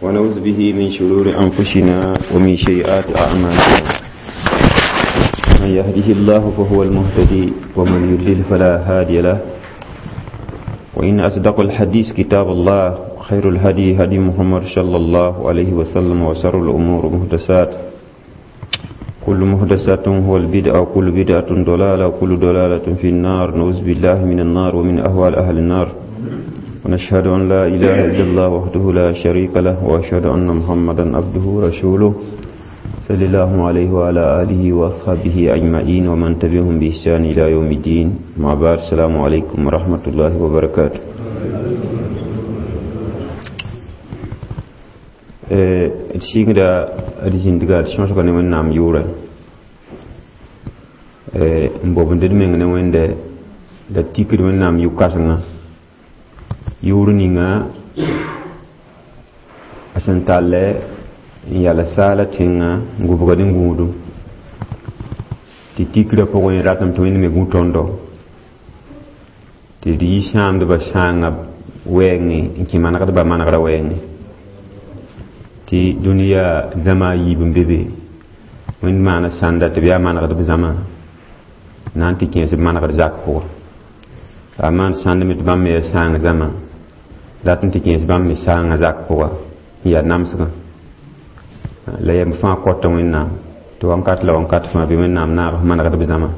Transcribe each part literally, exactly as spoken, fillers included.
ونعوذ به من شرور أنفسنا ومن سيئات أعمالنا من يهده الله فهو المهتدي ومن يضلل فلا هادي له وإن أصدق الحديث كتاب الله خير الهدي هدي محمد صلى الله عليه وسلم وشر الأمور محدثات كل محدثات هو البدعة وكل بدعة ضلالة وكل ضلالة في النار نعوذ بالله من النار ومن أهوال أهل النار ونشهد أن لا إله إلا الله وحده لا شريك له وأشهد أن محمدا عبده ورسوله صلى الله عليه وعلى آله وأصحابه أجمعين ومن تبعهم بإحسان إلى يوم الدين مع بعد السلام عليكم ورحمة الله وبركاته d sɩngda d zĩndga d sõsga ne wẽnnaam yʋʋrɛ n bobnd d meng ne wẽnde la tikd wẽnnaam yʋ-kãsengã yʋʋr ninga a sẽn tallɛ n yala saala tẽngã n gʋbgd n gũudum tɩ tikrã pʋgẽ ratame tɩ wẽnd me gũ tõndo tɩ d yi sãamdbã sãangã wɛɛngẽ n kẽ manegdbã manegrã wɛɛngẽ tɩ dũniyã zãma a yiib n be be wẽnd maana sãnda tɩ b yaa manegdb zãma na n tɩ kẽes b manegd zak pʋgã la a maan sãnd me tɩ bãmb me yaa sãang zãma dat n tɩ kẽes bãmb me sãangã zak pʋga n yaa namsgã la yɛm fãa kɔta wẽnnaam tɩ wãnkat la wãnkat fãa bɩ wẽnnaam naag f manegdb zãma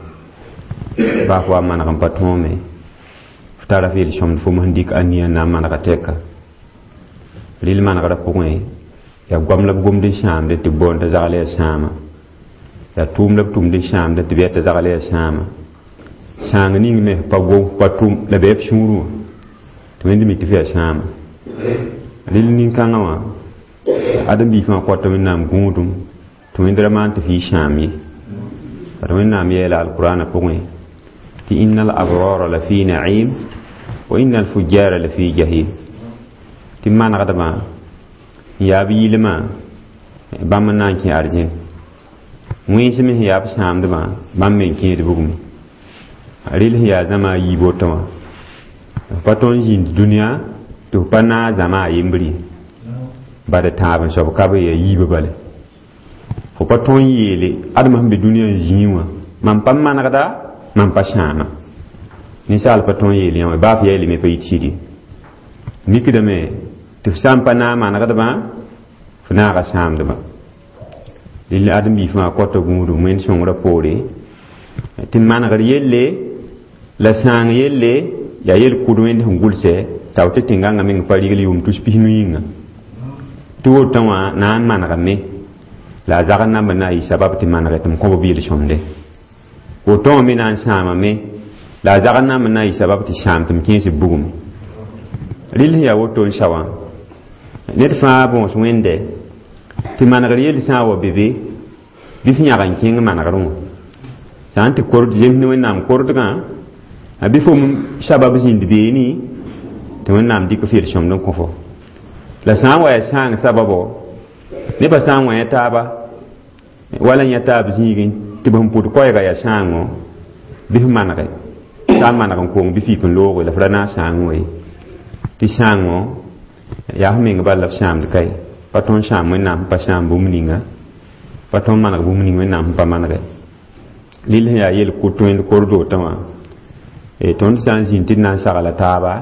baa f wa maneg n pa tõome f tara f yel-sõmd fo sẽn dɩk ania n na n manega tɛka rɩl manegrã pʋgẽ yaa goam la b gomd n sãamdẽ tɩ b boond t'a zagl yaa sãama yaa tʋʋm la b tʋmd n sãamdẽ tɩ b yaa t'a zagl yaa sãama sãang ning me pa gom pa tʋm la bɩ f sũurẽ wã tɩ wẽnd mi tɩ f yaa sãama rɩl nin-kãngã wã ãdem-biig fãa kɔta wẽnnaam gũudum tɩ wẽnd ra maan tɩ f yɩ sãam ye ad wẽnnaam yeela alqurana pʋgẽ tɩ inna al abrara la fi na'im wa inna al fujara la fi jahim tɩ manegdbã n yaa b yɩlmã bãmb n na n kẽ arzẽn wẽns me sẽn yaa b sãamdbã bãmb me n kẽed bugme rɩl sẽn yaa zãma a yiib woto wã f pa tõnd zĩnd dũniyã tɩ f pa naag zãma a yembr ye bad tãab n soab ka be yaa yiibã bale fo pa tõnd yeele adma sẽn be dũniyã n zĩig wã mam pa manegda mam pa sãama ninsaal pa tõnd yeel yã wã baa f yaelame pa yit sɩd ye mikdame tɩ f sã n pa naag manegdbã f naaga sãamdbã rɩl ãdem-biig fãa kɔta gũudum wẽnd sõngrã poore tɩ manegr yelle la sãang yelle yaa yel-kʋd wẽnd sẽn gʋlsɛ t'a tɩ tẽn-gãngã meng pa rigl yʋʋm tus pis-nu yĩnga tɩ wotã wã na n manegame la a zagr namba na n yɩ sabab tɩ manegɛ tɩ m kõ b yel-sõmde woto wã me na n sãamame la a zagr namba na n yɩ sabab tɩ sãam tɩ m kẽes b bugum rɩl sẽn yaa woto n sa wã ned fãa bõos wẽnde tɩ manegr yell sã n wa be be bɩ f yãg n kẽng manegrẽ wã sã n tɩ kord zems ne wẽnnaam kordgã a bɩ fo sabab zĩnd beene tɩ wẽnnaam dɩk f yel-sõmd n kõ fo la sã n wa yaa sãang sababo nebã sã n wã yã taaba wala n yã taab zĩigẽ tɩ b sẽn pʋd koɛɛga yaa sãango bɩ f manege sã n maneg n kong bɩ fik n looge la f ra naag sãangẽ wa ye tɩ sãango yaa f meng bal la f sãamd ka ye pa tõnd sãam wẽnnaam sẽn pa sãam bũmb ninga pa tõnd maneg bũmb ning wẽnnaam sẽn pa manege rɩl sẽn yaa yel-kʋt wẽnd kord wotã wã tõnd sã n zĩnd tɩ d na n sagla taaba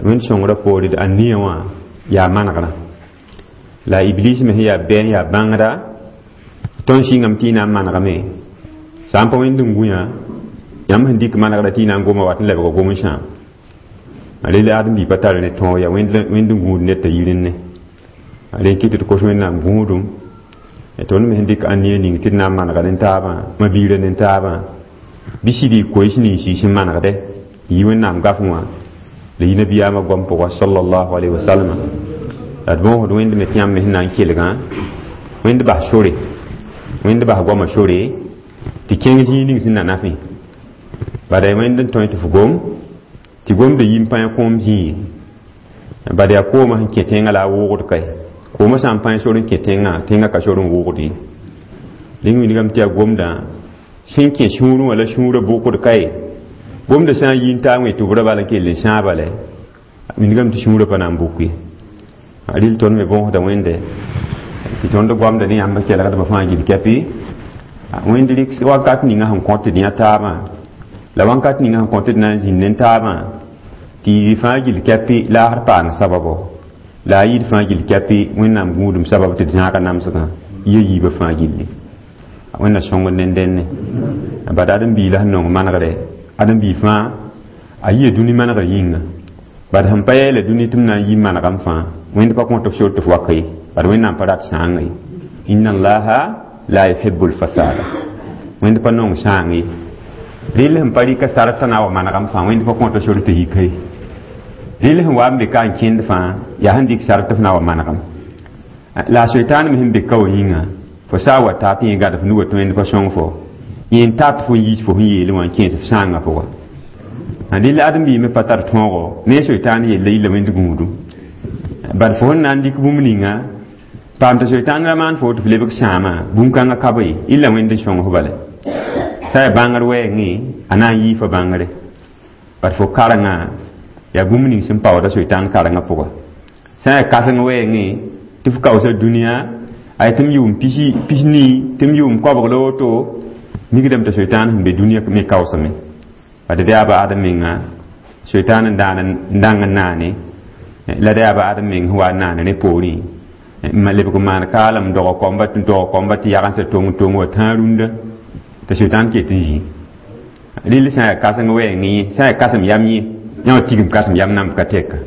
wẽnd sõngrã poore d ania wã yaa manegrã la iblis me sẽn yaa bɛ n yaa bãngda tõnd sɩngame tɩ y na n manegame sã n pa wẽnd n gũ yã yãmb sẽn dɩk manegrã tɩ y na n goma wat n lebga gom n sãam rel ãdem-biig pa tar ne tõog yaa wẽnd n gũud ned t'a yirẽ rẽ kɩ tɩ d kos wẽnnaam gũudum tõnd me sẽn dɩk ania ning tɩ d na n manega ne taabã ma-biirã ne taabã bɩ sɩd y koees nins y sẽn manegdɛ yɩ wẽnnaam gafẽ wã la yɩ nabiyaamã goam pʋga sallallahu alayhi wa sallam la d bõosd wẽnd me tɩ yãmb me sẽn na n kelgã wẽnd bas sore wẽnd bas goamã sore tɩ kẽng zĩig ning sẽn na nafẽ bada wẽnd n tõe tɩ f gom tɩ gomda yim pãyã kõom zĩig ye bad yaa koomã sẽn kẽ tẽngã la a wʋʋgd kae koomã sã n pãy sor n kẽ tẽngã tẽngã ka sor n wʋʋgd ye rẽng wilgame tɩ yaa gomdã sẽn kẽ sũurẽ wã la sũurã bʋkd kae gomdã sã n yi n taa wẽ tɩ b ra bal n kell n sãa bala wilgame tɩ sũurã pa na n bʋk ye Rɩl tõnd me bõosda Wẽnde tɩ tõnd goamda ne yãmb kelgdbã fãa gill kɛpɩ. Wẽnd rɩk wakat ninga sẽn kõt d yã taabã la wãnkat ninga sẽn kõt d na n zĩnd ne taabã tɩ yɩ fãa gill kɛpɩ laasr paang sababo la a yɩɩd fãa gill kɛpɩ Wẽnnaam gũudum sabab tɩ d zãaga namsgã yɩ yiibã fãa gilli. Wẽnna sõngd ne dẽnne bad ãdem-biig la sẽn nong manegre ãdem-biig fãa a yia dũni manegr yĩnga bad sẽn pa yeela dũni tɩ m na n yi manegame fãa Wẽnd pa kõt f sor tɩ f wak ye bad Wẽnnaam pa rat sãanga ye. Inna allaha la yuhibu lfasada, Wẽnd pa nong sãang ye. Rɩl sẽn pa rɩka sar t'a na wa manegame fãa Wẽnd pa kõt sor tɩ yika ye. Rɩl sẽn wa n be ka n kẽnd fãa yaa sẽn dɩk sar tɩ f na wa manegame la a soitaan me sẽn be ka wa yĩnga fo saa wa taa tɩ yẽ gad f nuga tɩ Wẽnd pa sõng fo yẽ n tat fo n yiis fo sẽn yeele wã n kẽes f sãangã pʋga. Rɩl ãdem-biig me pa tar tõogo ne soitaan yella yilla Wẽnd gũudum bad fo sẽn na n dɩk bũmb ninga paam tɩ soitaan ra maan fo tɩ f lebg sãama bũn-kãngã ka be illa Wẽnd n sõng f bala t'a yaa bãngr wɛɛngẽ a na n yii fa bãngre bad fo karengã yaa bũmb ning sẽn paooda soitaan karengã pʋga sã n yaa kãseng wɛɛngẽ tɩ f kaoosa dũniyã ay tɩ m yʋʋm pis-nii tɩ m yʋʋm koabg la woto mikdame tɩ soitaan sẽn be dũniyã me kaoosame bad d yaa ba adem menga soitaan n daan n dãng n naane la d yaa ba adem meng sẽn wa n naane rẽ poorẽ n lebg n maan kaalem dog koamba tɩ dog koamba tɩ yagendsã tong tong wa tãag rũndã tɩ soitaan ket n zĩ. Rɩl sã n yaa kãseng wɛɛngẽ sã n yaa kãsem yam yẽ yã wã tigim kãsem yam namb ka tɛka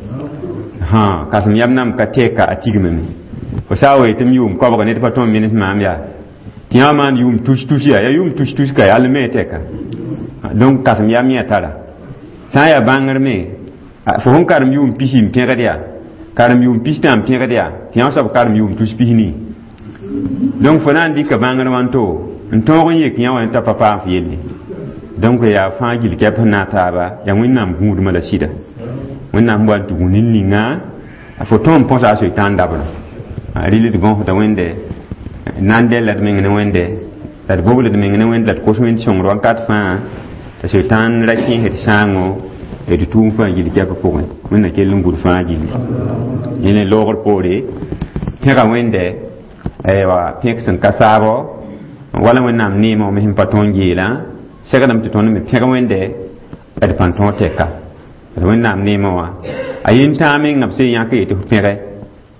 kãsem yam namb ka tɛka a tigmame fo saa wa tɩ m yʋʋm koabga ned pa tõem menes maam yaa tɩ yã maan yʋʋm tus tus yaa yaa yʋʋm tus tus ka yaa me tɛka donc kãsem yam yẽ tara sã n yaa bãngr me fo sẽn karem yʋʋm pisi n pẽgd yaa karem yʋʋm pistã n pẽgd yaa tɩ yã soab karem yʋʋm tus pisnii donc fo na n dɩka bãngr wãnto n tõog n yek yã wã t'a pa paam f yelle donc yaa fãa gill kɛp sẽn na taaba yaa Wẽnnaam gũudmã la sɩda Wẽnnaam sẽn wa n tɩ gũ nin-ninga fo tõe n põsa a soitaan dabrã. Rɩl d gõsda Wẽnde na n dɛlla d meng ne Wẽnde la d bobl d meng ne Wẽnde la d kos Wẽnd sõngr wãnkat fãa t'a soitaan ra kẽes d sãango d tʋʋm fãa gill kɛpã pʋgẽ. Wẽnna kell n gũd fãa gilli yẽ loogr poore pẽga Wẽnde aywa pẽk sẽn ka saabo wala Wẽnnaam neemã me sẽn pa tõe n geelã segdame tɩ tõnd me pẽg Wẽnde d pãn tõog tɛka d Wẽnnaam neemã wã a yentãag menga b sẽn yãk yetɩ f pẽge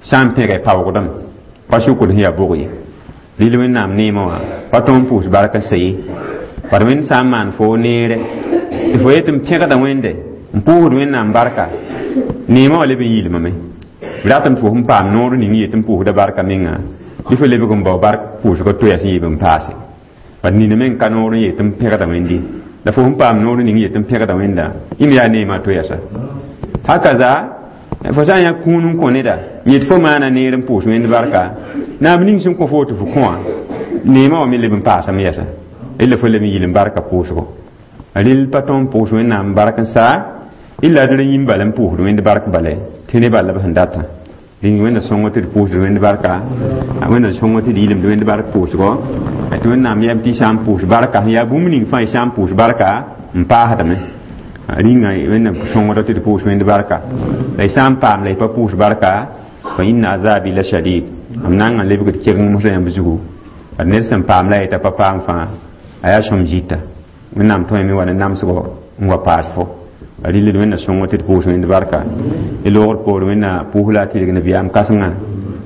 sã n pẽge paoogdame pa sʋkd sẽn yaa bog ye. Rɩl Wẽnnaam neemã wã pa tõe n pʋʋs bark n sa ye bad Wẽnd sã n maan fo neere tɩ fo yetɩ m pẽgda Wẽnde n pʋʋsd Wẽnnaam barka neemã wã leb n yɩɩlmame b ratame tɩ fo sẽn paam noor ning yetɩ n pʋʋsda barka menga bɩ fo lebg n bao bark pʋʋsgã toya sẽn yeeb n paase bad nina meng ka noor n yetɩ n pẽgda Wẽnde la fo sẽn paam noor ning yetɩ n pẽgda Wẽnda yẽm yaa neemã toyasa hakaza fo sã n yã kũun n kõ neda yet fo maana neer n pʋʋs Wẽnd barka naab ning sẽn kõ fo tɩ fo kõ wã neemã wã me leb n paasame yɛsa illa fo leb n yɩl n barka pʋʋsgo. Rɩl pa tõe n pʋʋs Wẽnnaam bark n saa illa d ra yĩm bala n pʋʋsd Wẽnd bark bala tɩ ne bala b sẽn datã rĩng Wẽnna sõngo tɩ d pʋʋsd Wẽnd barka Wẽnna sõngo tɩ d yɩlemd Wẽnd bark pʋʋsgo tɩ Wẽnnaam yɛm tɩ y sã n pʋʋs barka sẽn yaa bũmb ning fãa y sã n pʋʋs barka n paasdame rĩnga Wẽnna sõngda tɩ d pʋʋs Wẽnd barka la y sã n paam la y pa pʋʋs barka fa inna azabi la shadid m nanga n lebgd kegeng mosã yãmb zugu bad ned sẽn paam la yeta pa paam fãa a yaa sõm zita Wẽnnaam tõeme wa ne namsgo n wa paas fo rɩl d Wẽnna sõngo tɩ d pʋʋs Wẽnd barka y loogr poor Wẽnna pʋʋs la a tɩrg nabiyaam kãsengã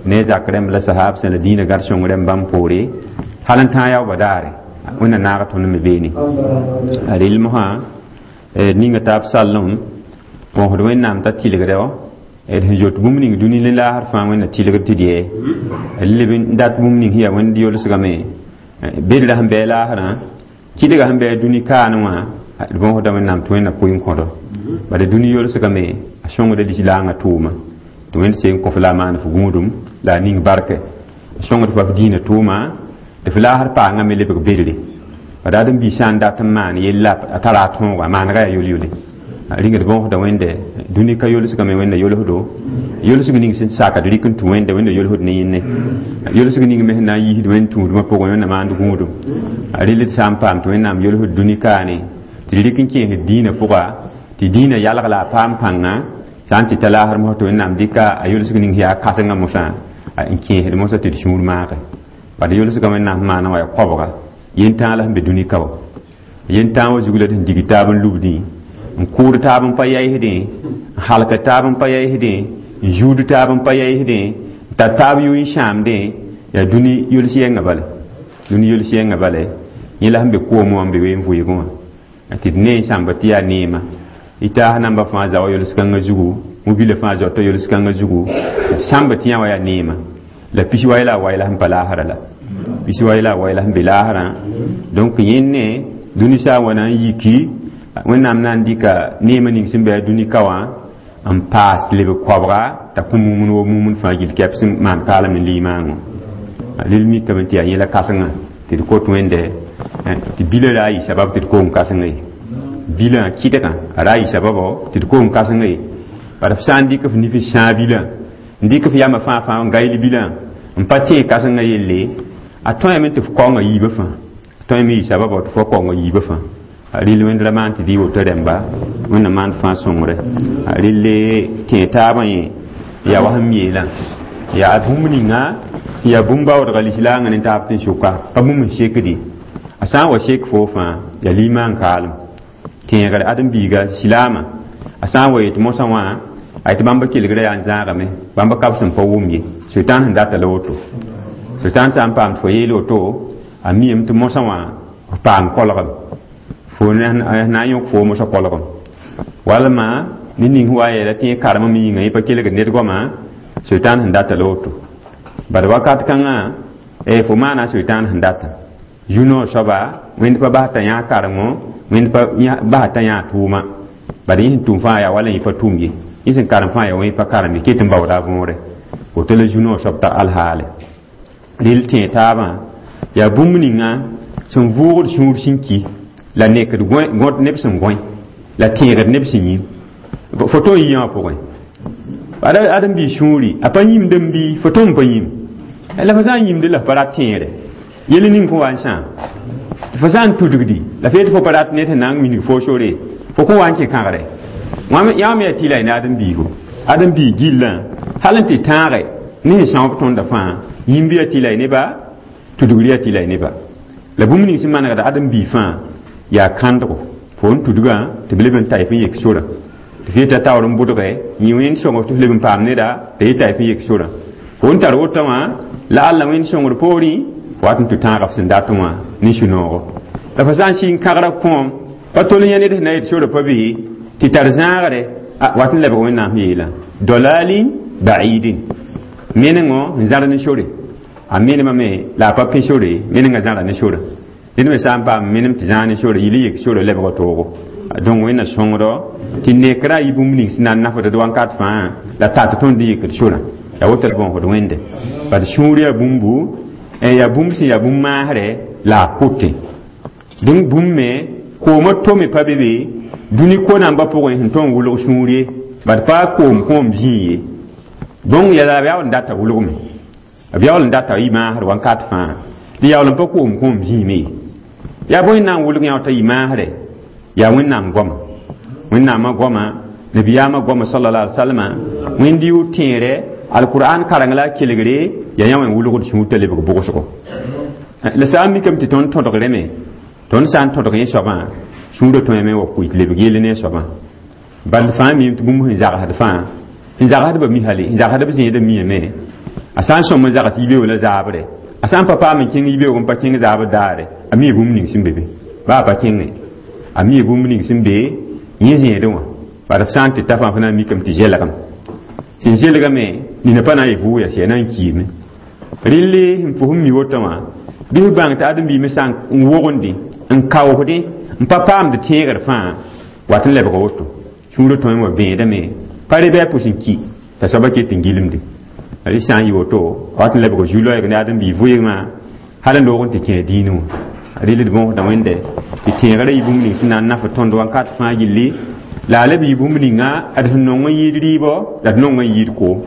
ne zak rẽmb la sahab sẽn la dĩinã gad sõng rẽmb bãmb poore hal n tãag yaoobã daare Wẽnna naag tõnd me beene rɩl mosã ninga taab sallem bõsd Wẽnnaam t'a tɩlgdã d sẽn zoet bũmb ning dũni ne laasr fãa Wẽnna tɩlgd tɩ d yɛ leb n dat bũmb ning sẽn yaa Wẽnd yolsgame bedra sẽn bɩ laasrã kɩdga sẽn bɩ dũni kaane wã d bõsda Wẽnnaam tɩ Wẽnna pʋɩ n kõdo bala dũni yolsgame a sõngda lislaangã tʋʋma tɩ Wẽnd seen kõ f la a maan f gũudum la a ning barke a sõngd fa f dĩinã tʋʋma tɩ f laasr paangã me lebg bedre bad ãdem-biig sã n dat n maan yella a tara a tõoga a maanega yaa yol-yole rĩng d bõosda Wẽnde dũni ka yolsgame Wẽnda yolsdo yolsg ning sẽn sak d rɩk n tũ Wẽnda Wẽnda yolsd ne yẽnne yolsg ning me sẽn na n yiisd Wẽnd tũudmã pʋgẽ Wẽnna maand gũudum rɩl d sã n paam tɩ Wẽnnaam yolsd dũni kaane tɩ d rɩk n kẽesd dĩinã pʋga tɩ dĩinã yalg la a paam pãnga Sã n tɩ ta laasr mosã tɩ Wẽnnaam dɩka a yʋlsg ning yaa kãsengã mosã n kẽesd mosã tɩ d sũur maage. Bad yʋlsgã Wẽnnaam sẽn maana wã yaa koabga yentãag la sẽn be dũni ka wã. Yentãag wã zug la d sẽn dig taab n lubdẽ, n kʋʋd taab n pa yaɩsdẽ, n halk taab n pa yaɩsdẽ, n zuud taab n pa yaɩsdẽ, n tar taab yʋ n sãamdẽ. Yaa dũni yols yɛngã bala, dũni yols yɛngã bala. Yẽ la sẽn be koomẽ wã n be ween vʋɩɩgẽ wã tɩ d ne n sãmba tɩ yaa neema. Y taas namba fãa zaoã yols-kãngã zugu, mobila fãa zaota yols-kãngã zugu, tɩ d sãmba tɩ yã wa yaa neema. La pis wai la a wai la sẽn pa laasra la pis wai la a wai la sẽn be laasrã. Donc yẽnne dũni sã n wa na n yiki, Wẽnnaam na n dɩka neemã ning sẽn be a dũni ka wã n paas leb koabga t'a kõ mumun wo mumun fãa gill kɛp sẽn maan kaalem ne limaangõ. Rel mikame tɩ yaa yẽla kãsengã tɩ d kot Wẽnde tɩ bilã ra a yɩ sabab tɩ d koom kãsengã ye. Bilã kɩdgã a ra a yɩ sababɔ tɩ d koom kãsengã ye. Bara f sã n dɩk f nif n sãag bilã, n dɩk f yamã fãa fãa n gayl bilã n pa tẽeg kãsengã yelle, a tõeme tɩ f kaongã yiibã fãa, a tõeme yɩ sababɔ tɩ fo kaongã yiibã fãa. Rel Wẽnd ra maan tɩ dɩ woto rẽmba, Wẽnnaam maan fãa sõngre. Relle tẽeg taabã yẽ yaa wa sẽn yeelã, yaa bũmb ninga sẽn yaa bũmb baoodga lislaangã ne taab tɩ n sʋka pa bũmb n sekdi. A sã n wa sek foo fãa yaa limaan kaalem tẽegre ãdem-biiga silaamã. A sã n wa yet mosã wã a yetɩ bãmba kelgrã yaa n zãagame, bãmba kab sẽn pa wʋm ye. Sʋtãan sẽn data la woto, sʋtãan sã n paam tɩ fo yeel woto, a miame tɩ mosã wã f paam kolgem, fo na n yõk fo mosã kolgem walma ned ning sẽn wa n yeela tɩ yẽ karem me yĩnga yẽ pa kelgd ned goama. Sʋtãan sẽn data la woto. Bad wakat kãngã fo maana sʋtãan sẽn data zu-noor soaba, Wẽnd pa bas t'a yã karengo, Wẽnd pa bas t'a yã tʋʋma. Bad yẽ sẽn tʋm fãa yaa wala yẽ pa tʋm ye, yẽ sẽn karem fãa yaa wa yẽ pa karem ye, ket n baooda a võore woto la zu-noor soab t'a alhaale. Rel tẽeg taabã yaa bũmb ninga sẽn vʋʋgd sũur sẽn ki la nekd gõt neb sẽn gõe la tẽegd neb sẽn yĩm fo tõe n yɩ wã pʋgẽ. Ãdem-biig sũuri a pa yĩmd n bɩ fo tõe n pa yĩm la fo sã n yĩmd la f pa rat tẽegre yel ning fo wa n sãam. Fo sã n tudgdi la f yetɩ fo pa rat ned sẽn na n wilg fo sore, fo kõ wa n kẽ kãgre yã me yaa tɩ la y ne ãdem-biigo, ãdem-biig gillã hal n tɩ tãage ne sẽn sãob tõndã fãa yĩmb yaa tɩ la y neba, tudgr yaa tɩ la y neba. La bũmb ning sẽn manegda ãdem-biig fãa yaa kãndgo fo n tudgã tɩ b leb n ta y f n yek sorã tɩ f yeta taoor n bʋdge yĩ wẽnd sõng tɩ f leb n paam neda la yeta y f n yek sorã fo n tar wotã wã la alla Wẽnd sõngr poorẽ wat n tɩ tãaga f sẽn dat wã ne sũ-noogo. La fo sã n sɩng kãgra kõom pa tol yã ned sẽn na yet sorã pa be tɩ tar zãagre wat n lebg Wẽnnaam yeelã dalalin baidin menengõ n zãr ne sore a menemame la a pa pẽ sore menengã zãra ne sorã. Ned me sã n paam menem tɩ zãag ne sore yɩl n yek sore lebga toogo. Donc Wẽnna sõngdɔ tɩ nekrã a yɩ bũmb ning sẽn na n nafd d wãnkat fãa la tat tõnd n yekd sorã yaa woto d bõosd Wẽnde. Bad sũur yaa bũmbu, yaa bũmb sẽn yaa bũmb maasrɛ la a kʋtẽ. Donc bũmb me koomã tome pa be be dũni ko-nambã pʋgẽ sẽn tõe n wʋlg sũur ye, bad pa koom kõom zĩig ye. Donc yaa b yaool n data wʋlgme, b yaool n data yɩ maasr wãnkat fãa tɩ yaool n pa koom kõom zĩime ye. Yaa bõe n na n wʋlg yã t'a yɩ maasrɛ? Yaa Wẽnnaam goama, Wẽnnaamã goama, nabiyaamã goama sallallahu alaihi wasallam, Wẽnd yʋ tẽere alqur'an kareng la a kelgre yaa yã wã n wʋlgd sũur t'a lebg bʋgsgo. La sã n mikame tɩ tõnd tõdgrẽ me, tõnd sã n tõdg yẽ soabã sũurã tõeme wa kʋɩ tɩ lebg yell ne soabã. Bal fãa miime tɩ bũmb sẽn zagsd fãa sẽn zagsdbã mi hale sẽn zagsdb zẽedã miame. A sã n sõm n zags yibeoog la zaabre, a sã n pa paam n kẽng yibeoog n pa kẽng zaabr daare, a mi bũmb ning sẽn be be baa pa kẽnge, a mi bũmb ning sẽn be yẽ zẽedẽ wã. Bala f sã n tɩ ta fãa fo na n mikame tɩ zelgem sẽn zelgame nina pa na n yɩ vʋʋg yaa sɩ na n kiime. Relle sẽn fo sẽn mi woto wã bɩ f bãng tɩ ãdem-biimẽ sã n wogende n kaoosdẽ n pa paamd tẽegr fãa wat n lebg woto sũurã tõe wa bẽedame pa re bɩ a pʋs n ki t'a soaba ket n gilmde. Rɩ sã n yɩ woto wat n lebg zu-loɛɛg ne ãdem-biig vʋɩgmã hal n loog n tɩ kẽ dĩinẽ wã. Rel d bõosda Wẽnde tɩ tẽegrã yɩ bũmb ning sẽn na n naf tõnd wãnkat fãa gilli la a leb yɩ bũmb ninga d sẽn nong n yɩɩd rɩɩbɔ la d nong n yɩɩd koom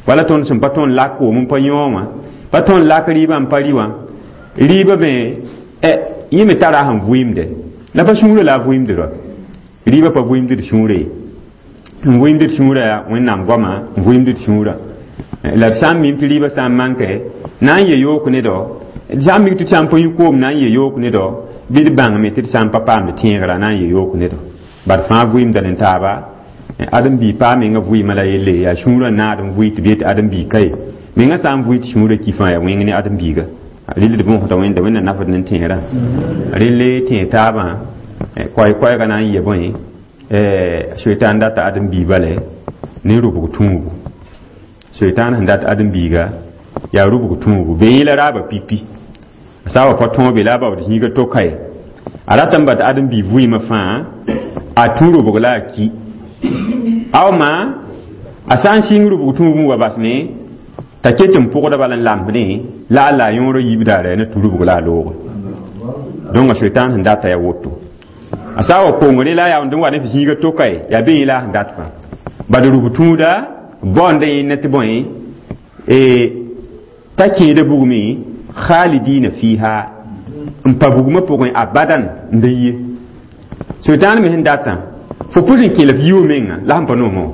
wala tõnd sẽn pa tõnd lak koom n pa yõ wã pa tõnd lak rɩɩbã n pa rɩ wã rɩɩbã me yẽ me tara sẽn vʋɩɩmde la pa sũurã la a vʋɩɩmd ra rɩɩbã pa vʋɩɩmd d sũurã ye. N vʋɩɩmd d sũurã Wẽnnaam goama n vʋɩɩmd d sũurã la d sã n mim tɩ rɩɩbã sã n manke na n ye yook ne dao d sã n mik tɩ d sã n pa yũ koom na n ye yook ne dao bɩ d bãngame tɩ d sã n pa paamd tẽegrã na n ye yook ne dao bad fãa vʋɩɩmda ne taaba ãdem-biig paa menga vʋɩɩmã la yelle yaa sũurã naad n vʋɩ tɩ b yet ãdem-biig ka ye menga sã n vʋɩ tɩ sũurã ki fãa yaa wẽng ne ãdem-biiga rɩl d võsda Wẽnda Wẽnda nafd ne tẽerã rɩl tẽe taabã koɛɛ-koɛɛga na n yɩ bõe soetan data ãdem-biig bale ne rʋbg tũubu soetan sẽn dat ãdem-biiga yaa rʋbg tũubu be yẽ la raaba pipi a sã wa pa tõobe la a baood zĩiga to-ka ye a ratame ba tɩ ãdem-biig vʋɩɩmã fãa a tũ rʋbg la a ki awma a sã n sɩng rʋbg tũub n wa basme t'a ket n pʋgda bala n lamsdẽ la a la a yõorã yiib daara na tũ rʋbg la a looge donc a soetan sẽn data ya woto a sã wa kongre la a yaoond n wa ne f zĩiga to-ka ye yaa be yẽ la a sẽn dat fãa bad rʋb tũuda baoonda yẽnna tɩ bõe t'a kẽeda bugme khalidina fiha n pa bugmã pʋgẽ abadan n da yie soetãan me sẽn datã fo pʋs n kẽ la f yi menga la sẽn pa noomã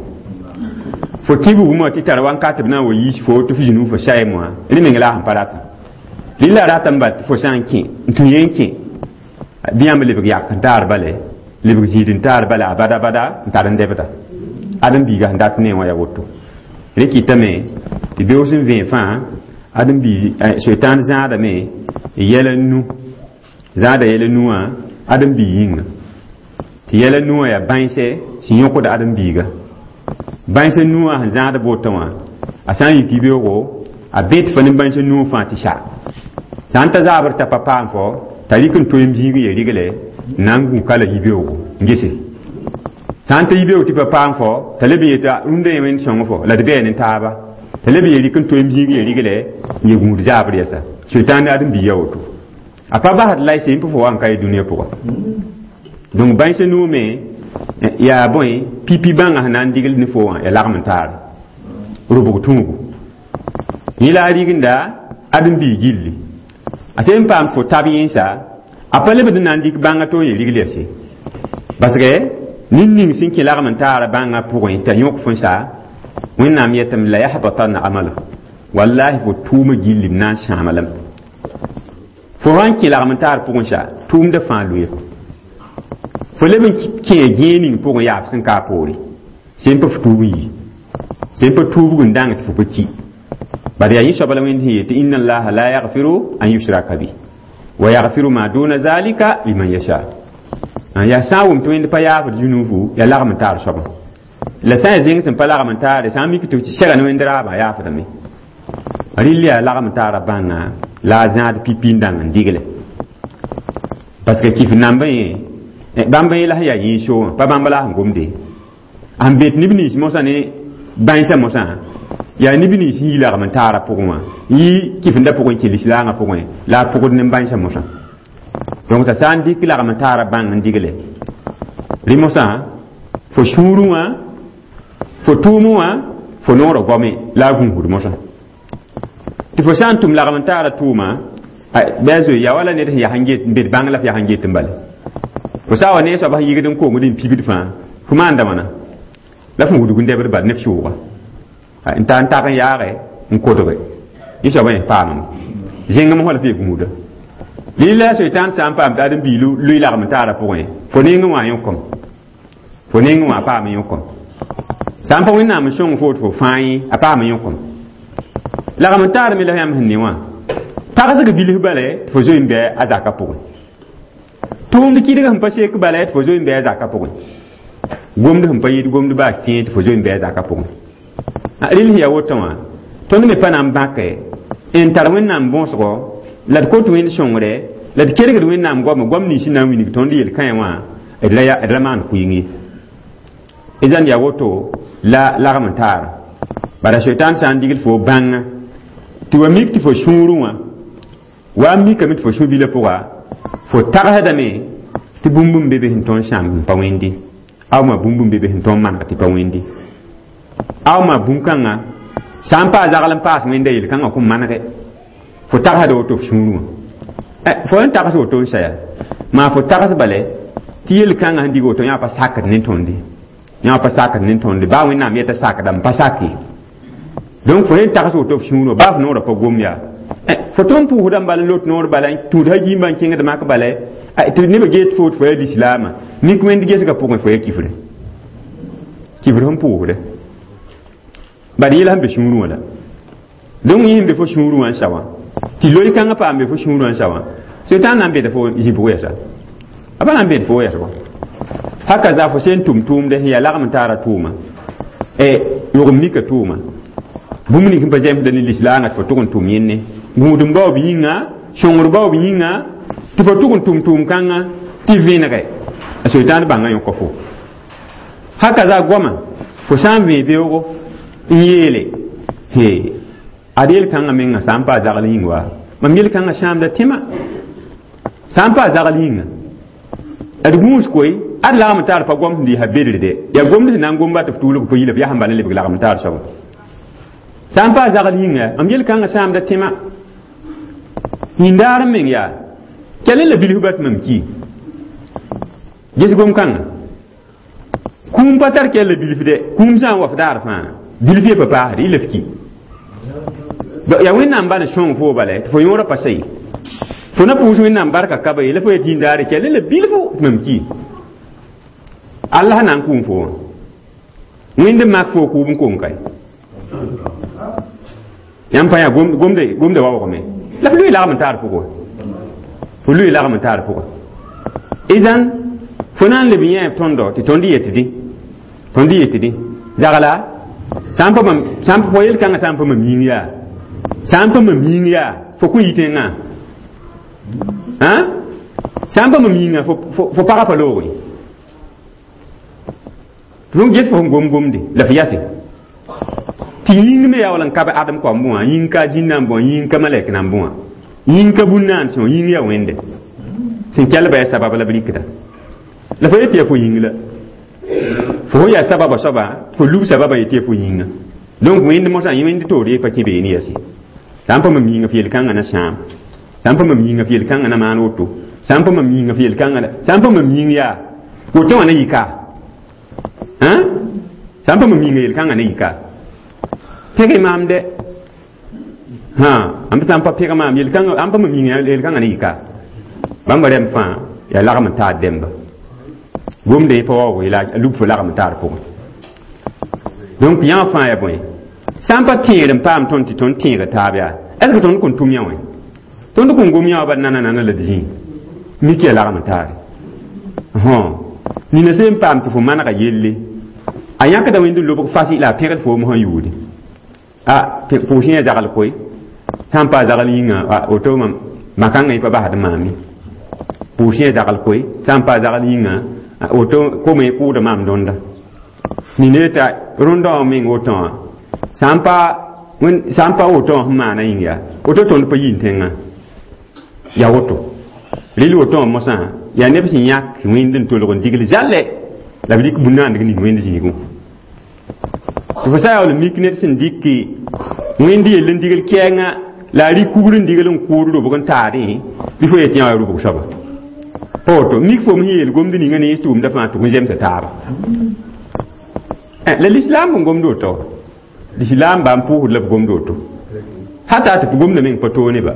fo kẽ bugmã tɩ tara wãnkat b na n wa yiis fo tɩ f zĩnu fo saɛm wã rẽ meng la a sẽn pa ratã rɩ la ratame bal tɩ fo sã n kẽ n tũ yẽ n kẽ bɩ yãmb lebg yak n taar bale lebg zĩid n taar bale abada bada n tar n dɛbda ãdem-biigã sẽn dat ne wã ya woto rẽ kɩtame tɩ beoos n vẽe fãa ãdem-biig soetãan zãadame yɛla nu zãada yɛla nu wã ãdem-biig yĩnga tɩ yɛla nu wã yaa bãense sẽn yõkd ãdem-biiga bãense nu wã sẽn zãad botã wã a sã n yik yibeoogo a bet fa ne bãense nu fãa tɩ sa sã n ta zaabr t'a pa paam fo t'a rɩk n toeem zĩig n ye rigle n na n gũ ka la yibeoogo n gese sã n ta yibeoog tɩ pa paam fo t'a leb n yeta rũndã yẽ wẽnd sõng fo la d bɛɛ ne taaba t'a leb n ye rɩk n toeem zĩig n ye rigle n ye gũud zaabr yɛsa soetãan ne ãdem-biig ya woto a pa basd la y sẽn pʋ fo wa n ka ye dũniyã pʋga donc bãense nuume yaa bõe pipi bãngã sẽn na n digl ne fo wã ya lagm n taare rʋbg tũubu yẽ la a rigenda ãdem-biig gilli a sẽn paam fo tab yẽnsa a pa lebd n na n dɩk bãngã to n ye rigl yase parce que ned ning sẽn kẽ lagm n taara bãngã pʋgẽ t'a yõk fõ sa Wẽnnaam yetame la yahbatanna amalu wallahi fo tʋʋmã gilli b na n sãama lame fo sã n kẽ lagm n taar pʋgẽ sa tʋʋmdã fãa loe fo leb n kẽ gẽeg ning pʋgẽ yaa f sẽn ka a poore sẽn pa f tuub n yi sẽn pa tuubg n dãng tɩ fo pa ki bad yaa yẽ soaba la Wẽnd sẽn yeel tɩ inna allaha la yaghfiru an yushraka bi wa yaghfiru ma duna zalika liman yasha yaa sã n wʋm tɩ Wẽnd pa yaafd zunuufu yaa lagm n taar soabã la sã n yaa zẽng sẽn pa lagm n taare sã n mik tɩ sɛga ne Wẽnd raabã yaafdame rɩl yaa lagm n taara bãnga la a zãad pipi n dãng n digle parce que kif nambã yẽ bãmb yẽ la sẽn yaa yĩnsoo wã pa bãmb la sẽn gomde sẽn bet neb nins mosã ne bãensã mosã yaa neb nins sẽn yi lagm n taara pʋgẽ wã yɩ kifendã pʋgẽ kẽ lislaangã pʋgẽ la a pʋgd ne bãensã mosã donc t'a sã n dɩk lagm n taara bãng n digle rẽ mosã fo sũurẽ wã fo tʋʋmẽ wã fo noorã goame la a gũusd mosã tɩ fo sã n tʋm lagm n taara tʋʋma bɩ a zoe yaa wala ned sẽn yaa n get n bet bãng la f yaa n get n bale fo sã wa ne soab sẽn yigd n koongd n pibd fãa fo maanda wãna la fõ wudg n dɛbd bal ne f sʋʋga n ta n tag n yaage n kodge yẽ soabã yẽ paamame zẽngem fõ la f ye gũuda lila soetãan sã n paam tɩ ãdem-biig lʋɩ lagm n taara pʋgẽ fo nengẽ wã yõkom fo nengẽ wã paam yõkom sã n pa Wẽnnaam n sõng fo tɩ fo fãa yẽ a paam yõkom lagm n taar me la yãmb sẽn ne wã tagsg bilf bale tɩ fo zoe n bɩ a zaka pʋgẽ tʋʋmd kɩdg sẽn pa sek bala tɩ fo zoe n bɩ a zaka pʋgẽ gomd sẽn pa yɩd gomd baa fẽe tɩ fo zoe n bɩ a zaka pʋgẽ rɩl sẽn yaa woto wã tõnd me pa na n bãke n tar Wẽnnaam bõosgo la d kot Wẽnd sõngre la d kelgd Wẽnnaam goame goam nins sẽn na n wilg tõnd yel-kãe wã d ra maan kʋɩng ye zãn yaa woto la lagm n taara bara soetãan sã n digl fo bãnga tɩ wa mik tɩ fo sũurẽ wã wa n mikame tɩ fo sũ-bilã pʋga fo tagsdame tɩ bũmb n be be sẽn tõnd sãamb n pa wẽnde awma bũmb n be be sẽn tõnd maneg tɩ pa wẽnde awma bũn-kãngã sã n paa zagl n paas wẽnda yel-kãngã kõn manege fo tagsda woto f sũurẽ wã fo n tags woto n saya maa fo tags bale tɩ yel-kãngã sẽn dig woto yã pa sakd ne tõnde Yã pa sakd ne tõnd baa Wẽnnaam yeta sakdame pa sake. Donc fo yen tags woto f sũurã baa f noorã pa gom yaa fo tõnd pʋʋsdã bala n lot noor bala tũud ha yĩmbã n kẽngd mak bala tɩ nebã geet fo tɩ fo yaa lislaamã mik wẽnd gesgã pʋgẽ fo yaa kifre kifr sẽn pʋʋsde bad yẽla sẽn be sũurẽ wã la donc yẽ sẽn be fo sũurẽ wã n sa wã tɩ loy kãngã paam be fo sũurẽ wã n sa wã sʋtãan na n beta fo zĩ-pʋgẽ yɛsa a pa na n bet fo yɛsgo haka za fo sẽn tʋm tʋʋmde sẽn yaa lagm n taara tʋʋma yog n mika tʋʋma bũmb ning sẽn pa zẽmsda ne lislaangã tɩ fo tʋg n tʋm yẽnne gũudum baoob yĩnga sõngr baoob yĩnga tɩ fo tʋg n tʋm tʋʋm-kãngã tɩ vẽnege a soetãan bãngã yõka fo haka za goama fo sã n vẽ beoogo n yeele he ad yel-kãngã menga sã n pa a zagl yĩng wa mam yel-kãngã sãamda tẽma sã n pa a zagl yĩnga d gũus koe ad lagm taar pa gom sẽn dɩɩsa bedrde yaa gomd sẽn na n gomba tɩ f tuulg pa yila f yaa sẽn bala n lebg lagm taar soaba sã n pa a zagl yĩnga mam yel-kãngã sãamda tẽma yĩndaar n meng yaa kell la bilf ba tɩ mam ki ges gom-kãngã kũum pa tar kell la bilf de kũum sã n wa f daar fãa bilf ye pa paasd y la f ki yaa Wẽnnaam bãn sõng fo bala tɩ fo yõorã pa sa ye fo na pʋʋs Wẽnnaam barka ka ba ye la fo yet yĩndaare kell la bilfu tɩ mam ki Allah na n kũum fo wã Wẽnd n mak fo kʋʋb n kong kae yãmb pa yaa gomde gomde waoogame la f lʋɩ lagm n taar pʋgẽ fo lʋɩ lagm n taar pʋgẽ idan fo na n leb yẽ tõndo tɩ tõnd yetdẽ tõnd yetdẽ zagla sã n pa mam sã n fo yel-kãngã sã n pa mam yĩng yaa sã n pa mam yĩng yaa fo kõ yɩ tẽngã sã n pa mam yĩnga fo pagã pa loog ye tɩ ges fo sẽn gom gomde la f yase tɩ yĩng me yaa wala n ka adem koam bõa yĩng ka zĩn nan bõa yĩng ka malɛk nan bõa yĩng ka bũn-naan sẽn yĩng yaa Wẽnde sẽn kelba yaa sabab la b rɩkda la fo yet yaa fo yĩng la fo sẽn yaa sababa soaba fo lub sababa yet yaa fo yĩnga donc Wẽnd mosã Wẽnd toor ye pa kẽ beene yase sã n pa mam yĩnga f yel-kãngã na sãam sã n pa mam yĩnga f yel-kãngã na maan woto sã n pa mam yĩnga f yel-kãngã sã n pa mam yĩng yaa woto wã na yɩka sã n pa mam yĩnga yel-kãngã na yɩka pẽge maam de hã ãmb sã n pa pẽg maam yel-kãngã ãmb pa mam yĩnga yel-kãngã na yɩka bãmba rɛm fãa yaa lagm n taar dẽmba gomde pa waoog la lub fo lagm n taar pʋgẽ donc yã fãa yaa bõe sã n pa tẽegd n paam tõnd tɩ tõnd tẽega taab yaa est ce que tõnd kõn tʋm yã wã tõnd kõn gom yã wa bad nana nana la d zĩ mik yaa lagm n taare nina sẽn paam tɩ fo manega yelle a yãkda Wẽnd n lobg fas la a pẽgd fo mosã yuudi a pʋʋs yã zagl koe sã n pa a zagl yĩnga woto mam makãngã yẽ pa basd maam ye pʋʋs yã zagl koe sã n pa a zagl yĩnga woto kome kʋʋda maam dõnda nina yeta rõndã wã meng woto wã sã n pa sã n pa woto wã sẽn maana yĩng yaa woto tõnd pa yĩn tẽngã yaa woto rɩl woto wã mosã yaa neb sẽn yãk Wẽnd n tolg n digl zãlɛ la b rɩk bũn-naandg ning Wẽnd zĩigẽ tɩ fo sã yaool n mik ned sẽn dɩk Wẽnd yell n digl kɛɛngã la a rɩk kugr n digl n kʋʋd robg n taadẽ bɩ fo yet yã wa rʋbg soaba pa woto mik fo sẽn yeel gomd ninga ne tʋʋmda fãa tʋg n zemsa taaba la lislaam n gomd woto lislaam bã n pʋʋsd la b gomd woto hata tɩ gomda meng pa toog ne ba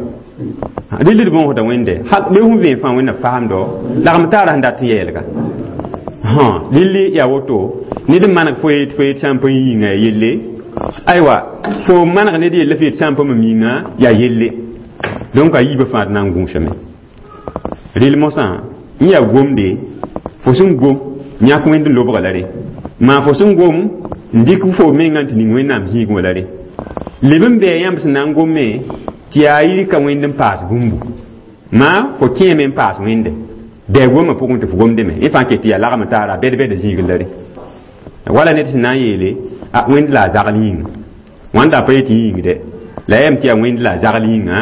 rɩl d bõosda Wẽnde be sẽn vẽ fãa Wẽnna faamdo lagm taara sẽn dat n yeelga lilli yaa woto ned n maneg fo yet fo yet sã n pa yĩnga ya yelle aywa fo maneg ned yella fo yet sã n pa mam yĩnga yaa yelle donc a yiibã fãa d na n gũusame rɩl mosã n yaa gomde fo sẽn gom yãk Wẽnd n lobga la re maa fo sẽn gom n dɩk fo mengã tɩ ning Wẽnnaam zĩigẽ wã la re leb n bɩa yãmb sẽn na n gomme tɩ yaa yɩ ka Wẽnd n paas bũmbu maa fo kẽeme n paas Wẽnde dɛ gomã pʋgẽ tɩ fo gomdame yẽ fãa ket tɩ yaa lagm taara bɛd-bɛda zĩigẽ la re wala ned sẽn na n yeele a Wẽnd la a zagl yĩnga wãnda a pa yet yĩng dɛ la yam tɩ yaa Wẽnd la a zagl yĩnga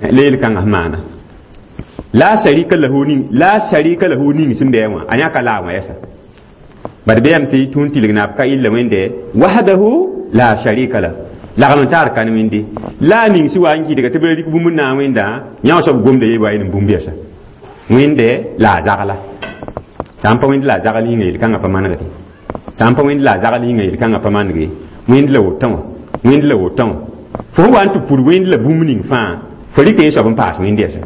la yel-kãngã sẽn maana la sharika lahu ning la sharika lahu ning sẽn bɩa wã a yãka la wã yɛsa bad bɩ yam tɩ tũun tilg naab ka illa Wẽnde wahdahu la sharika la lagm n taar kan Wẽnde la a ning sɩ wa n kɩdga tɩ b ra rɩk bũmb n na n Wẽnda yã wã soab gomda ye wa n bũmb yɛsa Wẽnde la a zagla sã n pa Wẽnd la a zagl yĩnga yel-kãngã pa manegde Sã n pa wẽnd la a zagl yĩnga yel-kãngã pa manege wẽnd la wotã wã wẽnd la wotã wã fo sẽn wa n tɩ pud wẽnd la bũmb ning fãa fo rɩk yẽ soab n paas wẽnd yɛsẽ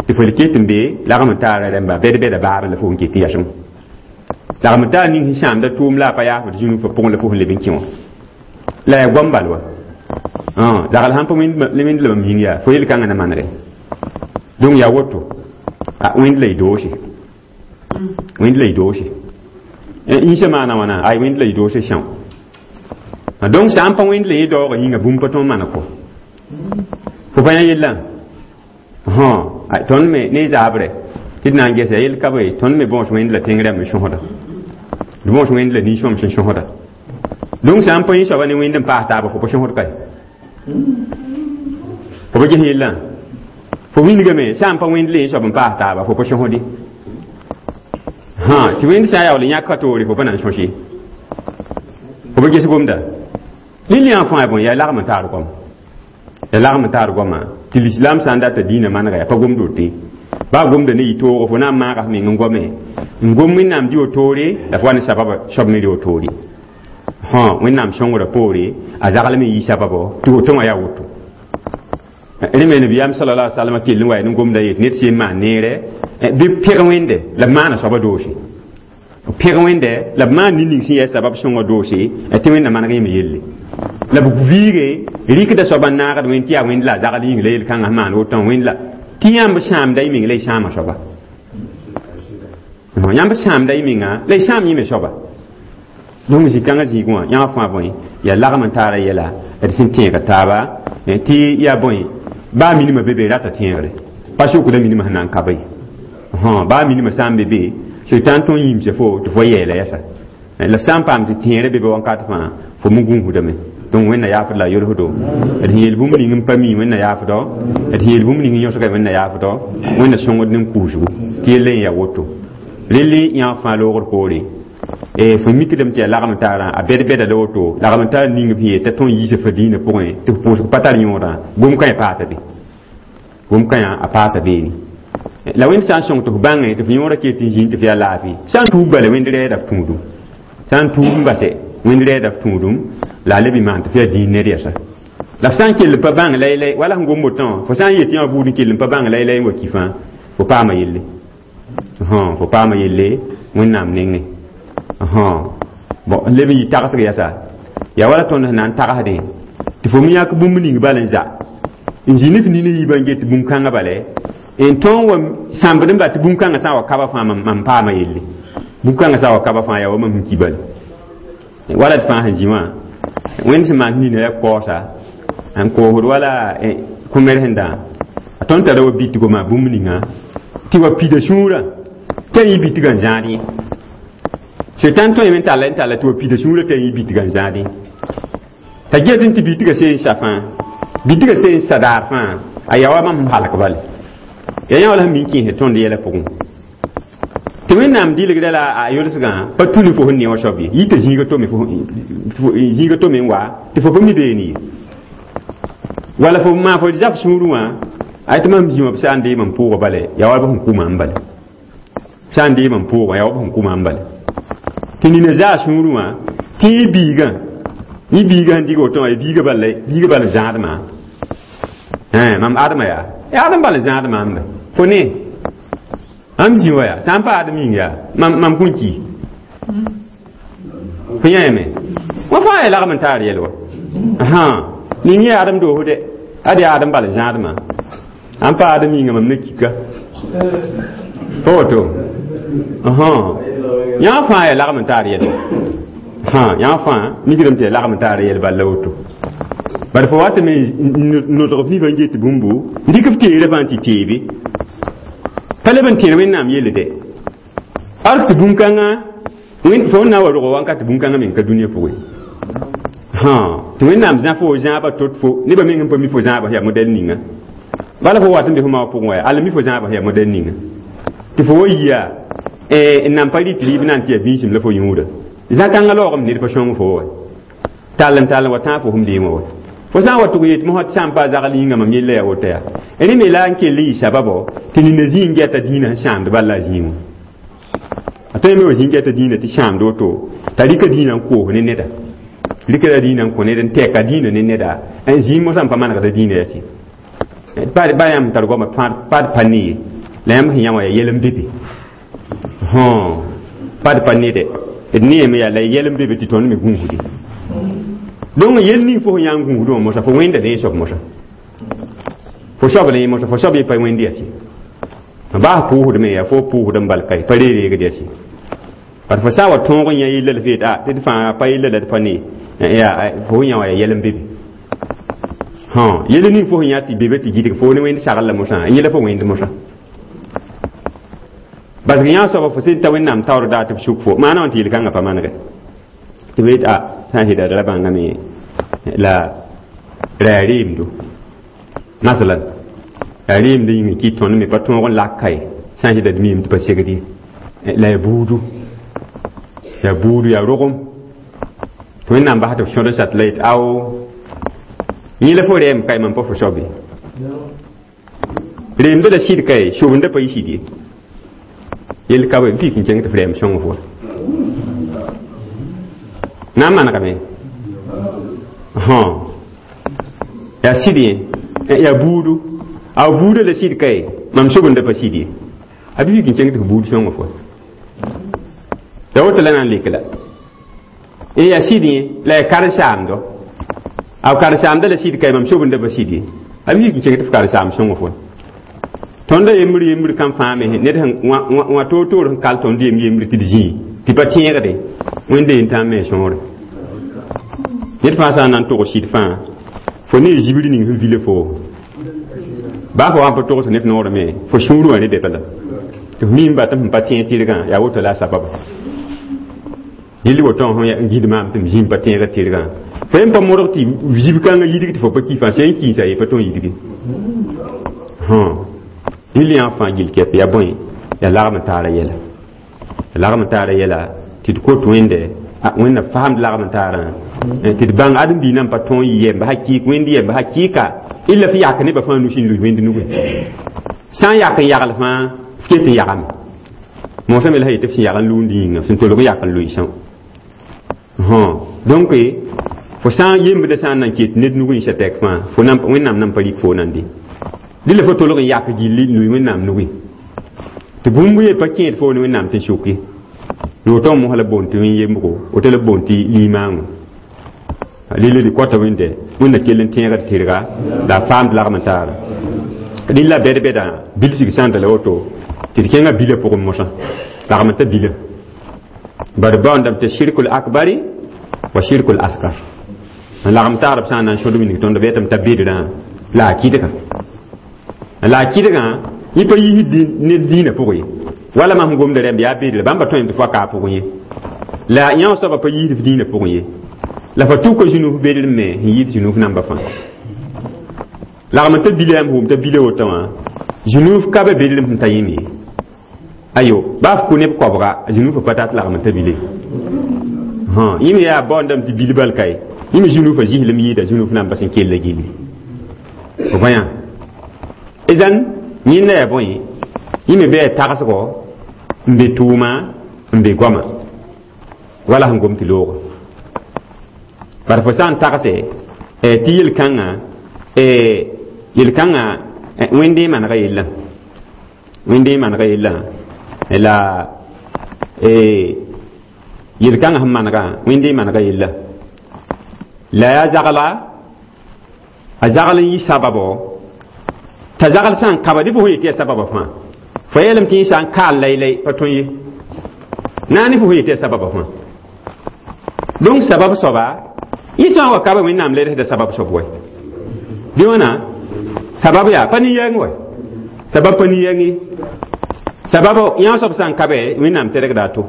tɩ fo ket n be lagm n taara rẽmba bɛd-bɛda baabẽ la fo sẽn ket n yɛsẽ lagm n taar ning sẽn sãamda tʋʋm la a pa yaafd zĩnu fo pʋgẽ la fo sẽn leb n kẽ wã la yaa goam bal wa zagl sãn pa wẽnd la mam yĩng yaa fo yel-kãngã na manege donc yaa woto wẽnd la y doose wẽnd la y doose yĩsã maana wãna ay wẽnd la y doose são donc sã n pa wẽnd la yẽ daoogã yĩnga bũmb pa tõe n maan kɔ fo pa yã yellã tõnd me ne zaabre tɩ d na n gesa yel ka be tõnd me bõos wẽnd la tẽng rãmb n sõsda d bõos wẽnd la nin-sõm sẽn sõsda donc sã n pa yẽ soaba ne wẽnd n paas taaba fo pa sõsd kae fo pa ges yellã fo wilgame sã n pa wẽnd la yẽ soab n paas taaba fo pa sõsde tɩ wẽnd sã n yaool n yãk ka toore fo pa na n sõs ye fo pa ges gomda lil yã fãa bõe yaa lagm n taar goam yaa lagm n taar goamã tɩ lislam sã n data dĩinã manega yaa pa gomd wote baa gomda ne yɩ toogo fo na n maaga f meng n goame n gom wẽnnaam dɩ wotoore la fo wa ne sababa soab me rɩ wotoore wẽnnaam sõngrã poore a zaglem n yɩ sababo tɩ woto wã yaa woto rẽ me nabiyaam sallallahu alaihi wasallam kell n wa n gomda yet ned sẽn maan neere bɩ pẽg wẽnde la b maana soaba doose pẽg wẽnde la b maan nin-ning sẽn yaa sabab sõngã doose tɩ wẽnna maneg yẽme yelle la b viige rɩkda soaba n naagd wẽnd tɩ yaa wẽnd la a zagl yĩng la yel-kãngã maan woto wẽnd la tɩ yãmb sãamda y meng la y sãama soaba yãmb sãamda y menga la y sãam yẽme soaba donc zĩ-kãngã zĩig wã yãmb fãa bõe yaa lagm n taara yɛla d sẽn tẽega taaba tɩ yaa bõe baa minimã be be rata tẽegre pa sokda minimã sẽn na n ka be baa minimã sã n be be sʋɩtãn tõe n yĩmsa fo tɩ fo yɛɛla yɛsa la f sã n paam tɩ tẽerã be be wãnkat fãa fo me gũusdame donc wẽnna yaafd la a yolsdo d sẽn yeel bũmb ning n pa mi wẽnna yaafdɔ d sẽn yeel bũmb ning n yõsga wẽnna yaafdɔ wẽnna sõngd nin kuusgu tɩ yella n yaa woto relle yã fãa loogr poore fo mikdame tɩ yaa lagm taarã a bɛd-bɛda la woto lagm n taar ning b sẽn yet t'a tõe n yiisa fa dĩinã pʋgẽ tɩ f pʋʋsg pa tar yõodã gom-kãyã paasa be gom-kãyã a paasa beene la wẽnd sã n sõng tɩ f bãngẽ tɩ f yõorã ket n zĩnd tɩ f yaa laafɩ sã n tuub bala wẽnd rɛɛda f tũudum sã n tuub n base wẽnd rɛɛda f tũudum la a leb n maan tɩ f yaa dĩin ned yɛsa la f sã n kell n pa bãng laylay wala sẽn gom wotã wã fo sã n yet yã buud n kell n pa bãng laylay n wa ki fãa fo paama yelle fo paama yelle wẽnnaam nengẽ bon leb n yɩ tagsg yɛsa yaa wala tõnd sẽn na n tagsdẽ tɩ fo me yãk bũmb ning bal n za n zĩ ne f nina yiibã n get bũmb-kãngã bale n tõog wa sãmbd n ba tɩ bũmb-kãngã sã n wa kaba fãa mam paama yelle bũmb-kãngã sã n wa kaba fãa yaa wa mam sẽn ki bale wala d fãa sẽn zĩ wã wẽnd sẽn maan nina yaa kaoosa n koosd wala kõ-mer sẽn dã a tõnd tara wa bitgo maa bũmb ninga tɩ wa pida sũurã t'a yĩ bitgã n zãad yẽ sʋɩtãn tõe me n talla n talla tɩ wa pida sũurã t'a yĩ bitgã n zãad yẽ t'a get n tɩ bitgã see n sa fãa bitgã see n sa daar fãa a yaa wa mam sẽn halk bale yaa yã wala sẽn min kẽesd tõnd yɛla pʋgẽ tɩ wẽnnaam dɩlgda la a yolsgã pa tuli fo sẽn ne wã soab ye yɩ tɩ zĩiga tome zĩiga tome n wa tɩ fo pa mi beene ye wala fo maa fo zab sũurẽ wã ay tɩ mam zĩ wã b sã n dee mam pʋʋgã bale yaa wala b sẽn kʋ maam bale sã n dee mam pʋʋgã yaa wa b sẽn kʋ maam bale tɩ nina zaa sũurẽ wã tɩ yẽ biigã yẽ biigã sẽn dɩg woto wã biigã bal biigã bal n zãad maam mam adma yaa yaa adem bal n zãad maam be fo ne am zĩ wa yaa sã n pa adem yĩng yaa mam mam kõn ki fo yãame wã fãa yaa lagm n taar yɛl wa ning yã adem doosd dɛ ad yaa adem bal n zãad maam an pa adem yĩnga mam na kika pa woto yã fãa yaa lagm n taar yɛl wa yã fãa mikdame tɩ yaa lagm n taar yɛl bal la woto bari fo watame nodg f nibã n get bũmbu n dɩk f teerã fãa tɩ teebe pa leb n tẽed wẽnnaam yelle dɛ ar tɩ bũn-kãngã fo n na n wa rog wãnka tɩ bũn-kãngã meng ka dũniyã pʋgẽ tɩ wẽnnaam zã fo zãabã tot fo nebã meng n pa mi fo zãabã yaa modɛl ninga bala fo wat n be fo ma pʋgẽ wa al mi fo zãabã yaa modɛl ninga tɩ fo wa yia n nan pa rɩt rɩɩb na n tɩ yaa bĩisim la fo yũuda zã-kãngã laoogame ned pa sõng fo wa tall n tall n wa tãag fo sẽm deemã wa fo sã n wa tʋg yet mosã tɩ sã n pa zagl yĩnga mam yella yaa woto yaa rẽ me la n kell n yɩ sababo tɩ nina zĩ n gɛta dĩinã sẽn sãamd bal la a zĩig wã a tõe me wa zĩ n gɛta dĩinã tɩ sãamd woto T'a rɩka dĩinã n koos ne neda, rɩka dĩinã n kõ ned n tɛka dĩinã ne neda. Zĩig mosã n pa manegda dĩinã yaa sɩ pa yãmb tar goamã pa d pa ne ye, la yãmb sẽn yã wã yaa yɛl n be be, pa d pa nede, d neeme yaa la yɛl n be be tɩ tõnd me gũusde. Donc yel ning fo sẽn yaa n gũusd wã mosã, fo wẽnda ne soab mosã, fo soab la yẽ mosã, fo soab ye pa wẽnd yaa sɩ baa pʋʋsdme yaa fo pʋʋsd n bal kae pa reereegd yaa sɩ par fo sã n wa tõog n yã yella la f yet tɩ d fãa pa yella la d pa ne yaa fo sẽn yã wã yaa yɛl n be be. Yel ning fo sẽn yã tɩ be be tɩ gɩdg fo ne wẽnd sagl la mosã, yẽla fo wẽnd mosã, parce que yã soaba fo sẽn ta Wẽnnaam taoor daa tɩ b suk fo maana wã tɩ yel-kãngã pa manegɛ tɩ b yet a sã n sɩda ra bãngame la ra yaa reemdo masalan, yaa reemd yĩng n kɩt tõnd me pa tõog n lak ka ye, sã n sɩda d miime tɩ pa segd ye, la yaa buudu, yaa buudu, yaa rogem tɩ Wẽnnaam bas tɩ f sõd n sat la yet ao yẽ la fo rɛɛm kae mam pa fo soab ye, reemda la sɩd kae sobenda pa yɩ sɩd ye, yell ka b pik n kẽng tɩ f rɛɛm sõng fo na n manegame yaa sɩd yẽ, yaa buudu, a buuda la sɩd kae mam sobenda pa sɩd ye, a bi pik n kẽng tɩ f buud sõngo fo ya woto la na n lek la yaa sɩd yẽ, la yaa karen-saamdo, a karen-saamda la sɩd kae mam sobenda pa sɩd ye, a bi pik n kẽng tɩ f karen-saam sõngo fo. Tõnda yembr yembr kam fãa me ned wã toor-toor sẽn kal tõnd yem yembr tɩ d zĩig tɩ pa tẽegde Wẽnde yen tã n me sõore ned fãa sã n na n tog sɩd fãa fo ne zibr ning sẽn vila fo baa fo wã n pa togs ne f noor me fo sũur wã ne be bala tɩ f miim batɩ sẽn pa tẽeg tɩrgã yaa woto la a sababa yell woto sẽn gĩd maam tɩ m zĩim pa tẽegd tɩrgã fo yen pa modg tɩ zib kãngã yidg tɩ fo pa ki fãa sẽn kiisa ye pa tõe n yidge. Rɩl yã fãa gill kɛp yaa bõe, yaa lagm n taara yɛla, lagm n taara yɛla tɩ d kot Wẽnde, Wẽnna faamd lagm n taarã tɩ d bãng ãdem-biig nan pa tõog n yɩ yɛmb hakɩɩk Wẽnd yɛmb hakɩɩka illa f yak nebã fãa nusi n lus Wẽnd nugẽ, sã n yak n yagl fãa f ket n yagame moosã me la sã yetɩ f sẽn yag n lʋʋnd yĩnga sẽn tolg n yak n loɩsã. Donc fo sã n yembdã sã n nan ket ned nugẽ n tɛk fãa fo Wẽnnaam nan pa rɩk fo nande dɩla fo tolg n yak gilli n lʋɩ Wẽnnaam nugẽ tɩ bũmb ye pa kẽed fo ne Wẽnnaam tɩ n sʋk ye woto mosã la boond tɩ wẽn-yembgo, woto la boond tɩ limaango rɩl d kota Wẽnde Wẽnna kell n tẽegd tɩrga la a faamd lagm n taara rɩl la bɛd-bɛdã bilsg sã n tala woto tɩ d kẽngã bilã pʋgẽ mosã lagm n ta bila bari baoondame tɩ shirkul akbari wa shirkul asgar n lagm taarb sã n na n sõd wilg tõnd b yetame t'a bedrã la a kɩdga la a kɩdgã yẽ pa yiisd ned dĩinã pʋgẽ ye wala mam sẽn gomda rẽmb yaa bedra bãmb pa tõe tɩ fo ka a pʋgẽ ye la yã soaba pa yiisd f dĩinã pʋgẽ ye la fa tʋka zũnuf bedr me sẽn yɩɩd zũnuf namba fãa lagm n ta bila yãmb wʋm t'a bila woto wã zũnuf ka be bedrem sẽn ta yẽm ye ayo baa f kʋ neb koabga zũnufã pa tat lagm n ta bile yẽ me yaa baoondame tɩ bil bal kae yẽ me zũnufã zɩslem yɩɩda zũnuf namba sẽn kella gilli fo bõe yã idan yẽnda yaa bõe yẽ me bɩ yaa tagsgo n be tʋʋma n be goama wala sẽn gom tɩ looga bara fo sã n tagse tɩ yel-kãngã yel-kãngã Wẽnde manega yellã, Wẽnde manega yellã la yel-kãngã sẽn manegã Wẽnde manega yella la yaa zagla a zagl n yɩ sababo t'a zagl sã n kaba dɩ fo sẽn yetɩ yaa sababa fãa fo yeelame tɩ yẽ sã n kaal laylay pa tõe ye na ne fo sẽn yetɩ yaa sababa fãa. Donc sabab soaba yẽ sã n wa kaba Wẽnnaam ledsda sabab soab wɛ bɩ wãna sabab yaa pa nin-yɛng wɛ sabab pa nin-yɛng ye sabab yã soab sã n kabe Wẽnnaam tɛrgda a to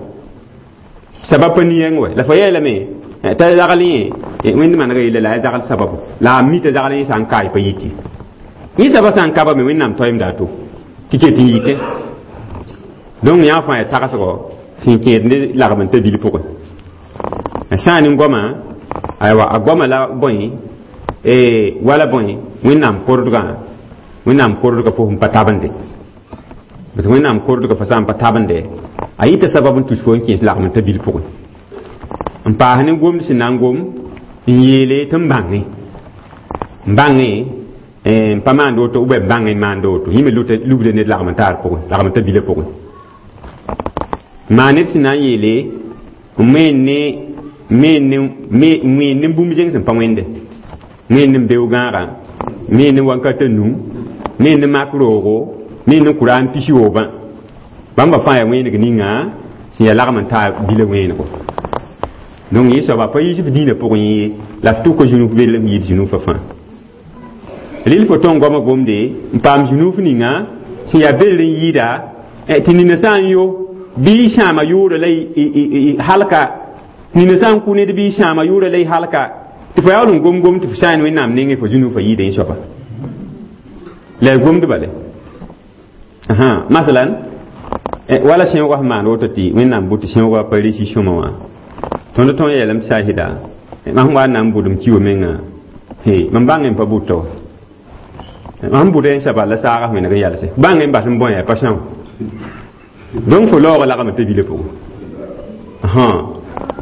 sabab pa nin-yɛng wɛ la fo yeelame t'a zagl yẽ Wẽnd manega yella la yaa zagl sababu la a mi t'a zagl yẽ sã n kaay pa yiti yẽ saba sã n kaba me Wẽnnaam toeemda a to tɩ ket n yike. Donc yã fãa yaa tagsgo sẽn kẽed ne lagm n ta bil pʋgẽ sã n goama aywa a goama la bõe wala bõe Wẽnnaam kordgã Wẽnnaam kordgã fo sẽn pa tabende parce que Wẽnnaam kordgã fa sã n pa tabende a yita sabab n tus fo n kẽes lagm n ta bil pʋgẽ. n paas ne gomd sẽn na n gom n yeele tɩ n bãnge n bãnge n pa maand woto ou b bãng n maand woto yẽ me lubda ned lagm n taar pʋgẽ lagm t'a bilã pʋgẽ maan ned sẽn na n yeele n wẽen ne wẽen ne bũmb zẽng sẽn pa wẽnde wẽen ne beoog-gãagã wẽen ne wankatã nu wẽen ne mak roogo wẽen ne kʋra n pis yoobã bãmba fãa yaa wẽeneg ninga sẽn yaa lagm n taa bilã wẽenego donc yẽ soaba pa yiis f dĩinã pʋgẽ ye la f tʋka zũnuf bel n yɩɩd zũnufã fãa rɩl fo tõng goamã gomde n paam zũnuf ninga sẽn yaa bel n yɩɩda tɩ nina sã n yo bɩ sãama yʋʋra la halka nina sã n kʋ ned bɩ sãama yʋʋra la y halka tɩ fo yaool n gom gom tɩ fo sã n wẽnnaam nengẽ fo zũnufã yɩɩda yẽ soaba la y gomd bale masalan wala sẽoogã sẽn maan woto tɩ wẽnnaam bʋ tɩ sẽoogã pa resi sõma wã tõnd tõe yeelame tɩ saasɩda mam wa n na n bʋdem kiwa menga mam bãng n pa bʋta wa mam bʋda n saba la saagã wẽneg n yalse bãng n bas n bõe pa são donc fo laoogã lagme t'a bilã pʋgẽ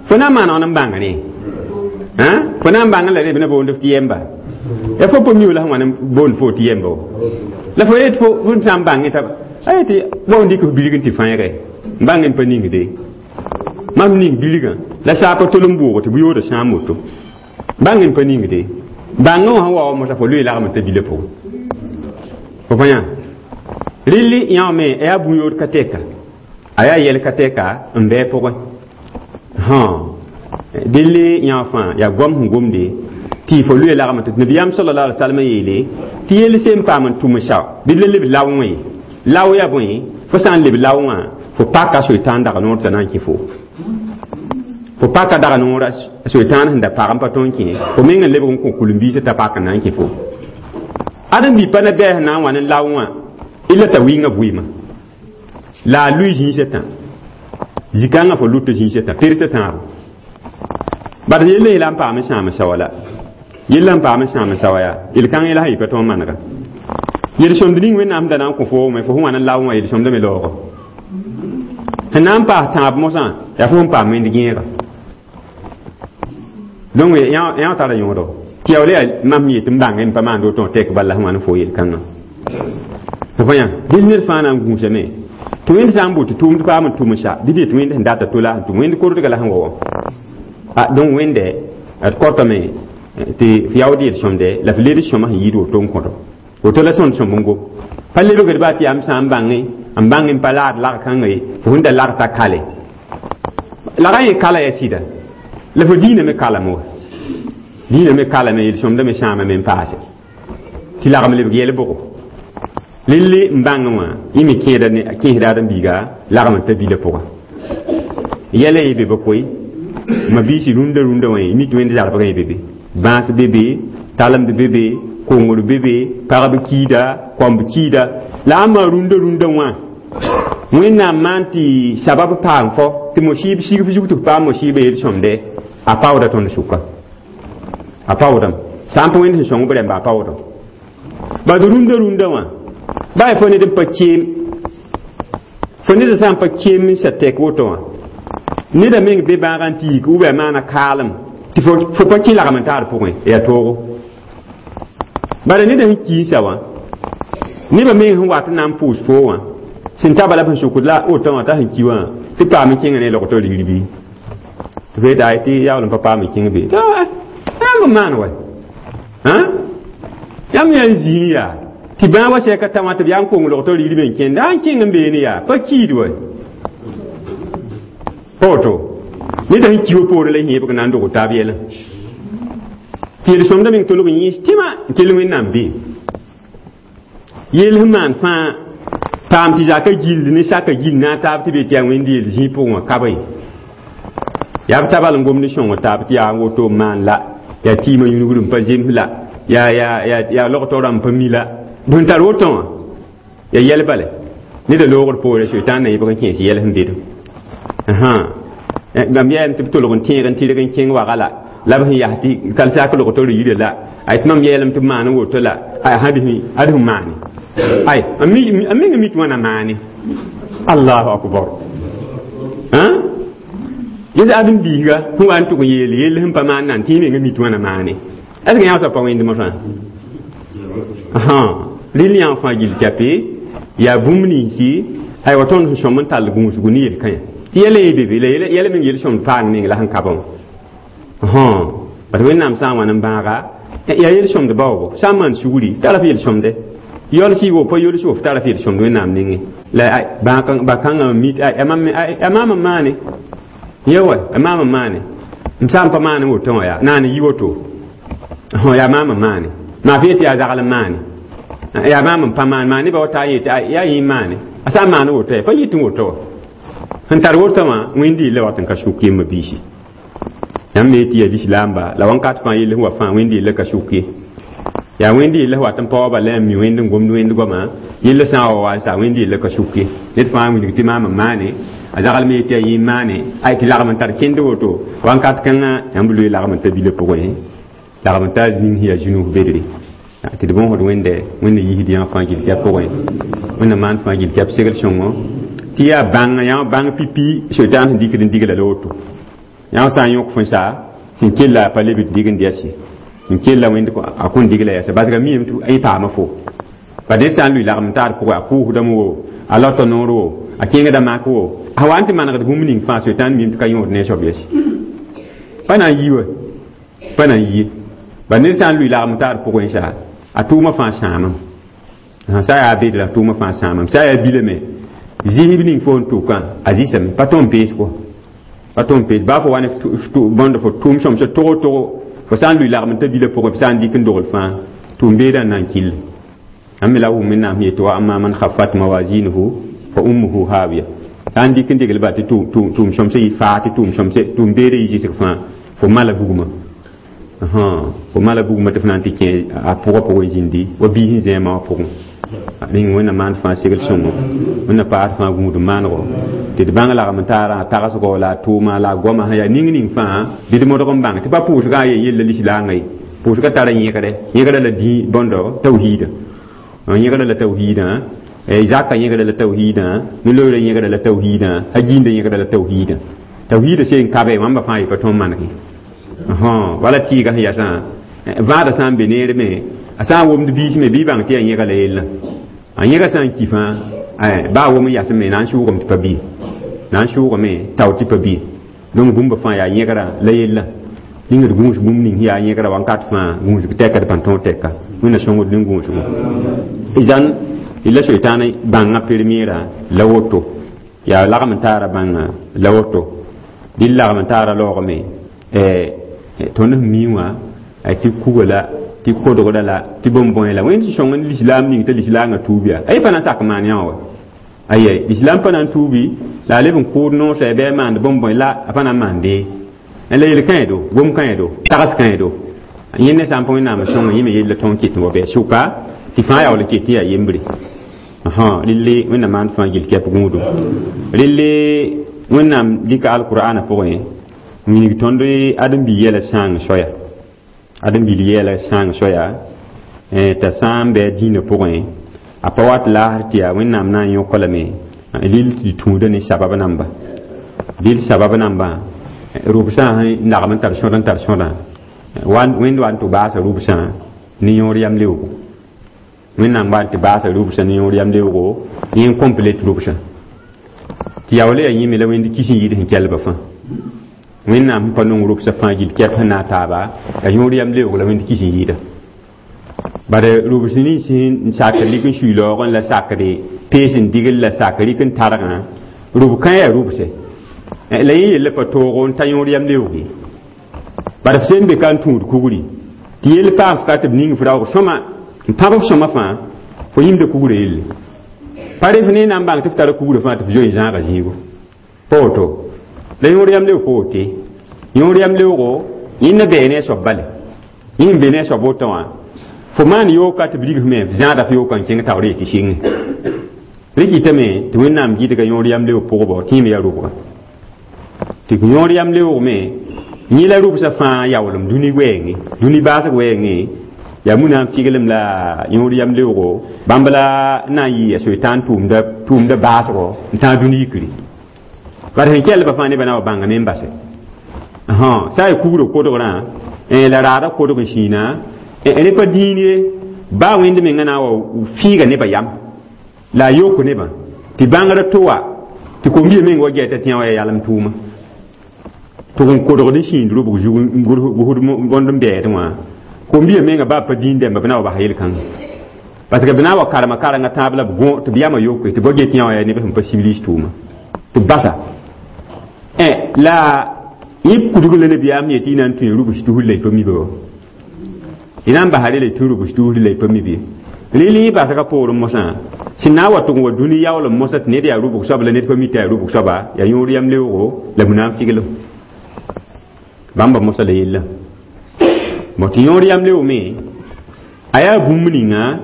fo na n maaneg n bãng ne fo na n bãng la reb na boond f tɩ yɛmba ya fo pa miu la sẽn wa n boond fo tɩ yɛmba wa la fo yet fo sã n bãngẽ t'a ay tɩ wa n dɩk f bilg n tɩ fãeege n bãng n pa ningde mam ning bilgã la saapa tol n bʋʋg tɩ bʋ-yoodã sãam woto bãng n pa ningde bãngã wã sẽn wa wa mosã fo loe lagm t'a bilã pʋgẽ fo pa yã rɩlli yã me a yaa bũ-yood ka tɛka a yaa yɛl ka tɛka n bɩ pʋgẽ dɩlli yã fãa yaa goam sẽn gomde tɩ fo loe lagm tɩ nabiyaam sallallahu alaihi wasallam yeele tɩ yell sẽn paam n tʋm sao bɩ la leb lao wã ye lao yaa bõe fo sã n leb lao wã fo paka soetãan dag noor t'a na n kẽ fo fo paka dag noora soetãan sẽn da pag n pa tõe n kẽ fo meng n lebg n kõ kul-n-biisã t'a pak n na n kẽ fo ãdem-bi pa na bɛɛs na n wa ne lao wã illa t'a wɩnga vɩɩmã la a lʋɩ zĩisã tã zikãngã fo lʋta zĩisã tã pertã tãabo bad yella yela n paam n sãam sawa la yella n paam n sãam sawa yaa yel-kãng yɛla sã yɩ pa tõe n manega yel-sõmd ning wẽnnaam da na n kõ fo wame fo sẽn wa n lao wã yel-sõmdame laoogo sẽn na n paas tãab mosã yaa fo sẽn paam wẽnd gẽega donc yã tara yõodo tɩ yaool yaa mam yet n bãng n pa maand woto tɛk bala sẽn wa n fo yel-kãngã fo pa yã dɩl ned fãa na n gũusame tɩ wẽnd sã n bʋ tɩ tʋʋmd paam n tʋm sa bɩ tɩ wẽnd sẽn data tola sẽn tʋm wẽnd kordga la sẽn wa wã donc wẽnde d kɔtame tɩ f yaood yel-sõmde la f led sõma sẽn yɩɩd woto n kõto woto la sõnd sõmb n gom pa lebgd baa tɩ yaa m sã n bãnge n bãng n pa laad lag-kãnga ye fo sẽn da lag t'a kale lagã yẽ kala yaa sɩda la fo dĩinã me kalame wa dĩinã me kalame yel-sõmdã me sãamame n paase tɩ lagm lebg yɛl bʋgo lelle n bãngẽ wã yẽ me kẽesda ãdem-biiga lagm n ta bilã pʋga yɛla ye be ba koe ma biisi rũndã rũndã wã mi tɩ wẽnd zarbgã ye be be bãas be be talemd be be kongr be be pagb kiida kõmb kiida la a maa rũndã rũndã wã wẽnnaam maan tɩ sabab paam fo tɩ mosiib sig f zug tɩ f paam mosiibã yel-sõmde a paooda tõnd sʋka a paoodame sã n pa wẽnd sẽn sõng b rẽmba a paoodame bad rũndã rũndã wã baa fo ned n pa keem fo ned sã n pa keem n sa tɛk woto wã neda meng be bãagã n tɩ yik ou b yaa maana kaalem tɩ fo pa kẽ lagm n taar pʋgẽ yaa toogo bala neda sẽn kii sa wã nebã meng sẽn wat n na n pʋʋs foo wã sẽn ta bala sẽn sʋkd la wotã wã t'a sẽn ki wã tɩ paam n kẽngã ne logtɔ rigr bɩ tɩ fo yeta tɩ yaool n pa paam n kẽng be yãmb n maan wa yãmb yaa n zĩig yaa tɩ bãag wa sɛka tã wã tɩ b yaa n kong logtɔ rigr me n kẽnda a n kẽng n beene yaa pa kiid wa pa woto neda sẽn ki wa poorẽ la yẽebg na n dog taab yɛlã tɩ yel-sõmdã meng tolg n yẽes tɩma n kell wẽnnaam bee yell sẽn maan fãa paam tɩ zaka gill ne saka gill na n taab tɩ be tɩ yaa wẽnd yel zĩig pʋgẽ wã ka ye yaa b tabal n gomd sõng taab tɩ yaa n woto n maan la yaa tɩɩmã yũnugr n pa zems la yaa yaa yaa logtɔ rãmb pa mi la bõn tar woto wã yaa yɛl bale neda loogd poore soetãan na yẽbg n kẽes yɛl sẽn bedem bãmb yɛɛm tɩ b tolg n tẽeg n tɩrg n kẽng waga la la b sẽn yas tɩ kal sak logtɔ riirã la ay tɩ mam yeelame tɩ b maan n woto la ay ad sẽn maane ay a meng mi tɩ wãna maane allahu akbar Dẽ adem biiga sẽn wa n tʋg n yeel yell sẽn pa maan nan tɩ yẽ menga mi tɩ wãna maane. Est ce que yã soab pa wẽnd mosã? Rɩl yã fãa gill kɛpe yaa bũmb ninsi aywa tõnd sẽn sõm n tall gũusgu ne yel-kãyã tɩ yɛla yẽ be be la yɛla meng yel-sõmd paang meng la sẽn ka bã wã. Bat Wẽnnaam sã n wa n bãaga yaa yel-sõmd baoogo sã n maan sugri tara f yel-sõmde yolsɩ wo pa yols wo f tara f yel-sõmd Wẽnnaam nengẽ la ba-kãngã mit a maam n maane ye wa a maam n maane m sã n pa maan woto wã yaa naan yi woto yaa maam n maane maa f yet yaa zagl n maane yaa maam n pa maan maa nebã wa taa yet yaa yẽ maane a sã n maan woto pa yit n woto wa sẽn tar woto wã wẽnd yella wat n ka sʋk yembã biisi yãmb me tɩ yaa lislaamba la wãnkat fãa yell sẽn wa fãa wẽnd yella ka sʋk ye yaa wẽnd yella wat n paoaba la n mi wẽnd n gomd wẽnd goama yella sã n wa wa n sa wẽnd yella ka sʋk ye ned fãa wilg tɩ maam n maane a zagl me yetɩ yaa yẽ maane ay tɩ lagm n tar kẽnd woto wãnkat kãngã yãmb loe lagm n ta bila pʋgẽ lagm n ta ning sẽn yaa zũnug bedre tɩ d bõosd wẽnde wẽnda yisd yã fãa gill kɛp pʋgẽ wẽnda maan fãa gill kɛp segl sõngo tɩ yaa bãng yã bãng pipi soitan sẽn dikd n digla la woto yã sã n yõk fõ sa sẽn kella pa leb d dig n dɛs ye sẽn kella wẽnd a kõn digla yɛsa basga miime tɩ yẽ paama fo pa ned sã n lʋɩ lagm taar pʋgẽ a pʋʋsdame wo a lota noor wo a kẽngda mak wo a wa n tɩ manegd bũmb ning fãa soitan miime tɩ ka yõod ne a soab yɛs pa na n yi wa pa na n yi ba ned sã n lʋɩ lagm taar pʋgẽ sa a tʋʋmã fãa sãamam sã yaa bedra a tʋʋmã fãa sãamam sã yaa bilame zĩsb ning fo n tʋkã a zɩsame pa tõnd pees kɔ pa tõnd pees baa fo wa ne bõnd fo tʋʋm sõmsã togo togo fo sã n lʋɩ lagm t'a bila pʋgẽ sã n dɩk n dogl fãa tʋʋm beedã n na n kill ãmb me la wʋm Wẽnnaam yetɩ wa amma man khaffat mawazinuhu fa ummuhu hawiya sã n dɩk n degl ba tɩ tʋʋm sõmsã yɩ faa tɩ tʋʋm sõmsã tʋʋm beedã yɩ zɩsg fãa fo mala bugmã fo mala bugmã tɩ f na n tɩ kẽ a pʋgã pʋgẽ zĩndi wa biis n zẽema wã pʋgẽ ning wẽnna maan fãa segl sõngo wẽnna paas fãa gũud maanego tɩ d bãng lagm n taarã a tagsgo la a tʋʋma la a goama sẽn yaa ning ning fãa bɩ d modg n bãng tɩ pa pʋʋsgã a ye yella lislaangã ye pʋʋsgã tara yẽgre yẽgrã la dĩ bõndo tawhiidã yẽgrã la tawhiidã zaka yẽgrã la tawhiidã no-looorã yẽgrã la tawhiidã a gĩndã yẽgrã la tawhiidã tawhiidã seen kabe wãmba fãa yɩ pa tõnd manege wala tɩɩga sẽn yasã vãadã sã n be neer me a sã n womd biis me bɩ bãng tɩ yaa yẽga la yellã a yẽga sã n ki fãa baa wom n yasme na n sʋʋgame tɩ pa bɩ na n sʋʋgame tao tɩ pa bɩ donc bũmba fãa yaa yẽgrã la yella ning d gũus bũmb ning yaa yẽgrã wãnkat fãa gũusg tɛka d pãn tõog tɛka wẽnna sõngd nin gũusgo zãn la soitaan bãngã premiera la woto yaa lagm n taara bãngã la woto dɩ lagm n taara laoogame tõnd sẽn mi wã tɩ kuga la tɩ kodgda la tɩ bõn-bõe la wẽnd sẽn sõng n lislaam ning t'a lislaangã tuub yaa a pa na n sak maan yã wã aye lislaam pa na n tuubi la a leb n kʋʋd noosã bɩ a maand bõn-bõe la a pa na n maande la yel kãedo gom kãedo tags kãedo yẽ ne sã n pa Wẽnnaam sõnga yẽ me yella tõnd ket n wa bɩ sʋka tɩ fãa yaool ket yaa yembre relle Wẽnnaam maan fãa gill kɛp gũudum relle Wẽnnaam dɩka alqur'ana pʋgẽ n wilg tõnd ãdem-bi yɛla sãang soaya ãdem-bil yɛla sãang soaya t'a sã n bɩ a dĩinã pʋgẽ a pa wat laasr tɩ yaa Wẽnnaam na n yõk lame rɩl tɩ tũuda ne sabab namba rɩl sabab nambã rʋbsã sẽn lagm n tar sõd n tar sõdã wẽnd wa n tɩ baasa rʋbsã ne yõor yam leoogo Wẽnnaam wa n tɩ baasa rʋbsã ne yõor yam leoogo yẽ n complète rʋbsã tɩ yaool yaa yẽme la wẽnd kis n yɩɩd sẽn kɛlbã fãa Wẽnnaam sẽn pa nong rʋbsã fãa gill kɛp sẽn na n taaba la yõor yam leoog la wẽnd kis n yɩɩda bare rʋbs nins sẽn sak lik n sui laoogẽ la sakre pees n digl la sak rɩk n targã rʋb kã yaa rʋbse la yẽ yella pa toogo n ta yõor yam leoog ye bare f sẽn be ka n tũud kugri tɩ yell paam f ka tɩ b ning f raoog sõma n pãb f sõma fãa fo yĩmda kugrã yelle pa rẽ f ne na n bãng tɩ f tara kugrã fãa tɩ f zoe n zãaga zĩigo pa woto la yõor yam leoog pa wote yõor yam leoogo yẽnda bɛɛ ne a soab bale yẽ n be ne a soab woto wã fo maan yooka tɩ b rig f me f zãada f yooka n kẽng taoor yetɩ sɩnge rẽ kɩtame tɩ Wẽnnaam gɩdga yõor yam leoog pʋgbɔ tɩ yẽme yaa rʋbga tɩ yõor yam leoog me yẽ la rʋbsã fãa yaoolem dũni wɛɛngẽ dũni baasg wɛɛngẽ yaa muna n figlem la yõor yam leoogo bãmb la n na n yɩ a soitaan tʋʋmda baasgɔ n tãag dũni yikri bara sẽn kɛlbã fãa nebã na wa bãngame n base ha sã y kugrã kodgrã la raadã kodg n sĩina rẽ pa dĩin ye baa wẽnd menga na n wa fĩiga nebã yam la a yok nebã tɩ bãngrã to wa tɩ kom-biã meng wa gɛta tɩ yã wa ya yalem tʋʋma tɩ n kodgd n sĩnd rʋbg zug n gosd bõnd n bɛɛdẽ wã kom-biã menga baa pa dĩin dɛmba b na wa basa yel-kãnga parce que b na wa karema karengã tãab la b gõ tɩ b yamã yoke tɩ b wa get yã wa ya neb sẽn pa civilise tʋʋma tɩ b basa la yẽ kudg la nabiyaam yetɩ y na n tũ rubs tusr la y pa mi ba wa y na n basa rela y tũ rubs tusr la y pa mi bɩ rɩl yẽ basga poorẽ mosã sẽn na n wa tʋg n wa dũni yaoolem mosã tɩ ned yaa rʋbg soab la ned pa mi tɩ yaa rʋbg soaba yaa yõod yam leoogo la b na n figlem bãmba mosã la yella bõ tɩ yõod yam leoome a yaa bũmb ninga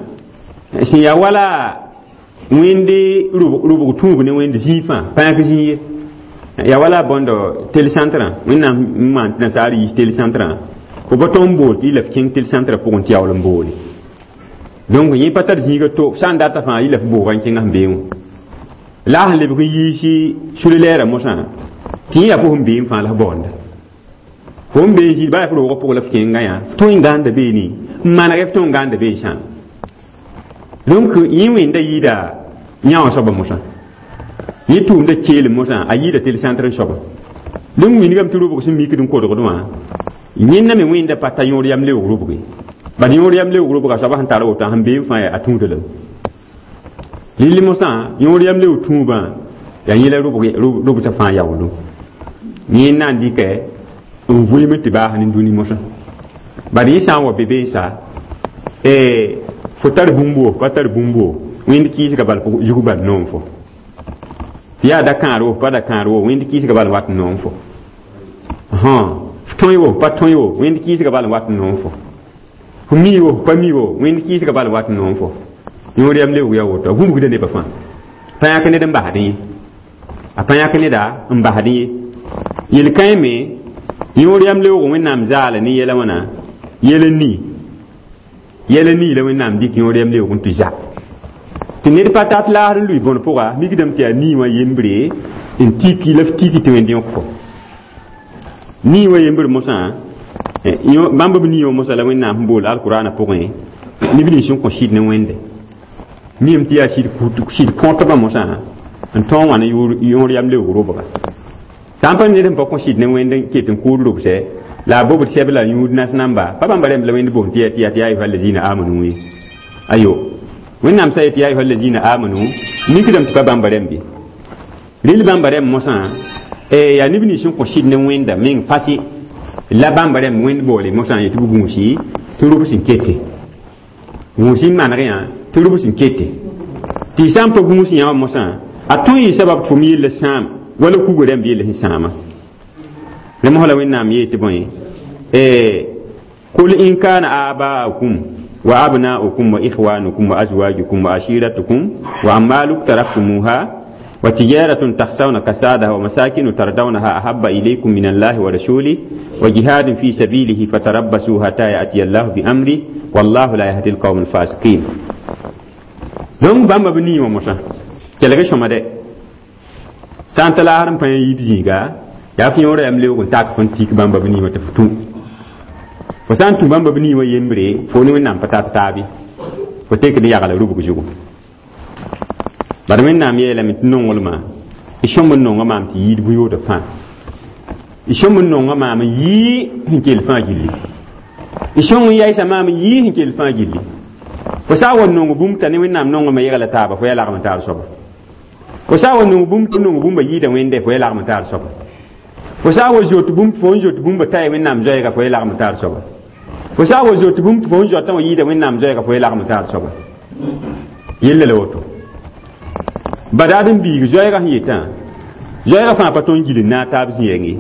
sẽn yaa wala wẽnde rʋbg tũub ne wẽnd zĩig fãa pa yãk zĩig ye yaa wala bõndo télécentre wẽnnaam n maan tɩ nasaar yiis télécentre fo pa tõnd n bool tɩ y la f kẽng télécentre pʋgẽ tɩ yaool n boole donc yẽ pa tar zĩiga to sã n data fãa y la f booga n kẽngã sẽn bee wã la a sẽn lebg n yiisi sulilɛɛrã mosã tɩ yẽ yaa fo sẽn bee fãa la f baoonda fo n bee zĩig baa f roogã pʋgã la f kẽngã yã f tõe n gãanda beene n maneg f tõe n gãanda bee sãam donc yẽ wẽnda yɩɩda yã wã soaba mosã yẽ tʋʋmda keelem mosã a yɩɩda télécentre n soaba donc wilgame tɩ rʋbg sẽn mikd n kodgd wã yẽnda me wẽnda pa ta yõod yam leoog rʋbge bad yõod yam leoog rʋbga soaba sẽn tar woto sẽn bee fãa a tũuda lame rɩl mosã yõod yam leoog tũubã yaa yẽ la rʋbsã fãa yaoolem yẽ na n dɩkɛ n vʋɩm tɩ baas ne dũni mosã bad yẽ sã n wa be beensa fo tar bũmb wo pa tar bũmb wo wẽnd kɩɩsga bal zug bal noom fo tɩ yaa da kãar wo pa da kãar wo wẽnd kɩɩsga bal wat n noom fo f tõe wo pa tõe wo wẽnd kɩɩsga bal wat n noom fo f mi wo pa mi wo wẽnd kɩɩsga bal wat n noom fo yõod yam leoog yaa woto a gũbgda nebã fãa pa yãk ned n basdẽ ye a pa yãk neda n basdẽ ye yel-kãe me yõod yam leoog wẽnnaam zaala ne yɛla wãna yɛl n nii yɛl n nii la wẽnnaam dɩk yõod yam leoog n tɩ za tɩ ned pa tat laasd n lʋɩ bõn pʋga mikdame tɩ yaa nii wã yembre n tiki la f tiki tɩ wẽnd yõk fo nii wã yembr mosã bãmb b nii wã mosã la wẽnnaam sẽn bool alkurana pʋgẽ neb nins sẽn kõ sɩd ne wẽnde mim tɩ yaa sɩd kõtbã mosã n tõog wã ne yõod yam leoog rʋbga sã n pa ned sẽn pa kõ sɩd ne wẽnd n ket n kʋʋd rʋbsɛ la a bobd sɛb la yũud nas namba pa bãmba rẽmb la wẽnd boond tɩ yaa tɩ yaa tɩ yaa ayuha allazina amanu ye ayo wẽnnaam sã yetɩ yaa ayuha allazina amanu mikdame tɩ pa bãmba rẽmb ye rɩl bãmba rẽmb mosã yaa neb nins sẽn kõ sɩd ne wẽnda meng fasi la bãmba rẽmb wẽnd boole mosã yetɩ b gũusi tɩ rʋbs n kete gũus n maneg yã tɩ rʋbs n kete tɩ sã n pa gũus yã wã mosã a tõe yɩ sabab tɩ fo me yella sãam wala kuga rẽmb yella sẽn sãama rẽ mosã la wẽnnaam yee tɩ bõe قل إن كان آباؤكم وأبناؤكم وإخوانكم وأزواجكم وعشيرتكم وأموال اقترفتموها وتجارة تخشون كسادها ومساكن ترضونها أحب إليكم من الله ورسوله وجهاد في سبيله فتربصوا حتى يأتي الله بأمره والله لا يهدي القوم الفاسقين donc bãmba b nii wã mosã kelg sõma dɛ sã n ta laasd n pa yã yiib zĩiga yaa f yõora yam leoog n tak fõn tik bãmba b nii wã tɩ f tũ fo sã n tũ bãmba b nii wã yembre fo ne wẽnnaam pa tat taabe fo tekd yagla rubg zugu bad wẽnnaam yeelame tɩ nonglmã y sõm n nonga maam tɩ yɩɩd bũ-yooda fãa y sõm n nonga maam n yɩɩ sẽn kell fãa gilli y sõng n yaɩsa maam n yɩɩ sẽn kell fãa gilli fo sã n wa nong bũmb t'a ne wẽnnaam nongame yegla taaba fo yaa lagm n taar soaba fo sã n wa nong bũmb tɩ nong bũmba yɩɩda wẽnde fo yaa lagm n taar soaba fo sã n wa zoet bũmb tɩ fo n zoet bũmba t'a wẽnnaam zoɛɛga fo yaa lagm n taar soaba fo sã n wa zoet bũmb tɩ fo n zoetã wã yɩɩda wẽnnaam zoɛɛga fo yaa lagm n taar soaba yella la woto badaad n biig zoɛɛga sẽn yetã zoɛɛga fãa pa tõe n gil n naag taab zĩ-yɛng ye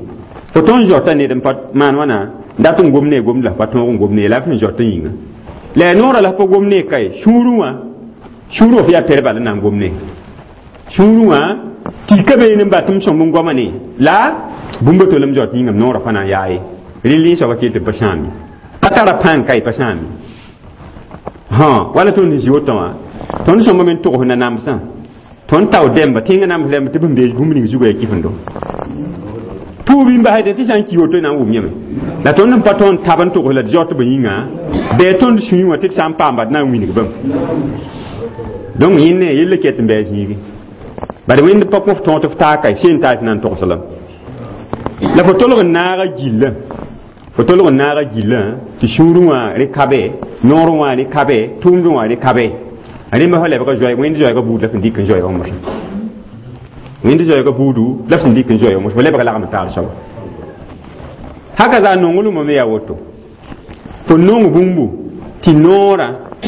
fo tõe n zoata ned n pa maan wãna dat n gom ne gomd la f pa tõog n gom ne la f sẽn zoat n yĩnga la yaa noorã la f pa gom ne kae sũurẽ wã sũurẽ wã f yaa pɛr bal n na n gom ne sũurẽ wã tɩ ka beene n bat m sõmb n goama ne la bũmba tolem zoat yĩngame noorã pa na n yaa ye rɩl yẽ soaba kell tɩ pa sãam ye pa tara pãng ka ye pa sãam ye wala tõnd zi woto wã tõnd sõmba me n togs nanamsã tõnd tao dɛmba tẽngã nams rẽmb tɩ b sẽn bees bũmb ning zugã yaa kifendo Pʋʋb n basɛ tɩ sã n ki woto na n wʋm yẽme la tõnd n pa tõnd tab n togs la d zaot b yĩnga bɩ tõnd sũyẽ wã tɩ d sã n paamba d na n wilg bãmb donc yẽnd ne yell ket n bɩ a zĩigi bad wẽnd pa kõ f tõog tɩ f taa ka seen taa tɩ na n togs lame la fo tolg n naaga gillã fo tolg n naaga gillã tɩ sũurẽ wã rẽ kabe noorẽ wã rẽ kabe tʋʋmdẽ wã rẽ kabe rẽmba fa lebga zoɛɛg wẽnd zoɛɛga buud la f n dɩk n zoɛɛga mosã wẽnd zoɛɛga buudu la f sẽn dɩk n zoɛɛga mosã fo lebga lagm taar soaba haka zaa nonglmã me yaa woto fo nong bũmbu tɩ noorã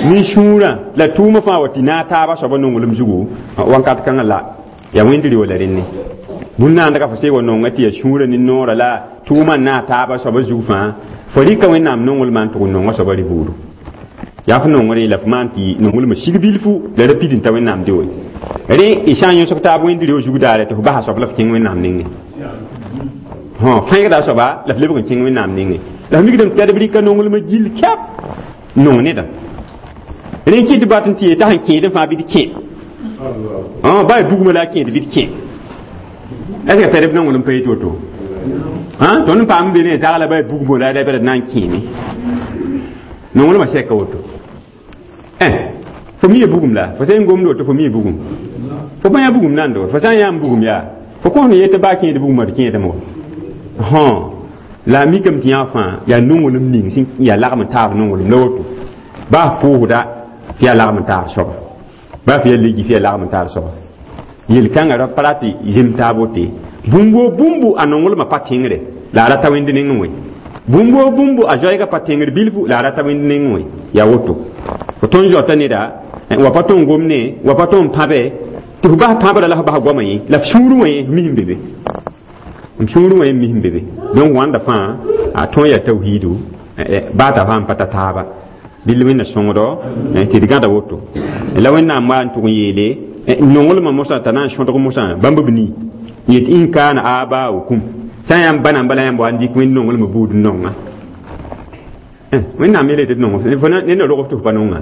ne sũurã la tʋʋmã fãa wa tɩ naag taabã soaba nonglem zugu wãnkat kãngã la yaa wẽnd rɩ la rẽnne bũn-naandga fo seeg wa nonga tɩ yaa sũurã ne noorã la tʋʋmã n naag taabã soaba zug fãa fo rɩka wẽnnaam nonglmã n tʋg n nonga soaba rɩ buudu yaa f nongre la f maan tɩ nonglmã sig bilfu la ra pid n ta wẽnnaam deo rẽ y sã n yõsg taab wẽnd reo zug daare tɩ f basa soab la f kẽng wẽnnaam nengẽ fẽegda soaba la f lebg n kẽng wẽnnaam nengẽ la f mikdame tɩ d b rɩka nonglmã gill kɛp nong nedã rẽ kɩ tɩ bat n tɩ yeta sẽn kẽedẽ fãa bɩ d kẽ ba ya bugmã la a kẽed bɩ d kẽ est ce que tɛd b nonglem pa yet woto tõnd n paam be ne zagla ba ya bugmo la d na n kẽeme nonglmã sɛka woto fo mi ya bugum la fo sã n gomd woto fo mi ya bugum fo pa yã bugum nando fo sã n yãam bugum yaa fo kõs ne yetɩ baa kẽed bugumã d kẽedame wa la a mikame tɩ yã fãa yaa nonglem ning sẽn yaa lagm n taab nonglem la woto baa f pʋʋsda tɩ yaa lagm n taar soaba baa f yaa legi tɩ yaa lagm n taar soaba yel-kãngã ra pa ra tɩ zem taab wote bũmb woo bũmbu a nonglmã pa tẽngre la a ra ta wẽnd nengẽ wẽ bũmb woo bũmbu a zoɛɛgã pa tẽngr bilfu la a ra ta wẽnd nengẽ wẽ yaa woto fo tõnd zoata neda wa pa tõn gomne wa pa tõn pãbe tɩ f bas pãbrã la f bas goamã yẽ la f sũurẽ wã yẽ mis n be be m sũurẽ wã yẽ mis n be be donc wãnda fãa a tõe yaa tawhiidu baa t'a fãa n pa ta taaba bɩ wẽnna sõngdo tɩ d gãda woto la wẽnnaam wa n tʋg n yeele nonglmã mosã t'a na n sõdg mosã bãmb b nii yet in kaana abaaukum sã n yãmb ba namba la yãmb wa n dɩk wẽnd nonglmã buud n nonga wẽnnaam yeela tɩ d nong ned rog f tɩ f pa nonga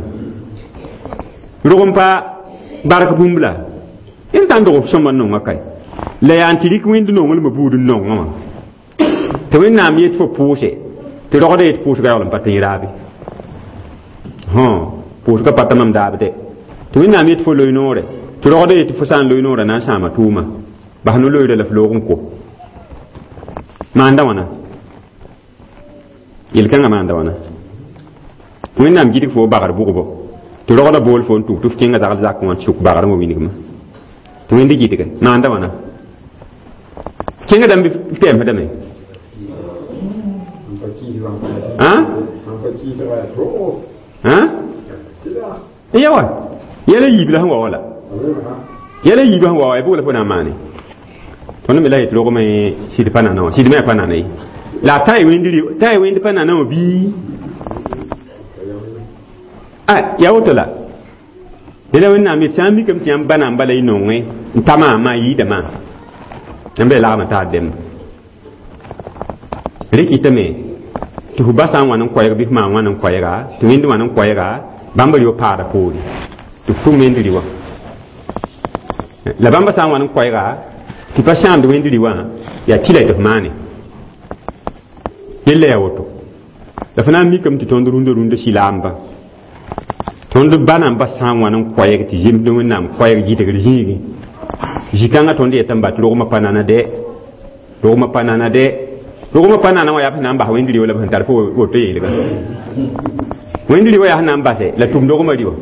rog n pa bark bũmb la d sã n dog f sõmba n nonga kae la yaa n tɩ rɩk wẽnd nonglmã buud n nongã wã tɩ wẽnnaam yet fo pʋʋse tɩ rogda yet pʋʋsga yaool n pa tẽ raabe pʋʋsga pa ta mam daab dɛ tɩ wẽnnaam yet fo loe noore tɩ rogda yet fo sã n loe noorã na n sãama tʋʋma bas no loeera la f loog n ko maanda wãna yel-kãngã maanda wãna wẽnnaam gidg fo bagr bʋgbo tɩ rogda bool fo n tʋg tɩ f kẽnga zagl zakẽ wã tɩ sʋk bagrã wã wilgmã tɩ wẽnd gɩdge maanda wãna kẽnga dãmb f tɛɛmsdame ya wa yɛla yiib la sẽn wa wala yɛla yiib sẽn wa wa ya bʋg la fo na n maane tõnd me la yetɩ rogmẽ sɩd pa nana wã sɩd me a pa nana ye la a ta y wẽnd pa nana wã bii ya woto la la wẽnnaam yet sã n mikame tɩ yãmb ba nan bala y nongẽ n ta maam maa yiida maam yãmb yaa lagm taar dẽmba rẽ kɩtame tɩ f ba sã n wã n koɛɛg bɩ f maan wã n koɛɛga tɩ wẽnd wã n koɛɛga bãmb rɩ paada poore tɩ f tʋm wẽnd rɩ wã la bãmba sã n wã n koɛɛga tɩ pa sãamd wẽnd rɩ wã yaa tɩla tɩ f maane yella yaa woto la f na n mikame tɩ tõnd rũndã rũndã sɩlaamba tõnd ba namba sã n wã n koɛɛg tɩ zemsd wẽnnaam koɛɛg gɩdgr zĩigẽ zĩ-kãngã tõnd yetame ba tɩ rogmã pa nana dɛ rogmã pa nana dɛ rogmã pa nana wã yaa f na n bas wẽnd rɩ la b sẽn tar fo woto yeelga wẽnd rɩ wã yaa sẽn na n basɛ la tʋm rogmã rɩ wã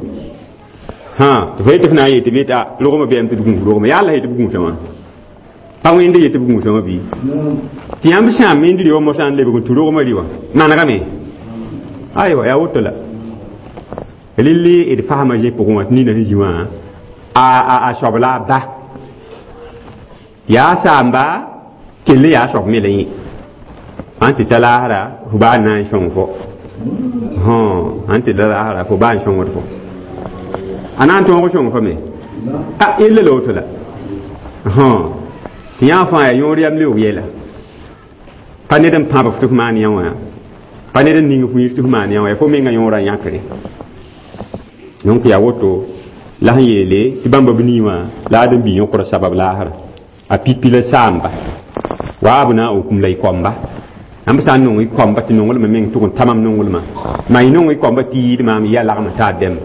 tɩ fo yetɩ f na n yetɩ bɩ t'a rogmã bɛɛm tɩ d gũus rogmã yaa la yetɩ b gũusã wã pa wẽnd yetɩ b gũusã wã bɩ tɩ yãmb sãam wẽnd rɩ wã mosã n lebg n tũ rogmã rɩ wã manegame aywa yaa woto la rɩlli d fasma zẽ pʋgẽ wã tɩ nina sẽn zĩ wã a soab la a ba yaa saamba kell n yaa soab me la yẽ ãn tɩ ta laasra fo baa n na n sõng fo ãn tɩ ta laasra fo baa n sõngd fo a na n tõog sõng fo me a yella la woto la tɩ yã fãa yaa yõor yam leoog yɛla pa ned n pãb f tɩ f maan yã wã pa ned n ning f wĩir tɩ f maan yã wã fo menga yõorã yãkre donc yaa woto la sẽn yeele tɩ bãmba b nii wã la ad n bii yõkra sabab laasra a pipi la saamba Wa abnaukum la y koamba yãmb sã n nong y koamba tɩ nonglmã meng tʋg n ta mam nonglmã maa y nong y koamba tɩ yɩɩd maam ya lagm t'a dɛmb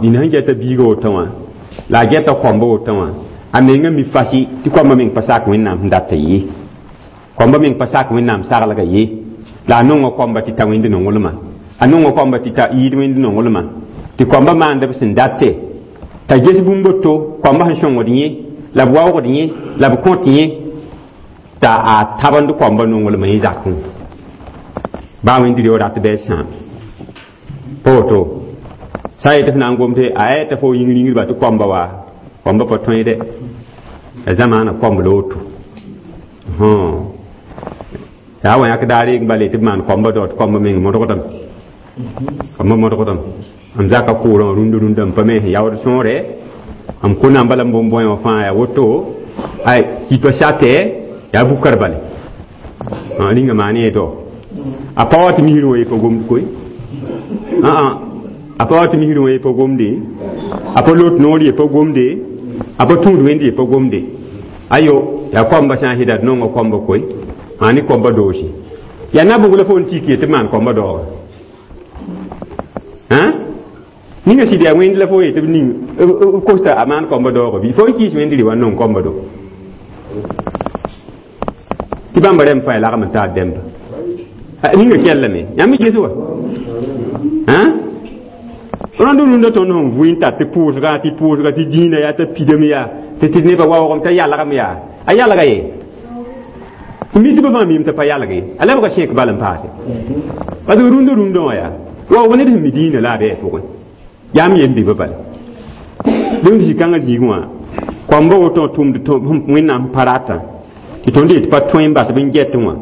nina sẽn geta biiga woto wã la a geta koamba woto wã a menga mi fasi tɩ koamba meng pa sak wẽnnaam sẽn dat ye koamba meng pa sak wẽnnaam saglga ye la a nonga koamba tɩ ta wẽnd nonglmã a nonga koamba tɩ ta yɩɩd wẽnd nonglmã tɩ koamba maand b sẽn date t'a ges bũmb to koamba sẽn sõngd yẽ la b waoogd yẽ la b kõt yẽ t'a a tabend koamba nonglmã yẽ zakẽ baa wẽnd reo rat bɩ a sãam pa woto sã n yetɩ f na n gom tɩ a yaa t'a fo yĩng ringdba tɩ koamba wa koamba pa tõe dɛ ya zamaana komb la woto yaa wa yãk daar reeg bala tɩ b maan koamba dao tɩ koamba meng modgdame koamba modgdame m zaka kʋʋrã wã rũndã rũndã m pa me sẽn yaood sõore m kõ namba la m bõn bõe wã fãa yaa woto ay kipa satɛ yaa bukar bale rĩnga maan ye dao a pa wa tɩ misrẽ wã ye pa gomd koe a pa wa tɩ misrẽ wã ye pa gomde a pa lot noor ye pa gomde a pa tũud wẽnd ye pa gomde ayo yaa koamba sã n sɩda d nonga koamba koe maa ne koamba doosi yaa na bʋg la fo n tik ye tɩ maan koamba daooga ninga sɩd yaa wẽnd la fo yetɩ b ning b kosta a maan koamba daooga bɩ fo n kɩɩs wẽnd rɩ wa n nong koamba do tɩ bãmba rẽmb fãa lagm n taar dɛmba ninga kellame yãmb ges wa rõnd rũndã tõnd sẽn vʋɩ n tar tɩ pʋʋsga tɩ pʋʋsga tɩ dĩinã yaa t'a pidame yaa tɩ tɩ nebã waoogame t'a yalgame yaa a yalga ye mi tɩ ba fãa miime t'a pa yalge a lebga sẽk bal n paase parce que rũndã rũndã wã yaa waoog ned sẽn mi dĩinã la a bɩ a pʋgẽ yaa m yem bɩ bala dẽnd zĩ-kãngã zĩig wã koamba woto tʋmd wẽnnaam pa ratã tɩ tõnd yetɩ pa tõe n bas b n get wã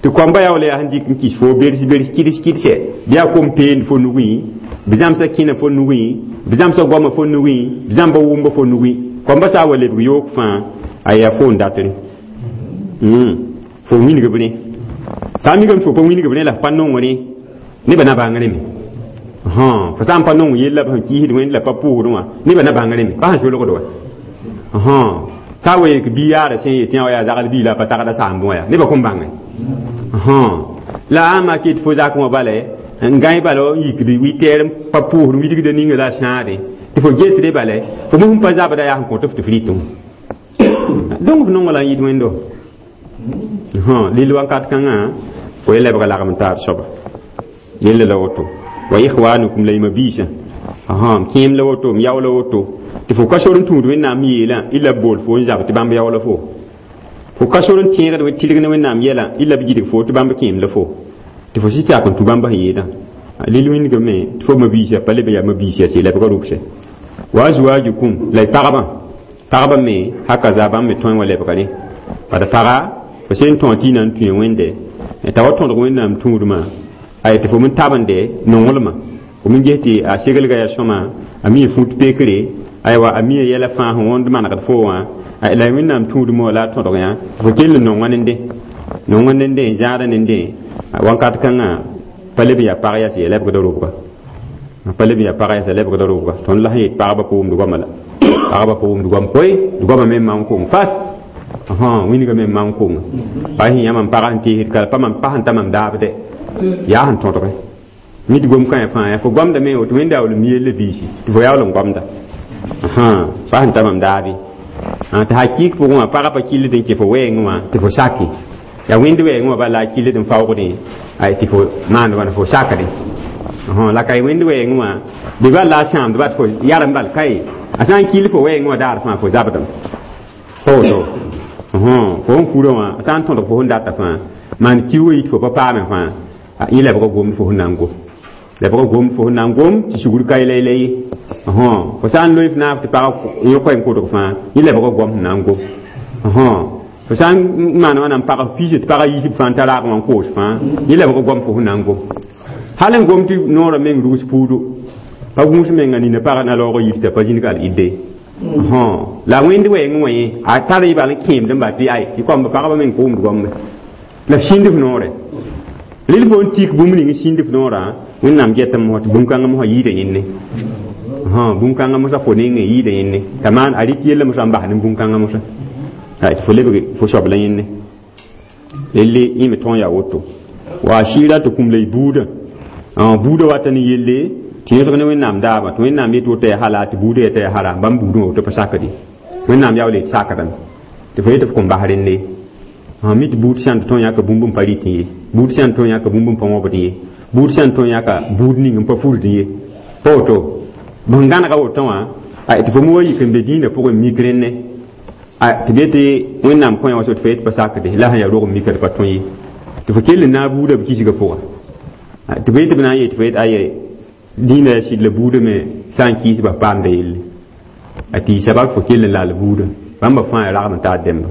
tɩ koamba yaool yaa sẽn dɩk n kɩs fo bers bers kɩds kɩdse bɩ yaa kom peend fo nugẽ b zãmsa kẽna fo nugẽ b zãmsa goama fo nugẽ b zãmba wʋmba fo nugẽ koamba sã n wa lebg yoog fãa a yaa fo n datre fo wilg b rẽ sã n mikame tɩ fo pa wilg b rẽ la f pa nong rẽ nebã na bãng rẽme fo sã n pa nong yella b sẽn kiisd wẽnd la pa pʋʋsd wã nebã na bãng rẽme pa sẽn solgd wa sã n wa yek bi yaara sẽn yetɩ yã yaa zagl bii la a pa tagda saamb wã yaa nebã kõn bãnge la a mak yetɩ fo zak wã bala n gãe bala n yikd wɩtɛɛr n pa pʋʋsd wilgda ninga la a sãade tɩ fo getre bala fo mosẽn pa zabda yaa sẽn kõt f tɩ f rɩtẽ donc f nonga la n yɩt wẽndo lill wakat kãngã fo ye lebga lagm n taar soaba yella la woto wa ikhwanukum la y mabiisã m kẽem la woto m yao la woto tɩ fo ka sor n tũud wẽnnaam yeelã y la b bool fo n zab tɩ bãmb yao la fo fo ka sor n tẽegd tɩrg ne wẽnnaam yɛlã y la b gidg fo tɩ bãmb kẽem la fo tɩ fo sɩ sak n tũ bãmb sẽn yeelã lil wĩndgame tɩ fo mabiisã pa leb yaa mabiisã sɩ lebga rʋbsɛ wa azwajukum la y pagbã pagbã me hakaza bãmb me tõe wã lebga rẽ bad paga fo sẽn tõog tɩ y na n tũe wẽnde t'a wa tõdg wẽnnaam tũudmã a tɩ fo min tabende nonglmã fo min ges tɩ a segelga yaa sõma a mi fut pekre aywa a mi yɛla fãa sẽn wõnd manegd fo wã la wẽnnaam tũudmã wã la a tõdg yã fo kell n nonga nende nonga nende n zãada nende wãnkat kãngã pa leb n yaa pag yas ya lebgda rʋbga pa leb n yaa pag yas ya lebgda rʋbga tõnd la sẽn yet pagba pa wʋmd goama la pagba pa wʋmd goam koe goama me n maan kong fas wĩnga me n maan kong pa sẽn yã mam pagã sẽn teesd kala pa mam pa sẽn ta mam daabdɛ yaa sẽn tõdge mid gom kãe fãa yaa fo goamdame woto wẽnda yaool n mi yella biisi tɩ fo yaool n goamda pa sẽn ta mam daabe tɩ hakɩɩk pʋgẽ wã pagã pa kɩlled n kẽ fo wɛɛngẽ wã tɩ fo sake yaa wẽnd wɛɛngẽ wã bala la a kɩlled n faoogdẽ tɩ fo maand wãna fo sakdẽ la ka wẽnd wɛɛngẽ wã bɩ bal la a sãamd bat fo yarem bal kae a sã n kɩll fo wɛɛngẽ wã daar fãa fo zabdem pa woto fo sẽn kurã wã a sã n tõdg fo sẽn data fãa maan kiuugã yit fo pa paame fãa yẽ lebga gomd fo sẽn na n gom lebga gomd fo sẽn na n gom tɩ sugr ka yɛla ye fo sã n loe f naaf tɩ pagã yẽ koɛɛ n kʋdg fãa yẽ lebga gom sẽn na n gom fo sã n maan wãna n pag piisã tɩ pagã yiisb fãa n ta raag wã n koos fãa yẽ lebga gom fo sẽn na n gom hal n gom tɩ noorã meng rugs puudo pa gũus menga nina pagã na laoog yir t'a pa zĩnig al idde la wẽnd wɛɛngẽ wã yẽ a tar y bal n kẽemd n ba tɩ ay tɩ koamba pagba meng ka wʋmd goambe la f sĩnd f noorɛ rel fo n tik bũmb ning sĩnd f noorã wẽnnaam getame mosã tɩ bũn-kãngã mosã yɩɩda yẽnne bũn-kãngã mosã fo nengẽ yɩɩda yẽnne t'a maan a rɩk yella mosã n bas ne bũn-kãngã mosã Tɩ fo lebg fo soab la yẽnne elle yẽ me tõog yaa woto wa shira tɩ kũm la y buudã buudã wata ne yelle tɩ yõsg ne Wẽnnaam daabã tɩ Wẽnnaam yet woto yaa hala tɩ buudã yeta yaa haram bãmb buudã woto pa sakde Wẽnnaam yaool yet sakdame tɩ fo yetɩ f kõn bas rende mi tɩ buud sãn tɩ tõog yãka bũmb n pa rɩtẽ ye buud sãn tõog yãka bũmb n pa wõbd ye buud sãn tõog yãka buud ning n pa furd ye pa woto bõn gãnega woto wã tɩ fo mu wa yik n be dĩinã pʋgẽ mik rẽnne tɩ b yetɩ Wẽnnaam kõ yã wa so tɩ fo yet pa sakde la sẽn yaa rog n mika tɩ pa tõe ye tɩ fo kell n naag buudã b kisgã pʋga tɩ fo yetɩ b na n yee tɩ fo yet aye dĩinã yaa sɩd la buudã me sã n kiis bas paamda yelle a tɩ sabab fo kell n laal buudã bãmba fãa yaa ragd n taar dẽmba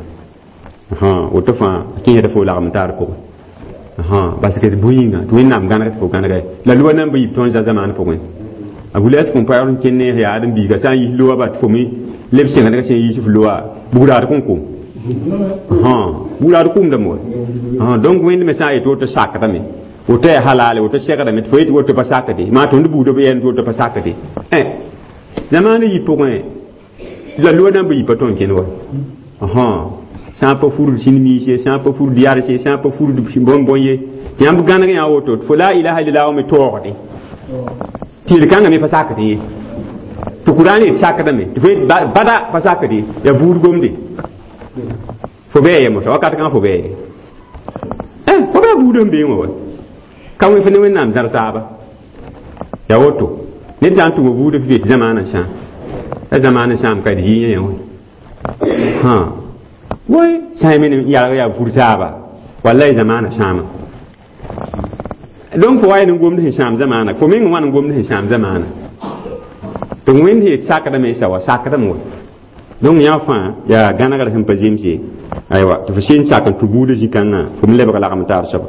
woto fãa a kẽesda fo lagm n taar pʋgẽ parce que bõe yĩnga tɩ Wẽnnaam gãneg tɩ fo gãnega la loa nan ba yib tõnd za zamaan pʋgẽ a gʋls kõn pa n kẽnd ne yaa ãdem-biiga sã n yis loa ba tɩ fo me leb sẽngdga sẽn yiis f loa bugraad kõn kom bugraad kʋʋmdame wa donc Wẽnd me sã n yet woto sakdame woto yaa halale woto segdame tɩ fo yetɩ woto pa sakde maa tõnd buudã b yɛɛm tɩ woto pa sakde zamaana yi pʋgẽ la loa nan ba yib pa tõnd kẽnd wa sã n pa furd sĩn-miis ye sã n pa furd yars ye sã n pa furd bõn-bõn ye tɩ yãmb gãneg yã woto tɩ fo la ilaha illallah me toogde tɩ yel-kãngã me pa sakd ye tɩ Kurãan yet sakdame tɩ fo yet bada pa sakde yaa buud gomde fo bɩ ya mosa wakat kãngã fo bɩ ye fo bɩ a buudã n beẽ wã wa ka wẽ fo ne Wẽnnaam zãr taaba yaa woto ned sã n tʋma buudã fɩ tɩ zamaanã sãam la zamaanã sãam ka d yɩ yã wã woy sã y me n yalg yaa fur taaba wallahi zamaanã sãama donc fo wa n gomd sẽn sãam zamaana fo meng wãn n gomd sẽn sãam zamaana tɩ Wẽnd yet sakdame sa wa sakdame wa donc yã fãa yaa gãnegr sẽn pa zems ye aywa tɩ fo sẽn sak n tũ buudã zĩ-kãngã fo me lebg lagm taar soaba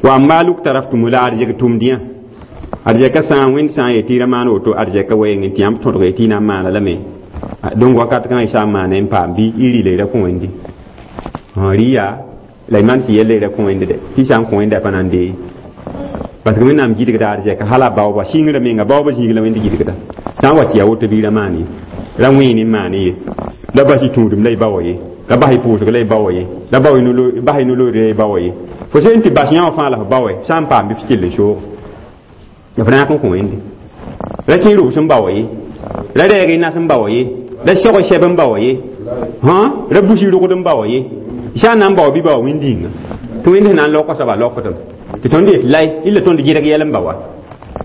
wa maaluk taraftum la arzɛk tʋmd yã arzɛka sã n Wẽnd sã n yet tɩ y ra maan woto arzɛka wɛɛngẽ tɩ yãmb tõdg tɩ y na n maana lame donc wakat kãngã y sã n maana n paam bɩ y rɩla y ra kõ Wẽnde rɩ yaa la y maan sɩ yɛlla y ra kõ Wẽnde dɛ tɩ sã n kõ Wẽnda pa na n dee parce que Wẽnnaam gɩdgda arzɛka hala baooba sɩngrã menga baooba zĩig la Wẽnd gɩdgda sã n wa tɩ yaa woto bɩ y ra maan ye ra wẽen n maan ye la bas y tũudum la y baoa ye la bas y pʋʋsg la y baoa ye la bas y no-loore la y baoa ye fo sẽn tɩ bas yã wã fãa la f baoa sã n paam bɩ f kell n soog f ra yãk n kõ Wẽnde ra kẽ rʋbs n baoa ye ra rɛɛg y nas n baoa ye ra seg sɛb n baoa ye ra bus y rogd n baoa ye sã n na n bao bɩ bao wẽnd-yĩnga tɩ Wẽnd sẽn na n laoka soaba laokdem tɩ tõnd yet lay illa tõnd gɩdg yɛl n baoa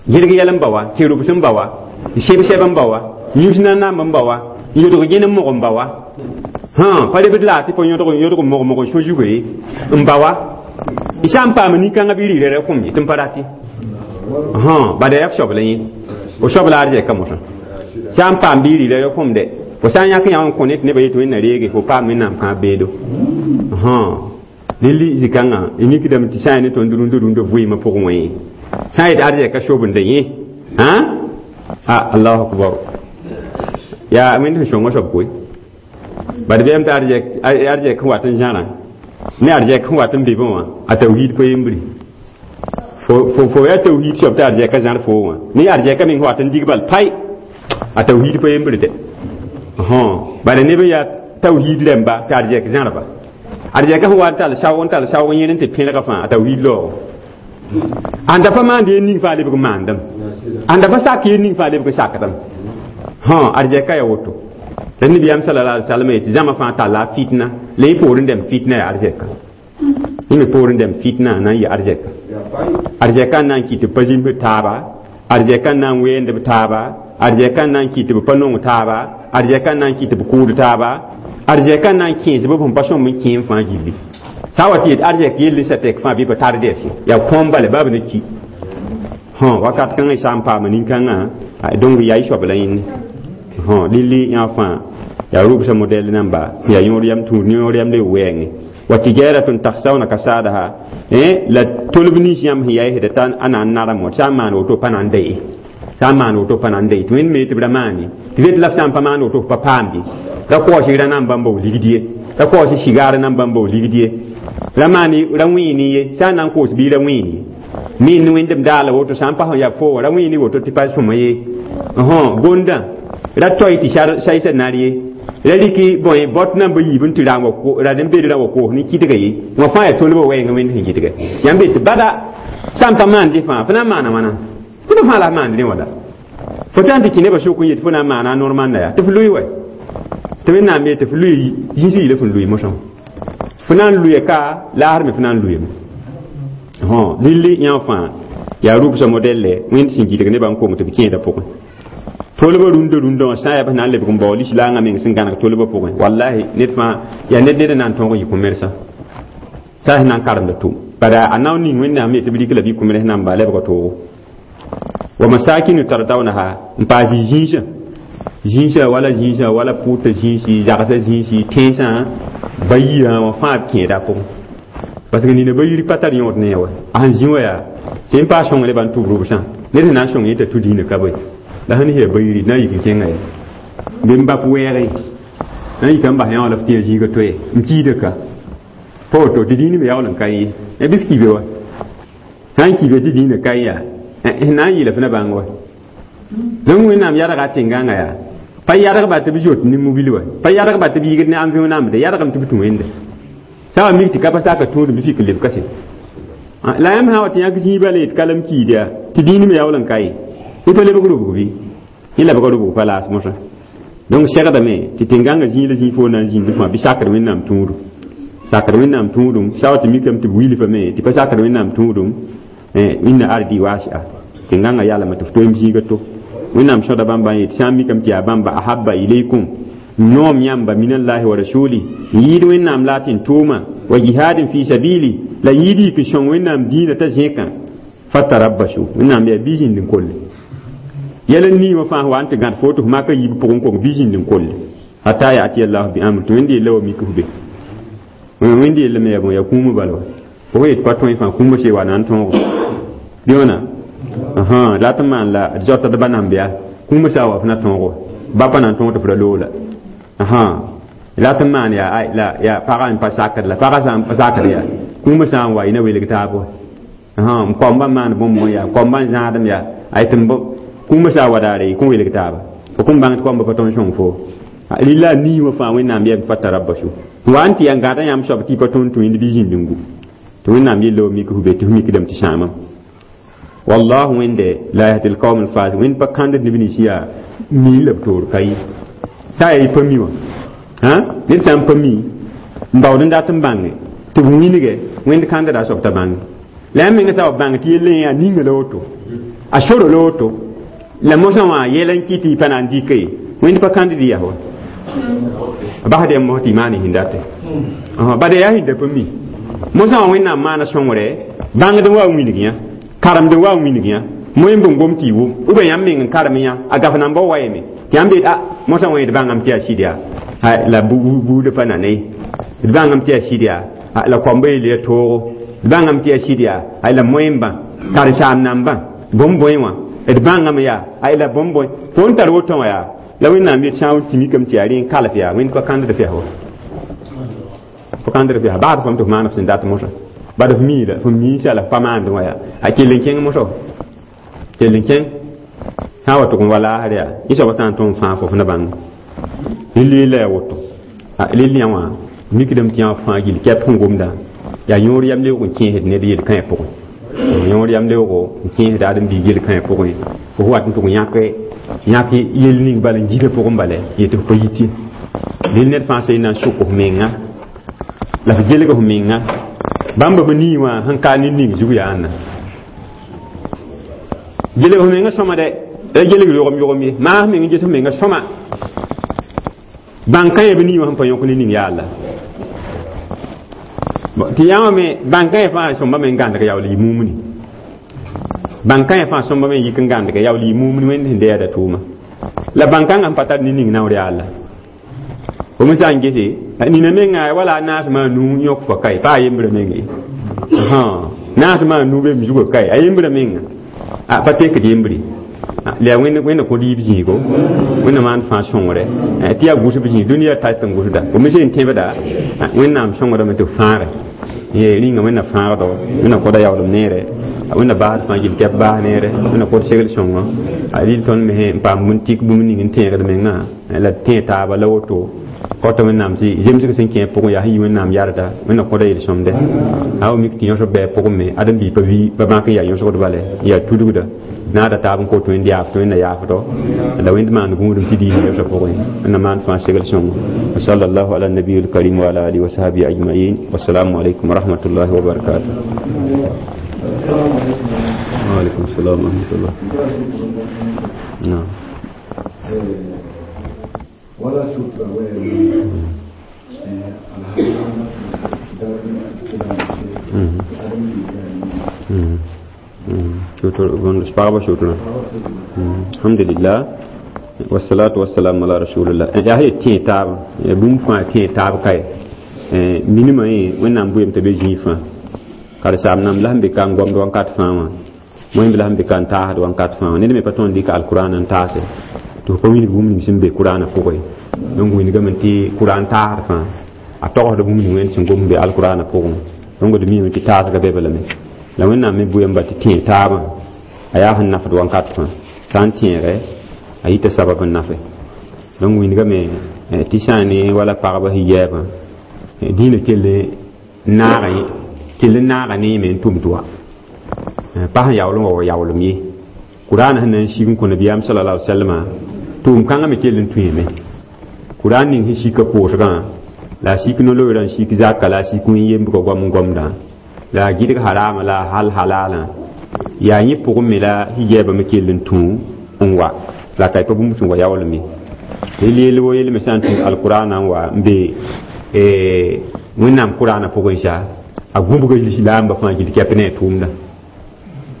gɩdg yɛl n baoa tɩ rʋbs n baoa seb sɛb n baoa yũs nanamb n baoa yõdg gẽn n mog n baoa pa lebd la tɩ pa yõdg yõdg mog mog n sõ zugu ye n baoa y sã n paam nin-kãngã bɩ rɩɩra ra kũm ye tɩ n pa rate bada yaa f soab la yẽ fo soab la arzɛka mosã sã n paam bɩ rɩɩra ra kũm dɛ fo sã n yãk yã n kõ ne tɩ nebã yetɩ Wẽnna reege fo paam Wẽnnaam kãab beedo rel zĩ-kãngã y mikdame tɩ sã n yaa ne tõnd rũndã rũndã vɩɩmã pʋgẽ wã ye sã n yet arzɛka sobenda yẽ allahu akbar yaa Wẽnd sẽn sõnga soab koe bad bɩyam tɩ arzɛk sẽn wat n zãrã ne arzɛk sẽn wat n be wã a tawhiid pa yembre fo yaa tawhiid soab tɩ arzɛka zãr fo wã ne arzɛka meng sẽn wat n dig bal pai a tawhiid pa yembre dɛ bala neb n yaa tawhiid rãmba tɩ arzɛk zãrba arzɛka sẽn wa n tall saoog n tall saoog n yẽl n tɩ pẽlga fãa a tawhiid laoogo ãnda pa maand yel ning fãa lebg n maandame ãnda pa sak yel ning fãa lebg n sakdame arzɛka yaa woto la nibiyaam sallallahu alaihi wasallam yetɩ zãma fãa talla a fitna la yẽ poorẽ dãmb fitna yaa arzɛka yẽ me poorẽ dãmb fitna na n yɩ arzɛka arzɛka n na n kɩt tɩ b pa zĩmsd taaba arzɛka n na n weend b taaba arzɛka n na n kɩt tɩ b pa nong taaba arzɛka n na n kɩt tɩ b kʋʋd taaba arzɛka n na n kẽes b sẽn pa sõmb n kẽem fãa gilli sã n wa tɩ yet arzɛk yell sã tɛk fãa bɩ pa tar dɛs ye yaa kõom bala baa b ne ki wakat kãngã y sã n paama nin-kãngã donc yaa y soab la yẽnne lilli yã fãa yaa rʋbsã modɛl namba yaa yõor yam tũud yõor yam le wɛɛngẽ wa tijaratun takhsawna kasadaha la tolb nins yãmb sẽn yaa y t'a a na n narem wã sã n maan woto pa na n da ye sã n maan woto pa na n da ye tɩ Wẽnd me tɩ b ra maane tɩ vet la f sã n pa maan woto f pa paamde ra kaoos ra nan bãmba w ligd ye ra kaoos sigaar nan bãmba w ligd ye ra maan ra wẽene ye sã n na n koos bɩ ra wẽene ye min ne Wẽndem daala woto sã n pa sẽn yaa fo wa ra wẽene woto tɩ pa sõma ye gondã ra toy tɩ saysã nar ye La rɩk bõe bot nan ba yiib n tɩ raam wa ra nen beed ra wa koos ne kɩdga ye wã fãa yaa tolbã wɛɛngã wẽnd sẽn kɩdgɛ yãmb be tɩ bada sã n pa maan dẽ fãa fo na n maana wãna tɩ b fãa la f maand rẽ wala fo tã n tɩ kẽ nebã sʋk n yet fo na n maana a normanda yaa tɩ f lʋɩ wɛ tɩ wẽnnaam yee tɩ f lʋɩ yĩns yɩla fõn lʋɩ mosã fo na n lʋɩ ka laasr me fo na n lʋɩame lilli yã fãa yaa rʋbsã modɛlle wẽnd sẽn gɩdg nebã n kong tɩ b kẽedã pʋgẽ tolbã rũndã rũndã wã sã n yaa b na n lebg n bao lislaangã meng sẽn gãneg tolbã pʋgẽ wallahi ned fãa yaa ned ned n na n tõog n yɩ kõ-mersã sã sẽn na n karemda tʋm bada a nao ning wẽnnaam yetɩ b rɩk la bɩ kõ-mers namba lebga toogo wa masakinu tardawnaha n paas zĩisã zĩisã wala zĩisã wala pʋʋta zĩisi zagsã zĩisi tẽnsã ba yirã wã fãa b kẽeda a pʋgẽ parce que nina ba yiri pa tar yõod ne wa a sẽn zĩ wa yaa sẽn paas sõng nebã n tʋb rʋbsã ned sẽn na n sõng yẽ t'a tu dĩinã ka bõe la sẽn yaa ba yiri na n yik n kẽnga ye bɩ n bap wɛɛge na n yika n bas yã wã la f tɩ ya zĩiga toɛ n kiida ka pa woto tɩ dĩinã me yaool n ka yẽ bɩ f kibe wa sã n kibe tɩ dĩinã ka yaa sẽn na n yɩɩla f na bãng wa donc wẽnnaam yadga tẽngãngã yaa pa yadgba tɩ b zoet ne mobil wa pa yadgba tɩ b yɩgd ne amvẽ namde yadgame tɩ b tũ wẽnde sã wa mik tɩ ka pa saka tũudum bɩ fik n leb ka se la yãmb sã wa tɩ yãk zĩig bala yet kalem kiid yaa tɩ dĩin me yaool n ka ye y pa lebg rʋbg bɩ yẽ lebga rʋbg pa laas mosã donc segdame tɩ tẽn-gãngã zĩig la zĩig fo na n zĩnd fãa bɩ sakd wẽnnaam tũudum sakd wẽnnaam tũudum sã wa tɩ mikame tɩ b wilfame tɩ pa sakd wẽnnaam tũudum inna ardi wasi'a tẽn-gãngã yalame tɩ f toem zĩiga to wẽnnaam sõda bãmba n yet sã n mikame tɩ yaa bãmba ahabba ilaykum noom yãmba minallahi wa rasuli n yɩɩd wẽnnaam la tɩ n tʋʋma wa jihadin fi sabili la yɩɩd yik n sõng wẽnnaam dĩinã t'a zẽkã fatarabbasu wẽnnaam yaa bɩ zĩnd n kolle yɛl n nii wã fãa wa n tɩ gãd fo tɩ f maka yiib pʋgẽ kong bɩ zĩnd n kolle hatta yati allahu bi amr tɩ wẽnd yella wa mik f be wẽnd yella me yaa bõe yaa kũumã bala wa fo yet pa tõe fãa kũumã see wa na n tõogo bɩ wãna la tɩ maan la d zoata d ba namb yaa kũumã saa wa f na tõogo ba pa na n tõog tɩ f ra loola la tɩ maan yaa la yaa pagã n pa sakd la pagã sã n pa sakd yaa kũumã sã n wa y na welg taab wa n koambã maan bõmb yaa koambã n zãadem yaa ay tɩ kũumã sã wa daare y kõn welg taaba fo kõn bãng tɩ koambã pa tõnd sõng fo lilla nii wã fãa wẽnnaam yɛm fa tarabbasu wa n tɩ yaa n gãda yãmb soab tɩ y pa tõnd tũ yẽnd bɩ zĩnd n gu tɩ wẽnnaam yella wa mik f be tɩ f mikdame tɩ sãamam wallahu wẽnde la yahdi lqaum alfasiq wẽnd pa kãnd neb nins yaa mii la b toor ka ye sã yaa y pa mi wã ned sã n pa mi n baood n dat n bãnge tɩ b wilge wẽnd kãndda a soab t'a bãnge la yãmb menga sã wa bãng tɩ yell yã ninga la woto a soro la woto la mosã wã yɛl n kɩ tɩ y pa na n dɩka ye wẽnd pa kãnd yaa wa basd yam mos tɩ y maan sẽn date bada yaa sẽn da pa mi mosã wã wẽnnaam maana sõngre bãngd n wa n wilg yã karemd n wa n wilg yã moẽ bõn gom tɩ y wʋm ou bien yãmb meng n karem yã a gaf namba wa yeme tɩ yãmb yet a mosã wã d bãngame tɩ yaa sɩd yaa la buudã pa nane d bãngame tɩ yaa sɩd yaa la koamba yel ya toogo d bãngame tɩ yaa sɩd yaa la moẽmbã karen-saam nambã bõmb bõe wã d bãngame yaa la bõmb bõe fo n tar woto wã yaa la wẽnnaam yet sã n tɩ mikame tɩ yaa rẽ n kalf yaa wẽnd pa kãndd fɛs wa pa kãndd fɛs baad fam tɩ f maan f sẽn dat mosã bad f miila f miisã la f pa maand wã yaa a kell n kẽng mosã kell n kẽng sã n wa tʋg n wa laasr yaa yẽ soaba sã n tõm fãa fo f na bãng rɩl yella yaa woto rɩl yã wã mikdame tɩ yã fãa gill kɛp sẽn gomda yaa yõor yam leoog n kẽesd ned yel-kãe pʋgẽ yõor yam leoogo n kẽesd ãdem-biig yel-kãe pʋgẽ fo wat n tʋg yãk yãk yel ning bala n gila pʋgẽ bala yetɩ f pa yit ye rɩl ned fãa sẽn na n sʋk f menga la f gelg f menga bãmba b nii wã sẽn ka ne ning zug yaa ãnna gelg f menga sõma dɛ la gelg yogem yogem ye maas meng n ges f menga sõma bãn-kã yã b nii wã sẽn pa yõk ne ning yaa la tɩ yã wã me bãn-kã yã fãa sõmba me n gãndg yaool yɩ mumni bãn-kã yã fãa sõmba me n yik n gãndg yaool yɩ mumni wẽnd sẽn deeda tʋʋma la bãn-kãngã sẽn pa tar ne ning naoor yaa la fo me sã n gese nina menga wala a naasmã a nuu yõk fa kae pa a yembrã meng ye naasmã a nuu be m zugã kae a yembrã menga a pa tekd yembre la yaa wẽnd wẽnna kõ rɩɩb zĩigo wẽnna maan fãa sõngre tɩ yaa gʋsb zĩig dũniyã tar tɩ n gʋsda fo me sẽn tẽbda wẽnnaam sõngrame tɩ f fãage ye rĩnga wẽnna fãagdo wẽnna kõda yaoolem neere wẽnna baasd fãa gill kɛp baas neere wẽnna kõd segl sõngo a rɩl tõnd me n paam bũmb tik bũmb ning n tẽegd mengã la tẽ taaba la woto Kota wẽnnaam tɩ zemsg sẽn kẽ pʋgẽ yaa sẽn yi wẽnnaam yarda wẽnna kõda yel-sõmde a wa mik tɩ yõsg bɛɛ pʋgẽ me ãdem-biig pa vi pa bãk n yaa yõsgd bale n yaa tudgda naada taab n kot wẽnd yaaf tɩ wẽnna yaafdo la wẽnd maan gũudum tɩ diis yõsg pʋgẽ wẽnna maan fãa segl sõngo wa sallallahu ala nabiyil karim wa ala alihi wa sahbihi ajmain wassalamu alaikum wa rahmatullahi wa barakatuh. Wa alaikum salam wa rahmatullah. Naam. ولا sutra Sutra alhamdulillah wassalatu wassalamu ala rasulillah. Yaa sẽn tẽ taaba bũmb fãa tẽ taab kae minimã yẽ wẽnnaam bʋyem t'a be zĩig fãa karen-saam nãmb la sẽn be ka n gomd wakat fãa wã wẽnd la sẽn be ka n taasd wakat fãa wã ned me pa tõnd dɩka alkurãan n taase tɩ f pa wilg bũmb ning sẽn be kurãanã pʋgẽ donc wilgame tɩ kurãan taasd fãa a togsd bũmb ning wẽnd sẽn gom be alkurãanã pʋgẽ donc d miime tɩ taasga be lame la wẽnnaam me bʋyamba tɩ tẽeg taabã a yaa sẽn nafd wakat fãa sã n tẽege a yita sabab n nafe donc wilgame tɩ sã n ne wala pagba hijaabã dĩinã kell naaga kell n naaga neeme n tʋm tɩ wa pa sẽn yaool n wa wa yaoolem ye kurãanã sẽn na n sig n kõ nabiyaam sallallahu alaihi wasallam tʋʋm kãngã me kell n tũime kurãan ning sẽn sika koosgã la a sik no-loeerã n sik zaka la a sik wẽn-yembgã goam n gomdã la a gɩdg harama la a hal halalã yaa yẽ pʋgẽ me la hijaabã me kell n tũ n wa la a ka pa bũmb sẽn wa yaoolem ye yel yell wo yell me sã n tũ alkurãanã n wa n be wẽnnaam kurãanã pʋgẽ sa a gũbga lislaambã fãa gil kɛp ne a tʋʋmdã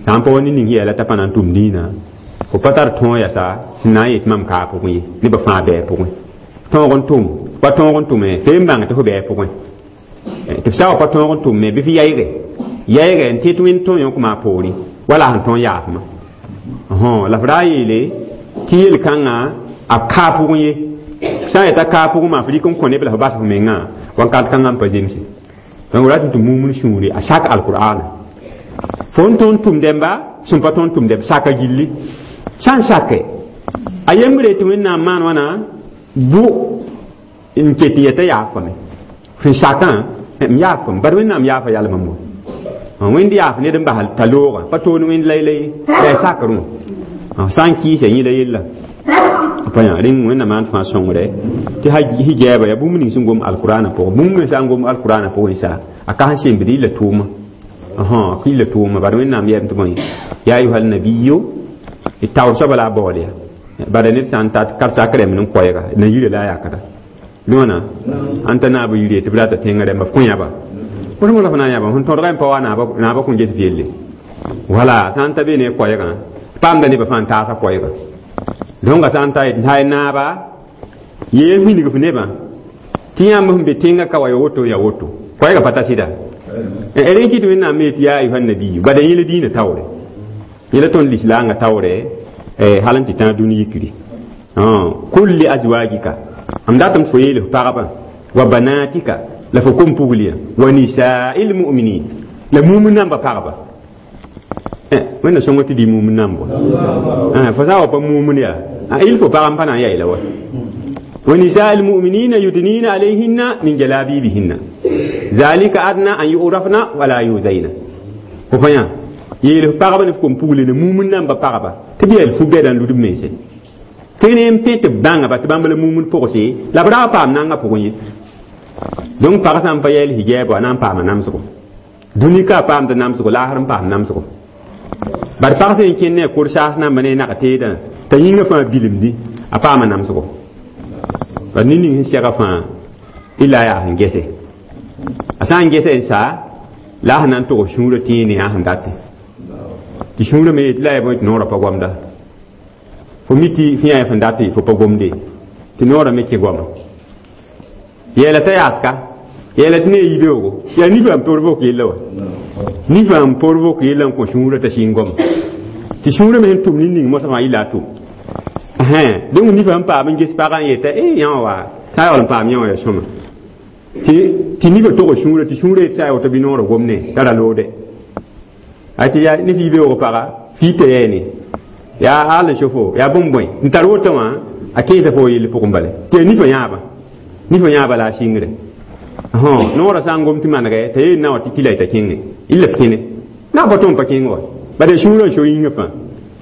sã n pa wa ne ning yɛɛla t'a pa na n tʋm dĩinã fo pa tar tõog yasa sẽn na n yet mam kaa pʋgẽ ye nebã fãa bɛɛ pʋgẽ tõog n tʋm pa tõog n tʋme fee n bãng tɩ fo bɛɛ pʋgẽ tɩ f sa wa pa tõog n tʋmme bɩ f yaɩge yaɩge n tɩ tɩ wẽnd tõe yõkma a poorẽ wala sẽn tõog yaafmã la f ra yeele tɩ yel-kãngã a kaa pʋgẽ ye sã n yeta kaa pʋgẽ maa f rɩk n kõ neb la f bas f mengã wakat kãngã n pa zemse donc rat tɩ mumn sũure a sak alqur'ana fo n tõnd tʋm dẽmba sẽn pa tõnd tʋm dẽmb saka gilli sã n sake a yembre tɩ wẽnnaam maan wãna bʋ n ket n yeta yaafame sẽn sakã m yaafame bad wẽnnaam yaafa yalmam wa wẽnd yaaf ned n bas t'a loogã pa toon wẽnd laylay la a sakrẽ wã sã n kɩɩsa yẽla yella pa yã rẽng wẽnnaam maan fãa sõngre tɩ hijaaba yaa bũmb ning sẽn gom alkurãanã pʋgẽ bũmb me sã n gom alkurãanã pʋgẽ sa a ka sẽn sembd yilla tʋʋma yilla tʋʋma bad wẽnnaam yɛm tɩ bõe ya ayuha nabiyu taoor soaba la a baool ya bada ned sã n tat karsak rẽmb n koɛɛga na yira la a yakda lõona ãn t'a naab yire tɩ b rata tẽngã rẽmba f kõ yãba fo sẽn la f na n yãba sẽn tõdga n pa wa naabã kõn ges yelle wala sã n ta be ne koɛɛgã paamda nebã fãa n taasa koɛɛga donc sã n ta yet naaba yeel wilg f nebã tɩ yãmb sẽn be tẽngã ka wa ya woto ya woto koɛɛgã pa ta sɩda rẽ kɩ tɩ wẽnnaam me tɩ yaa ayuha nabiyu bada yẽl diinã taoore yẽla tõnd lislaangã taoore hal n tɩ tãag dũni yikri kul li azwajika m datame tɩ fo yeel f pagba wa banatika la fo kom pugliyã wa nisa'il mu'minin la mumin namba pagba wẽnna sõngo tɩ dɩ mumin namb wa fo sã n wa pa mumin yaa il faut pagã n pa na n yaɩla wa wa nisa'il mu'minina yudnina alayhinna min jalabibihinna zalika adna an yu'rafna wala yuzaina fo pa yã yeel f pagba ne f kom pugli ne mumin namba pagba tɩ b yɛl fu-bɛda n lud b mense tɩ ne n pẽ tɩ b bãngba tɩ bãmb la mumin pʋgse la b ra paam nanga pʋgẽ ye donc pag sã n pa yɛɛl hijaab a na n paama namsgo dũni ka a paamd namsgo laasr n paam namsgo bad pag sẽn kẽnd ne a kor saas namba ne a nag teedã t'a yĩngã fãa bilemdi a paama namsgo bad ned ning sẽn sɛga fãa illa yaa sẽn gese a sã n gese n saa la a sẽn na n tog sũurã tẽe ne a sẽn date tɩ sũurã me yetɩ la yaa bõe tɩ noorã pa gomda fo mi tɩ fẽ yaa sẽn date fo pa gomde tɩ noorã me kẽ goama yɛɛla t'a yaaska yɛɛla tɩ ne a yibeoogo yaa nifã n por vok yella wa nifã n por vok yella n kõ sũurã t'a sĩng goma tɩ sũurã me sẽn tʋm nin-ning mosã fãa yilla a tʋm donc nifã n paam n ges pagã n yeta e yã wã wa sã yaool n paam yã wã ya sõma tɩ nifã tog sũurã tɩ sũurã yet sã ya woto bɩ noorã gomne t'a ra loode a tɩ yaa ne fɩ beoog paga fɩ t'a yɛɛne yaa al sofo yaa bũmb bõe n tar woto wã a kẽesa fo yell pʋgẽ bale tɩ ya nifã yãabã ni fo yãaba la a sɩngre noorã sã n gom tɩ manegɛ t'a yeel na wã tɩ tɩ la y t'a kẽngẽ y la b kẽne na pa tõnd pa kẽng wa bala sũurã n so yĩngã fãa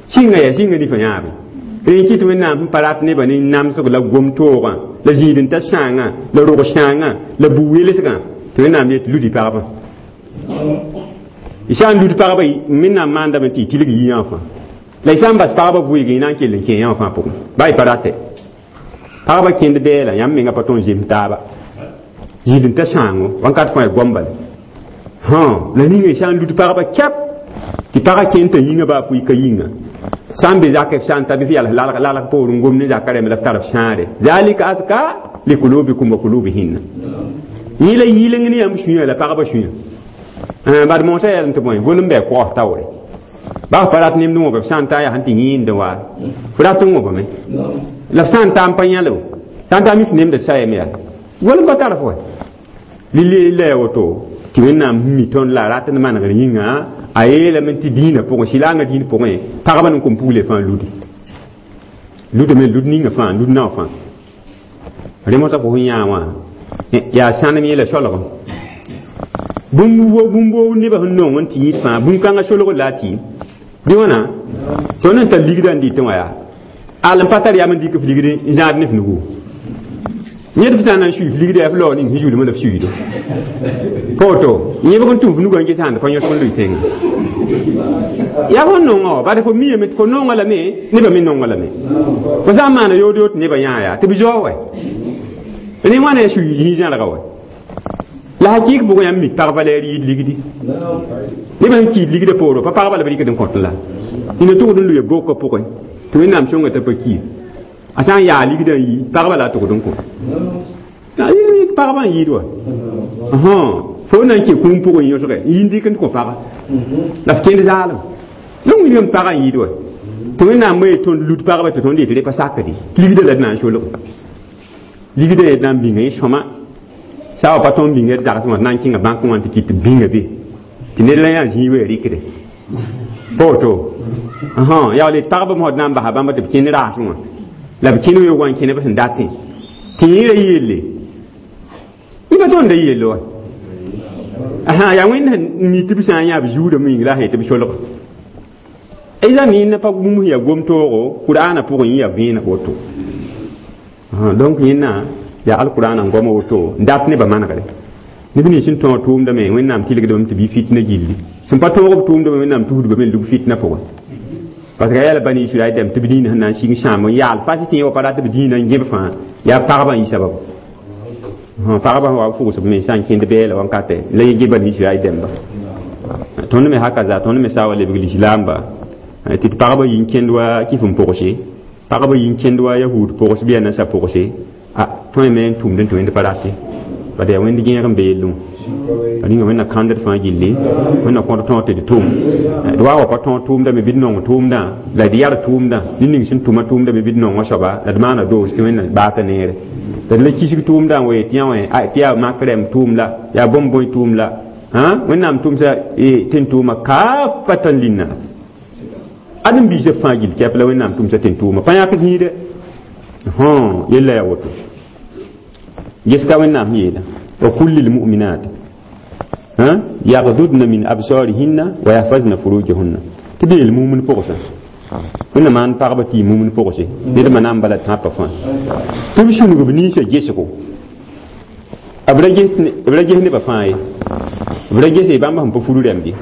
sɩnga yaa sɩnga ni fo yãabe rẽ kɩt wẽnnaam sẽn pa rat nebã ne namsg la gom-toogã la zĩid-n-ta sãangã la rog sãangã la bu-welsgã tɩ wẽnnaam yet ludi pagba y sã n lud pagba wẽnnaam maandame tɩ y tilg yiyã fãa la y sã n bas pagba vʋɩg y na n kell n kẽ yã fãa pʋgẽ ba y pa rate pagba kẽnd bɛɛla yãmb menga pa tõnd zems taaba zĩid-n-ta sãango wãnkat fãa y goam bala la ninga y sã n lud pagba kɛp tɩ pagã kẽnd t'a yĩngã baa fʋɩ ka yĩnga sã n be zak f sã n ta bɩ f yals lalg poor n gom ne zaka rẽmb la f tar f sãare zalika azka likulubikum wa kulubihinna yẽ la yɩleng ne yãmb sũyã la pagba sũyã bad moosã yɛlem tɩ bõe gol n bɩ kogs taoore baa pa rat nemd wõba f sã n ta yaa sẽn tɩ yẽende wa f rat n wõbame la f sã n ta n pa yãlb sã n ta mi tɩ nemda sayame yaa gol n pa tar f wa lili la ya woto tɩ wẽnnaam mi tõnd la a rat n manegr yĩnga a yeelame tɩ dĩinã pʋgẽ sɩlaangã dĩin pʋgẽ pagba n kom pugle fãa ludi ludame lud ninga fãa lud nao fãa rẽ mosã fo sẽn yã wã yaa sãnem yẽla solgem bũmb wo bũmb nebã sẽn nong n tɩ yɩɩd fãa bũn-kãngã solgr la a tɩɩm bɩ wãna tõnd n tar ligdã n dɩtẽ wã yaa al n pa tar yam n dɩk f ligd n zãad ne f nugu yẽd f sã n na n sui f ligda yaa f lao ning sẽn zulmã la f suiido pa woto yẽbg n tũm f nugã n ges sãnd pa yõsg n lʋɩ tẽngã yaa fo nonga wa bad fo miame tɩ fo nonga lame nebã me nonga lame fo sã n maana yood yo tɩ nebã yã yaa tɩ b zao wɛ rẽ wãna ya sui yĩ zãrga wɛ la hakɩɩk pʋgẽ yãmb mik pagba la ya rɩɩd ligdi nebã sẽn kiid ligdã pooro pa pagba la b rɩkd n kõt la nina tʋgd n lʋɩ bokã pʋgẽ tɩ wẽnnaam sõnga t'a pa kiir a sã n yaa ligdã n yi pagba la a tʋgd n kõ pagba n yɩɩd wa fo na n kẽ kũum pʋgẽ yõsgɛ n yi n dɩk n kõ paga la f kẽnd zaalem la wilgame pagã n yɩɩd wa tɩ wẽnnaam me tõnd lud pagba tɩ tõnd yetɩ rẽ pa sakdi ligdã la d na n solg ligdã d na n bĩnga yẽ sõma sã wa pa tõnd bĩnga d zagsẽ wã d na n kẽnga bãnkẽ wã tɩ kɩt tɩ bĩnga be tɩ ned la yã zĩig wa rɩkde pa woto yaa le pagba mosd na n basa bãmba tɩ b kẽnd raasẽ wã la b kẽnd weoogã n kẽne b sẽn datẽ tɩ yẽra yelle y pa tõnd yelle wa yaa wẽnd sẽn mi tɩ b sã n yã b zuudame yĩng la a sẽn tɩ b solg ɩza yẽnd pa bũmb sẽn yaa gom-toogo kur'aana pʋgẽ yẽ yaa vẽeneg woto donc yẽnna yaa alkur'aana n goama woto n dat nebã manegre neb nins sẽn tõog tʋʋmdame wẽnnaam tɩlgdame tɩ bɩ fitna gilli sẽn pa tõog b tʋʋmdame wẽnnaam tusdbame n lug fitna pʋgẽ parce que yɛla bani israɛl dɛm tɩ b dĩinã sẽn na n sɩng sãam n yaal fas tɩ yẽ wa pa rat b dĩinã n gẽb fãa yaa pagba n yɩ sababu pagba sẽn wa b fʋgsb mensã n kẽnd bɛɛla wãnkatɛ la yẽ gẽ bani israɛl dɛmba tõnd me hakaza tõnd me sã wa lebg lislaamba tɩ d pagba yi n kẽnd wa kɩf n pʋgse pagba yi n kẽnd wa yahud pʋgs bɩ yaa nansã pʋgse a tõe me n tʋmd n tɩ wẽnd pa rate bad yaa wẽnd gẽeg n be yellẽ wã ninga wẽnna kãndd fãa gilli wẽnna kõt tõog tɩ d tʋm d wa wa pa tõog tʋʋmdame bɩ d nong tʋʋmdã la d yar tʋʋmdã ne ning sẽn tʋma tʋʋmdame bɩ d nongã soaba la d maana doos tɩ wẽnna baasa neere la d la kisg tʋʋmdã n wa yetɩ yã wã tɩ yaa mak rɛm tʋʋm la yaa bõn-bõe tʋʋm la wẽnnaam tʋmsa tɩ n tʋʋma kafatan linnas ãdem-biisã fãa gill kɛp la wẽnnaam tʋmsa tɩ n tʋʋma pa yãk zĩide yella yaa woto ges ka wẽnnaam sẽn yeela wa kulli lmuminat yagdudna min absarihinna wa yahfazna furujahunna tɩ b yeel mumn pʋgsã wẽnna maan pagba tɩ yɩ mumn pʋgse ned ma na n bala tãpã fãa tɩ b sũnug b ninsã gesgo b ra ges nebã fãa ye b ra gese bãmb sẽn pa furu rɛmb ye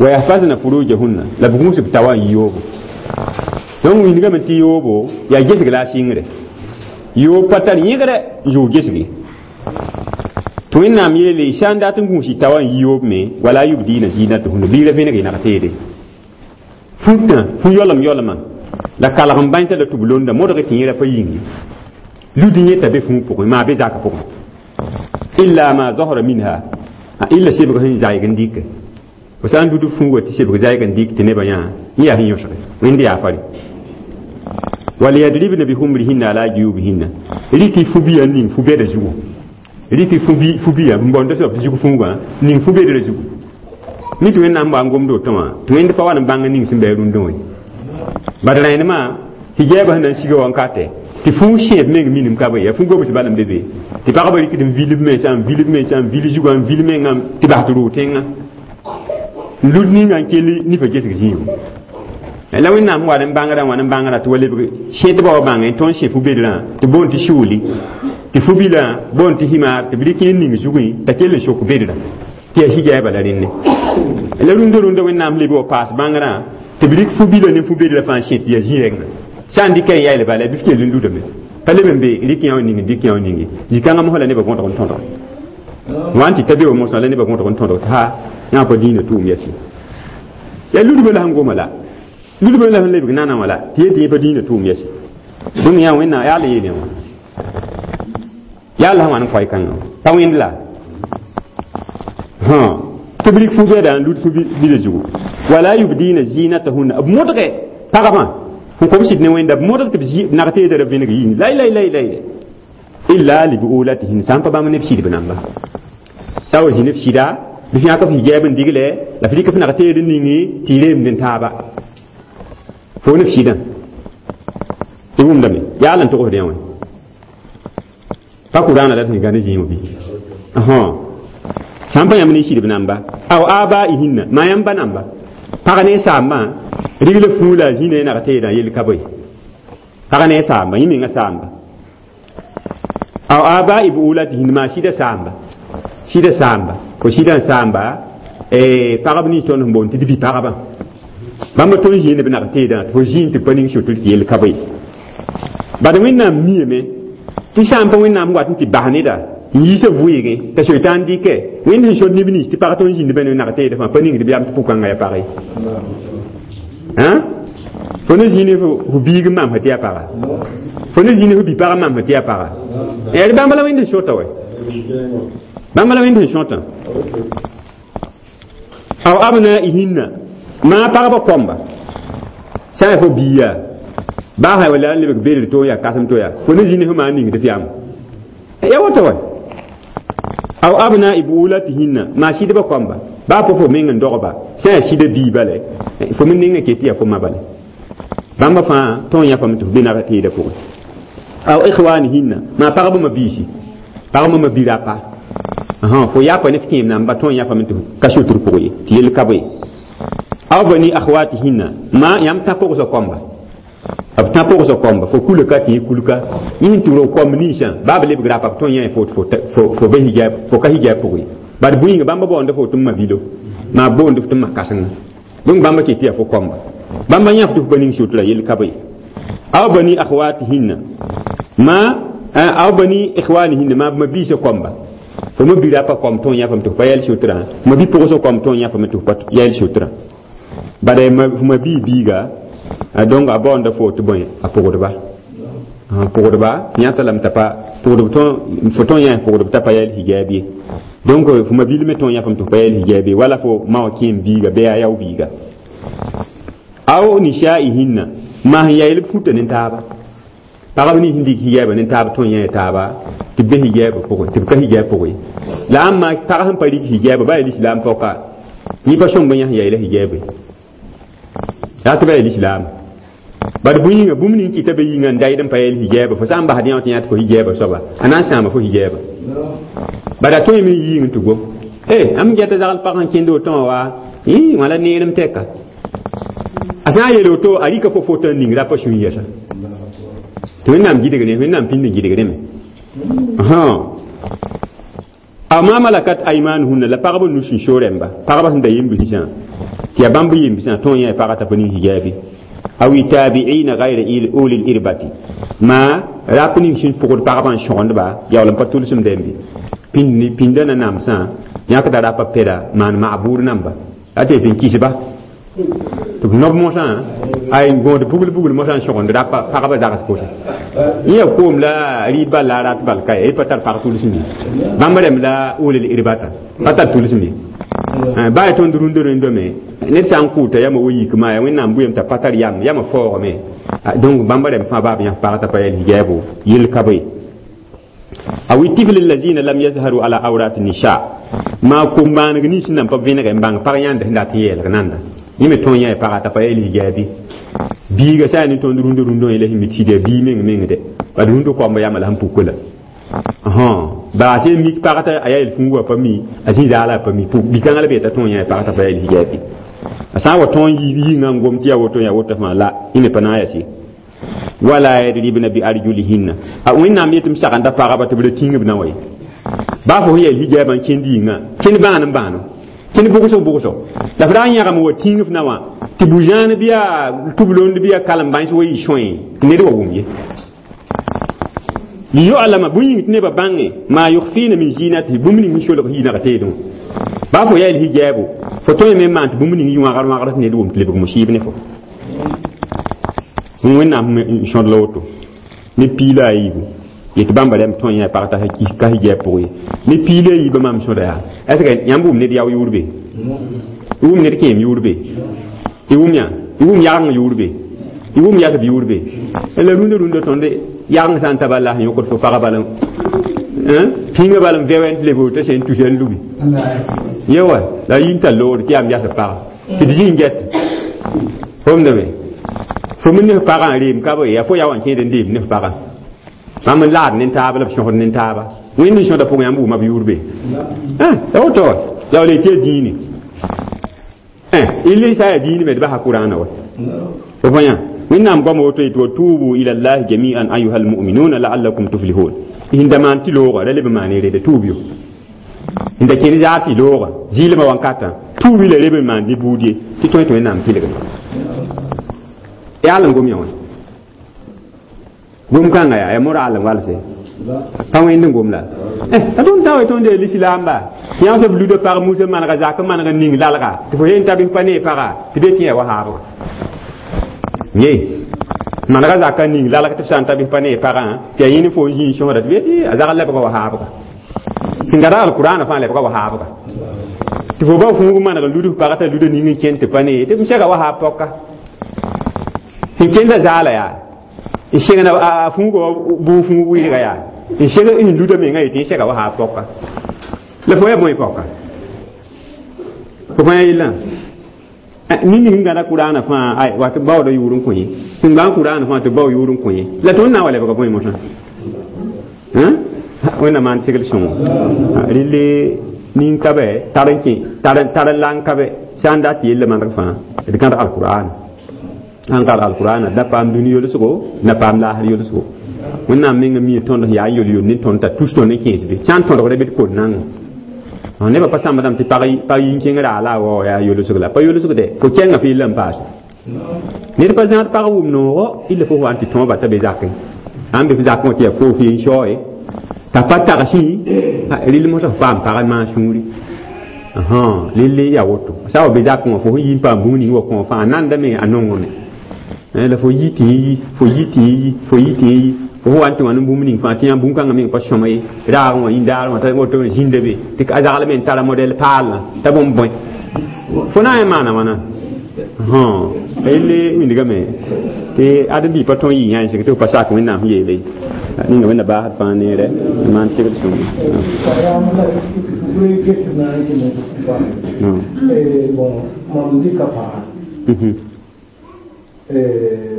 wa yahfazna furujahunna la b gũus b tawa n yi yoobo donc wilgame tɩ yoobo yaa gesg la a sɩngre yoob pa tar yẽgrɛ n zʋg gesge tɩ wẽnnaam yeele sã n dat n gũus y tawa n yi yoob me wala yubdiina zinatahunna bɩ ra vẽneg y nag teede fũtã fu yolem yolema la kalg n bãensã la tɩ b londa modg tɩ yẽra pa yĩng ye lud yẽta be fũu pʋgẽ maa be zakã pʋgẽ illa ma zahara minha illa sebg sẽn zayg n dɩke fo sã n dud fũuga tɩ sebg zayg n dɩk tɩ nebã yã yẽ yaa sẽn yõsge wẽnd yaa fare waliyadribna bihumrihinna ala juyubihinna rɩk fu-biã ning fu-bɛda zugu rɩk fu-biã n bõnd soab tɩ zug fũugã ning fu-bedrã zugu mi tɩ wẽnnaam wa n gomd woto wã tɩ wẽnd pa wa n bãng ning sẽn bɩ a rũndã wã bad rẽnemã hijaabã sẽn na n siga wãnkatɛ Tɩ fũ sẽeb meng minim ka bõe yaa fũ gobs bal n be be tɩ pagba rɩkd n vil b mensã n vil b mensã n vil zugã n vil mengã tɩ bas tɩ roog tẽngã n lud ninga n kell nifa gesg zĩigu la wẽnnaam wa n bãngrã wã n bãngrã tɩ wa lebg sẽtbã wa bãngẽ tõnd sẽ fu-bedrã tɩ boond tɩ shuuli tɩ fu-bilã boond tɩ himar tɩ b rɩk n ning zugẽ t'a kell n sok bedrã tɩ yaa hijaaba la rẽnne la rũndã rũndã wẽnnaam leb wa paas bãngrã tɩ b rɩk fu-bilã ne fu-bedrã fãa sẽt tɩ yaa zĩ-rɛngã sã n dɩka n yael bala bɩ f kell n ludame pa leb n be rɩk yã wa ning dɩk yã wa ninge zĩ-kãngã mosã la nebã võtg n tõdg wã n tɩ ta be wa mosã la nebã võtg n tõdg tɩ ha yã pa dĩinã tʋʋm yɛsɩ yaa ludbã la sẽn goma la ludbã la sẽn lebg nana wã la tɩ yet tɩ yẽ pa dĩinã tʋʋm yɛsɩ bũmb yã wẽnnaam yaa la yeel yã wã yaa la sẽn wa n koɛɛ-kãngã pa wẽnd la tɩ b rɩk fu-bɛda n lud fu-bila zugu wala yubdina zinatahunna b modge pagmã n kom sɩd ne wẽnda b modg tɩ b nag teedã ra vẽneg yĩng lay lay lay lay illa libuulatihin sã n pa bãmb ne b sɩdb namba sã wa zĩ ne b sɩda bɩ f yãk f hijaab n digle la f rɩk f nag teed n ningi tɩ y reemd n taaba fo ne f sɩdã tɩ wʋmdame yaa la n togsd yã wã pa kuraana la tɩ gã ne zĩig bɩ sã n pa yãmb ne sɩdb namba aw abaihinna maa yãmb ba namba pag ne saambã rigl fũu la a zĩna y nag teedã yell ka bõe pag ne saamba yẽ menga saamba aw abai buulatihin maa sɩda saamba sɩda saamba fo sɩdã n saamba pagb nins tõnd sẽn boond tɩ d bi pagba bãmba tõnd zĩnd b nag teedã tɩ fo zĩnd tɩ pa ning sotr tɩ yell ka bõe bad wẽnnaam miame tɩ sã n pa wẽnnaam wat n tɩ bas neda n yiisa vʋɩɩgẽ t'a soitan dɩkɛ wẽnd sẽn sod neb nins tɩ pag tõnd zĩnd bã ne nag teedã fãa pa ningd b yam tɩ pʋkãngã yaa pag ye fo ne zĩnd fo biig n maam tɩ yaa paga fo ne zĩnd fo bi-pag n maam tɩ yaa paga yaa bãmba la wẽnd sẽn sota wɛ bãmba la wẽnd sẽn sõtã aw abnaihinna maa pagba kõmba sã n yaa fo biiya baa sã wala n lebg bedr to yaa kasem to yaa fo ne zĩnd fo maa ningd f yam ya woto wɛ aw abnai buulatihinna maa sɩdba kõmba baa pa fo meng n dogba sã n yaa sɩda bii bale fo me ninga ket tɩ yaa fo ma bale bãmba fãa tõog yãfame tɩ f be nag teedã pʋgẽ aw ikhwanihinna maa pagba ma biisi pagba ma bi-rapa fo yapa ne f kẽem namba tõog yãfame tɩ ka sotr pʋgẽ ye tɩ yell ka bõe aw bani akhwatihinna ma yãmb tã pʋgsã kõmba b tã pʋgsã kõmba fo kula ka tɩ yẽ kulka yẽ sẽn tɩ rog kõmb ninsã baa b lebg rapa b tõe yã fo fo be hijab fo ka hijab pʋgẽ ye bad bũyinga bãmba baoonda fo tɩ m ma bilo maa boond f tɩ m ma kãsenga donc bãmba ket tɩ yaa fo kõmba bãmba yãf tɩ f pa ning sotra yell ka bõe aw bani akhwatihinna ma aw bani ikhwanihinna ma ma biisã kõmba fo ma bi-rapa kõm tõog yãfame tɩ f pa yɛl sotrã ma bi-pʋgsã kõm tõog yãfame tɩ f pa yɛl sotrã bad f ma bii biiga donc a baoonda fo tɩ bõe a pʋgdba pʋgdba yãta lame t'a pa pʋgdb fo tõog yã pʋgdb t'a pa yɛl hijaab ye donc fo ma bil me tõog yãfame tɩ f pa yɛl hijaab ye wala fo ma wã kẽem biiga bɩ yaa yao biiga aw nisaihinna maa sẽn yael b futa ne taaba pagb nins sẽn dɩk hijaabã ne taab tõe yã taaba tɩ b be hijaabã pʋgẽ tɩ b ka hijaab pʋgẽ la ãmb pag sẽn pa rɩk hijaabã baa yaa lislaam pɔka yẽ pa sõmb yã sẽn yaeela hijaabe yaa tɩ ba yaa lislaam bad bũyĩnga bũmb ning kɩta be yĩnga n dayd n pa yɛl hijaabã fo sã n basd yã tɩ yã tɩ fo hijaabã soaba a na n sãama fo hijaabã bad a tõe me n yiing tɩ gom e am gɛta zagl pag sẽn kẽnd woto wã wa wã la neerem tɛka a sã n yeel woto a rɩka fo foto n ning rapa sũ yɛsa tɩ wẽnnaam gɩdg ne wẽnnaam pĩnd n gɩdg rẽme aw ma malakat aymanuhunna la pagba nus n so rẽmba pagba sẽn da yembsã tɩ yaa bãmb yembsã tõog yã pagã t'a pa ning hijaabi aw tabiina gayra uli lirbati ma rap ning sẽn pʋgd pagba n sõgendba yaool n pa tʋlsem dɛmbe pĩndã na namsã yãkda rapa pɛda maan maabʋʋr namba a tɩ tɩ n kɩsba tɩ b nob mosã ay gõod bugl bugl mosã n sõgend rapa pagba zags pʋsẽ yẽ yaa koom la rɩɩd bal la a rat bal ka ye pa tar pag tʋlsem ye bãmb rẽmb la ulil irbata pa tar tʋlsem ye baa ya tõnd rũndã rẽndame ned sã n kʋʋta yama wa yikma ya wẽnnaam bʋyem t'a pa tar yam yama faoogame donc bãmba rẽmb fãa baa b yãs pag t'a pa yɛl hijaabo yell ka bõe aw tifl allazina lam yazharu ala awrat nisa maa kom-bãaneg nins nan pa vẽneg n bãng pag yãnd sẽn dat n yeelg nanda yẽ me tõog yã pagã t'a pa yɛl hijaabi Biiga sã yaa ne tõnd rũndã rũndã wã la sẽn mi tɩ sɩd yaa bii meng meng dɛ bad rũndã koamba yama la sẽn pukã la baas ye mik pag t'a a yaa yel-fũugu wã pa mi a zĩ zaala a pa mi bi-kãngã la be t'a tõe n yã pag t'a pa yaa yel-hijaab ye a sã n wa tõe n yĩngã n gom tɩ yaa woto yaa woto fãa la yẽ me pa na n yas ye wala yadribna bi arjulihinna a wẽnnaam yetɩ m sagenda pagba tɩ b ra tĩng b na wa ye baa fo sẽn yɛl hijaabã n kẽnd yĩngã kẽnd bãan n bãano kẽnd bʋgsg bʋgsg la f ra n yãgem wa tĩng f na wã tɩ bu-zãan bɩ yaa tʋblond bɩ yaa kalem bãens wa yɩ sõe tɩ ned wa wʋm ye liyu'lama bũmb yĩng tɩ nebã bãnge maa yukhfina min zinatihi bũmb ning sẽn solg yɩnag teedẽ wã baa fo yaa yel hijaabo fo tõe me n maan tɩ bũmb ning yɩ wãgr wãgr tɩ ned wʋm tɩ lebg musib ne fo wẽnnaam n sõd la woto ne piila a yiibu yetɩ bãmba rɛm tõe yã pag t'a ka hijab pʋgẽ ye ne piila a yiibã maam sõda yaa est ce que yãmb wʋm ned yao yʋʋr be y wʋm ned kẽem yʋʋr be y wʋm yã y wʋm yageng yʋʋr be y wʋm yasb yʋʋr be la rũndã rũndã tõnd yageng sã n ta bala sẽn yõkd fo pagã bala pĩngã bala n vɛwɛn tɩ leb t'a sẽn tusa n lubi ye wa la a yĩn tar loogre tɩ yaam yasb paga tɩ d zĩ n get fomdame fo me ne f pagã n reem ka bɩ yaa fo ya wa n kẽed n deem ne f pagã bãmb n laad ne taaba la b sõsd ne taaba wẽnd n sõda pʋgẽ yãmb wʋma b yʋʋr be la woto wa la wa le tɩ yaa dĩine ille sã yaa dĩine me d basa kʋrãana wa fo fo yã wẽnnaam goama woto yetɩ wa tubu ila llahi jamian ayuha almuminuna laallakum tuflihun sẽn da maan tɩ looga ra leb n maan reda tuub yo n da kẽnd zaar tɩ looga zɩɩlmã wankatã tuubi la leb n maan ne buud ye tɩ tõe tɩ wẽnnaam pɩlgme yaa l n gom yã wã gom kãnga yaa yaa moraal n walse pa wẽnd n gom la la tõnd sã n wa tõnd yaa lislaamba tɩ yã soab luda pag musa manega zak n maneg n ning lalga tɩ fo yen tabis pa nee paga tɩ be tɩ yaa wa haabga ye manega zaka ning lalg tɩ f sã n tabis pa nee pagã tɩ yaa yẽne fo n zĩig sõsda tɩ be tɩ a zag lebga wa haabga sẽn gada alkurana fãa lebga wa haabga tɩ fo ba fũug maneg n lud f pag t'a luda ning n kẽnd tɩ pa nee tɩ m sega wa haab pɔka sẽn kẽnda zaala yaa n segna a fũuga wa bʋʋ fũug wɩɩga yaa n seg n luda menga yetɩ n sega wa haab pɔka la fo yaa bõe pɔka fo fãa yellã ning sẽn gãda kʋraana fãa ay wa tɩ baooda yʋʋr n kõ ye sẽn gbãan kʋraana fãa tɩ bao yʋʋr n kõ ye la tõnd na n wa lebga bõe mosã wẽnnaam maan segl sõngo relle nin ka bɛ tar n kẽ tar n lang ka bɛ sã n dat yella maneg fãa d gãd alkur'an sãn gãd alkur'an d na paam dũni yolsgo na paam laasr yolsgo wẽnnaam menga mi tõnd sẽn yaa n yol-yol ne tõnd t'a tus tõnd n kẽes be sã n tõdgda bɩ d kot nango nebã pa sãmbdame tɩ pag yĩn-kẽng raa la a wao yaa yolsg la pa yolsg dɛ fo kɛnga fo yella n paase ned pa zãad pag wʋm noogo illa fo wa n tɩ tõoba t'a be zakẽ sãn be f zakẽ wã tɩ yaa foos yen sao ye t'a pa tagsẽ rɩl mosã f paam pag n maan sũuri lelle yaa woto sã wa be zakẽ wã fo sẽn yi n paam bũmb ning wa kõ fãa nandame a nongame la fo yi tɩ yi fo yi tɩ yi fo yi tɩ yi fo wa n tɩ wã ne bũmb ning fãa tɩ yãmb bũn-kãngã meng pa sõma ye raagẽ wã yĩndaarẽ wã t'a woto zĩnda be tɩ a zagl me n tara modɛl paalã t'a bõmb bõe fo na n maana wãna elle wingame tɩ ãdem-biig pa tõe n yɩ yã n seg tɩ f pa sak wẽnnaam sẽn yeele ninga wẽnna baasd fãa neere n maan segl sõngo mam dɩka paga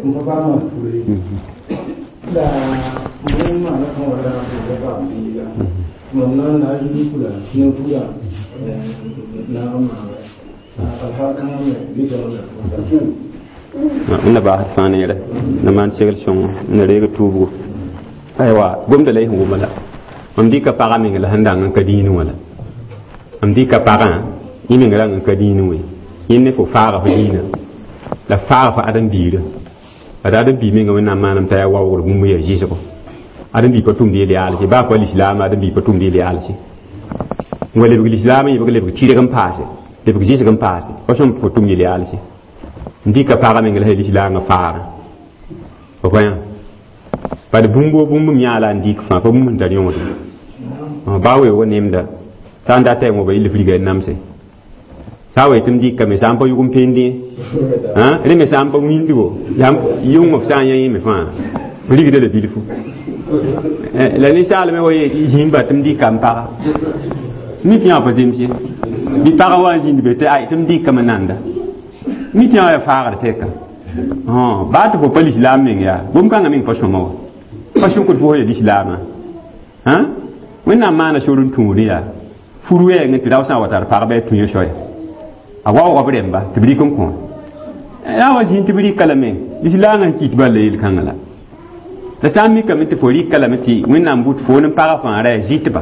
n pa baa maan pure la m maana tõog la n paam biiga mam na n na n yik fula ne fula na n maana alhaal kãngã me dɩkame wẽnna baasd fãa neere na maan segl sõngo n reeg tuubgo aywa gomda la y sẽn wʋma la mam dɩka pagã meng la sẽn dang n ka dĩinẽ wã la mam dɩka pagã yẽ meng rang n ka dĩinẽ wã yẽ ne fo faaga fo dĩinã la faaga fo ãdem-biirã ad ãdem-biig menga wẽnnaam maanam t'a yaa waoogr bũmb yaa zɩsgo ãdem-biig pa tʋmd yel-yaalse baa pa lislaam ãdem-biig pa tʋmd yel-yaalse n wa lebg lislaam n yebg lebg tɩrg n paase lebg zɩsg n paase pa sõm fo tʋm yel-yaalse n dɩka pagã meng la sã lislaangã faagã fo pa yã bad bũmb o bũmb m yãa la n dɩk fãa pa bũmb sẽn tar yõod baa weoogã nemda sã n data wã ba yell f riga n namse sã n wa yetɩ m dɩkame sã n pa yʋg n pende rẽ me sã n pa wĩndgo yʋng f sã n yã yẽ me fãa rigda la bilfu la ninsaalme wa zĩmba tɩ m dɩka m paga mi tɩ yã pa zems ye bɩ pagã wa n zĩnd be tɩ ay tɩ m dɩkame nanda mi tɩ yã wa yaa faagr tɛka Baa tɩ fo pa lislaam meng yaa gom-kãngã meng pa sõma wa pa sʋkd fo ya lislaamã wẽnnaam maana sor n tũud yaa fur wɛɛngẽ tɩ rao sã n wa tar pagba a tũ soaya a waooga b rẽmba tɩ b rɩk n kõ yaa wa zĩig tɩ b rɩka lame lislaangã sẽn kɩt bal la yel-kãngã la la sã n mikame tɩ fo rɩka lame tɩ wẽnnaam bʋt fo n pagã fãa ra yaa zɩtba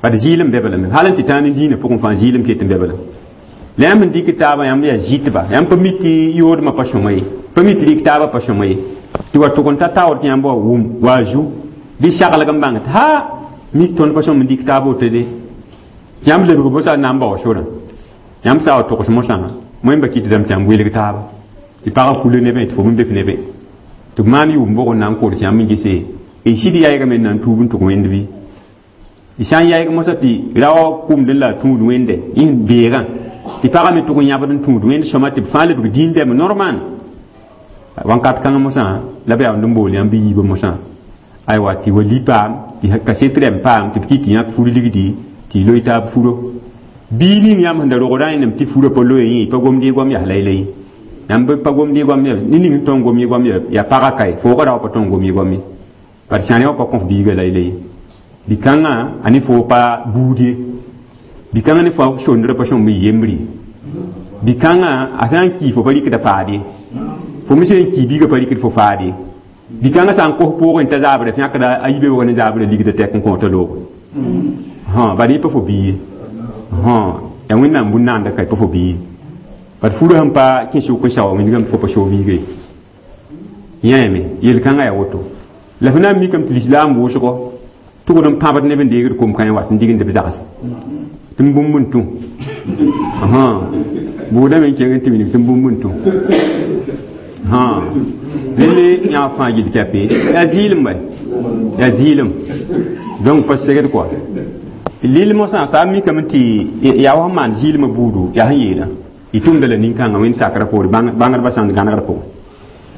bad zɩɩlem be lame hal n tɩ tãag ne dĩinã pʋgẽ fãa zɩɩlem ket n be lame la yãmb sẽn dɩk taabã yãmb yaa zɩtba yãmb pa mi tɩ yoodmã pa sõma ye pa mi tɩ rɩk taabã pa sõma ye tɩ wa tʋg n ta taoor tɩ yãmb wa wʋm wa zu bɩ saglg n bãng tɩ ha mik tõnd pa sõm n dɩk taab woto de yãmb lebg mosã na n bao sorã yãmb sã wa togs mosã wẽmba kɩt dame tɩ yãmb welg taaba tɩ pagã kule nebẽ tɩ fo b bef nebẽ tɩ b maan yʋʋm bʋg n na n kors yãmb n gese y sɩd yaɩgame n na n tuub n tʋg wẽnd bɩ y sã n yaɩg mosã tɩ rao kʋmd la a tũud wẽnde y sẽn beegã tɩ pagã me tʋg n yãbd n tũud wẽnd sõma tɩ b fãa lebg dĩin dɛm normal wãnkat kãngã mosã la b yaoond n bool yãmb yiibã mosã aywa tɩ wa li paam tɩ kaset rɛm paam tɩ b kɩt tɩ yãk fur ligdi tɩ y loe taab furo bii ning yãmb sẽn da rogdã yẽnem tɩ furã pa loe yẽ pa gomd y goam yaa laylay yãmb pa gomd y goam ne ning sẽn tõe n gom y goam yaa pagã kae foogã rao pa tõe n gom y goam ye bad sãn wã pa kõf biigã laylay bi-kãngã a ne foo pa buud ye bi-kãngã ne fo sondrã pa sõmb y yembr ye bi-kãngã a sã n kii fo pa rɩkda faad ye fo me sẽn kii biigã pa rɩkd fo faad ye bi-kãngã sã n kos pʋʋgẽ t'a zaabrã fẽkda a yibe ne zaabrã ligda tɛk n kõota loogo bad yẽ pa fo bii ye yaa wẽnnaam bũn-naanda ka pa fo bii ye bad furã sẽn pa kẽ sʋk n saoa wĩndgame fo pa soog biiga ye yãame yel-kãngã yaa woto la fo na n mikame tɩ lislaam wʋsgo tʋgd n pãbd neb n deegd kom-kãe wat n dignd b zags tɩ m bũmb n tũ bʋʋdame n kẽng n tɩ wilg tɩ m bũmb n tũ rẽnd yã fãa gill kɛpe yaa zɩɩlem bɛ yaa zɩɩlem donc pa segd kɔa lil mosã sã n mikame tɩ yaa wa sẽn maan zɩɩlmã buudu yaa sẽn yeelã y tʋmda la nin-kãngã wẽnd sakrã poore bãngdbã sãnd gãnegrã pʋgẽ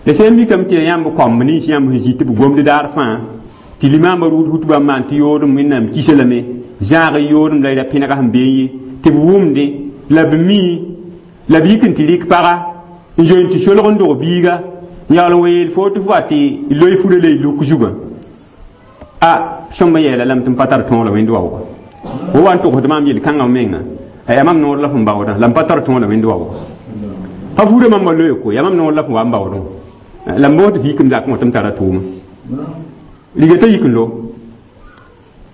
la sẽn mikame tɩ yaa yãmb kɔmb nins yãmb sẽn zĩ tɩ b gomd daar fãa tɩ limaambã rʋʋd hutbã n maan tɩ yoodem wẽnnaam kisa lame zãag y yoodem la y ra pẽnega sẽn bee ye tɩ b wʋmdẽ la b mi la b yik n tɩ rɩk paga n zoe n tɩ solg n dog biiga n yaool n wa yeel fo tɩ fo wa tɩ loe furã la y luk zugã a sõmb n yeela lame tɩ m pa tar tõog la wẽnd waooga fo wa n togsd maam yel-kãngã menga yaa mam noor la fõn baoodã la m pa tar tõog la wẽnd waooga pa furã mamba loe ko yaa mam noor la fõn wa n baoodẽ la m boos tɩ fiik m zakẽ wã tɩ m tara tʋʋma liga t'a yik n lo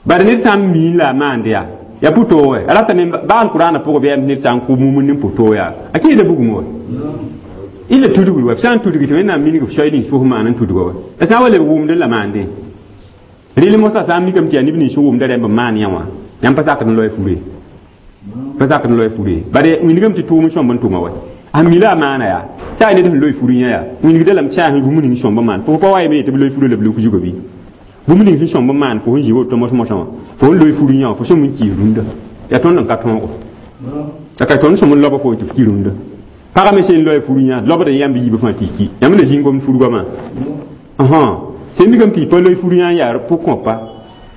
bad ned sã n miin la a maand yaa yaa pʋ-toog a ratame baa alkʋraanã pʋgã bɩ yaa ned sã n kʋ mumd ne pʋ-toog yaa a kẽeda bugum wa y la tudgr wa b sã n tudg tɩ wẽnnaam minig b soay nins fos maan n tudga wa la sã n wa leb wʋmd la maandẽ rɩl mosã sã n mikame tɩ yaa neb nins sẽn wʋmda rẽmb n maan yã wã yãmb pa sakd n loe fure pa sakd n loe fure bad wĩndgame tɩ tʋʋm sõmb n tʋma wa a mi la a maana yaa sã ned sẽn loe fur yã yaa wĩndgda lame tɩ sã bũmb ning sõmb n maan fo pa wa yeme tɩ b loe furã la b luk zugã bɩ bũmb ning sẽn sõmb n maan fo sẽn zĩ woto mos-mosã wã fo n loe fur yã wã fo sõm n kiis rũndã yaa tõnd n ka tõogo la ka tõnd sõm n laoba fo tɩ f ki rũndã pagã me sẽn loe fur yã lobd n yãmb yiibã fãa tɩ y ki yãmb la zĩng gomd fur goamã sẽn mikame tɩ y pa loe fur yã n yaa pʋg-kõpa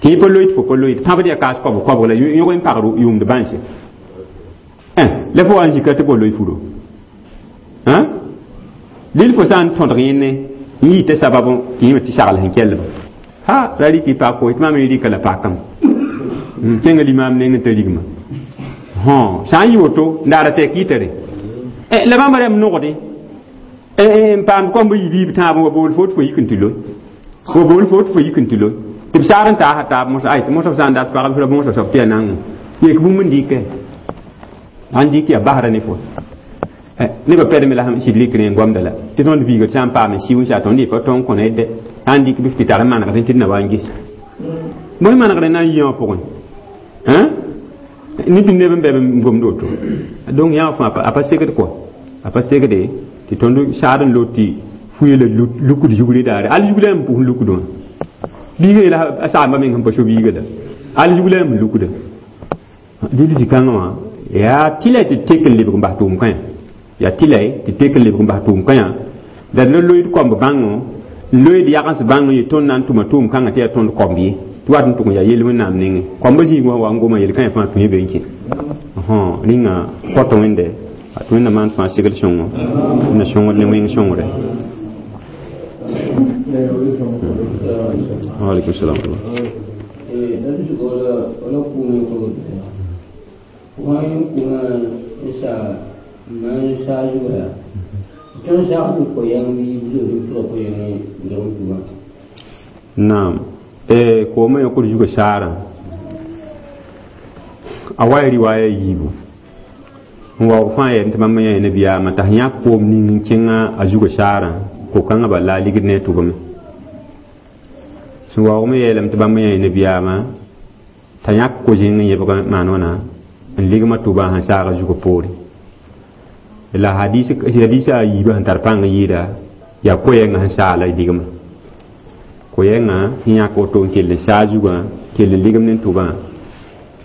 tɩ y pa loe tɩ fo pa loe tɩ pãbd yaa kaas koabg koabg la yõg n pagd yʋʋmd bãnse la fo wa n zika tɩ bo loe furo lil fo sã n tõdg yẽne n yita sababu tɩ yẽ tɩ sagl sẽn kellba ha ra rɩk y pak tɩ mam rɩka la pakame kẽnga limaam neng n ta rigma sã n yɩ woto n daara tɛk yɩta re la bãmba rãmb nogdẽ n paam kõmb yi biib tãab wa bool fo tɩ fo yik n tɩ loe wa bool fo tɩ fo yik n tɩ loe tɩ b saag n taasa taab mosã ay tɩ mosã b sã n dat pagb la bõosã soab tɩ yaa nang yek bũmb n dɩkɛ sãn dɩk yaa basra ne fo nebã pɛdme la sẽn sɩd rɩk rẽ goamda la tɩ tõnd biiga sã n paam n siu n sa tõnd pa tõn kõ ned sã n dɩk bɩ tɩ tar n manegdẽ tɩ d na wa n ges bõe manegdẽ na n yɩ wã pʋgẽ neb neb n bɛ n gomd woto donc yã fãa a pa segd kɔa a pa segde tɩ tõnd saad n lot tɩ fuye la lukd zugre daare al zugla n pʋs lukd wã biiga yeela a saamba meng sẽn pa so biiga la al zugla n lukda dɩl zĩ-kãngã wã yaa tɩ la tɩ tek n lebg n bas tʋʋm kãyã yaa tɩ la tɩ tek n lebg n bas tʋʋm kãyã la d la loeed koamb bãngo n loeed yagens bãng ye tõnd na n tʋma tʋʋm kãngã tɩ yaa tõnd koamb ye tɩ wat n tʋg n yaa yel wẽnnaam nengẽ koambã zĩig wã wa n goma yel-kãyã fãa tũ be n kẽ rĩnga kõt wẽnde Tɩ Wẽnnaam maan fãa segl sõngo na sõngr ne wẽng sõngre. Wa alaikum salam. Naam, eh koomã yõkd zugã saarã a wa ya riwaaya yiibu n waoog fãa yɛɛm tɩ bãmb yã nabiyaamã t'a sẽn yãk koom ning n kẽngã a zugã saarã ko-kãngã bala a ligd ne a tʋbame sẽn waoog me yeelame tɩ bãmb yã nabiyaamã t'a yãk ko-zẽng n yẽbg maan wãna n ligma tʋbã sẽn saag a zugã poore la hadisa a yiibã sẽn tar pãng n yɩɩda yaa koɛɛngã sẽn saala ligma koɛɛngã sẽn yãk woto n kell n saa zugã kell n ligem ne tʋbã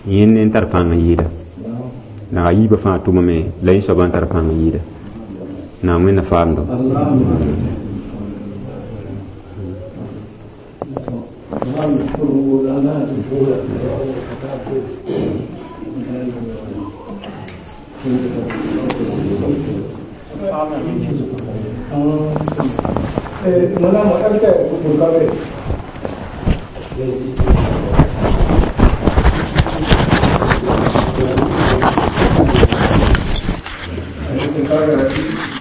yẽnd n tar pãng n yɩɩda la a yiibã fãa tʋmame la yẽ soabã n tar pãng n yɩɩda naam Wẽnna faamdo. Thank you.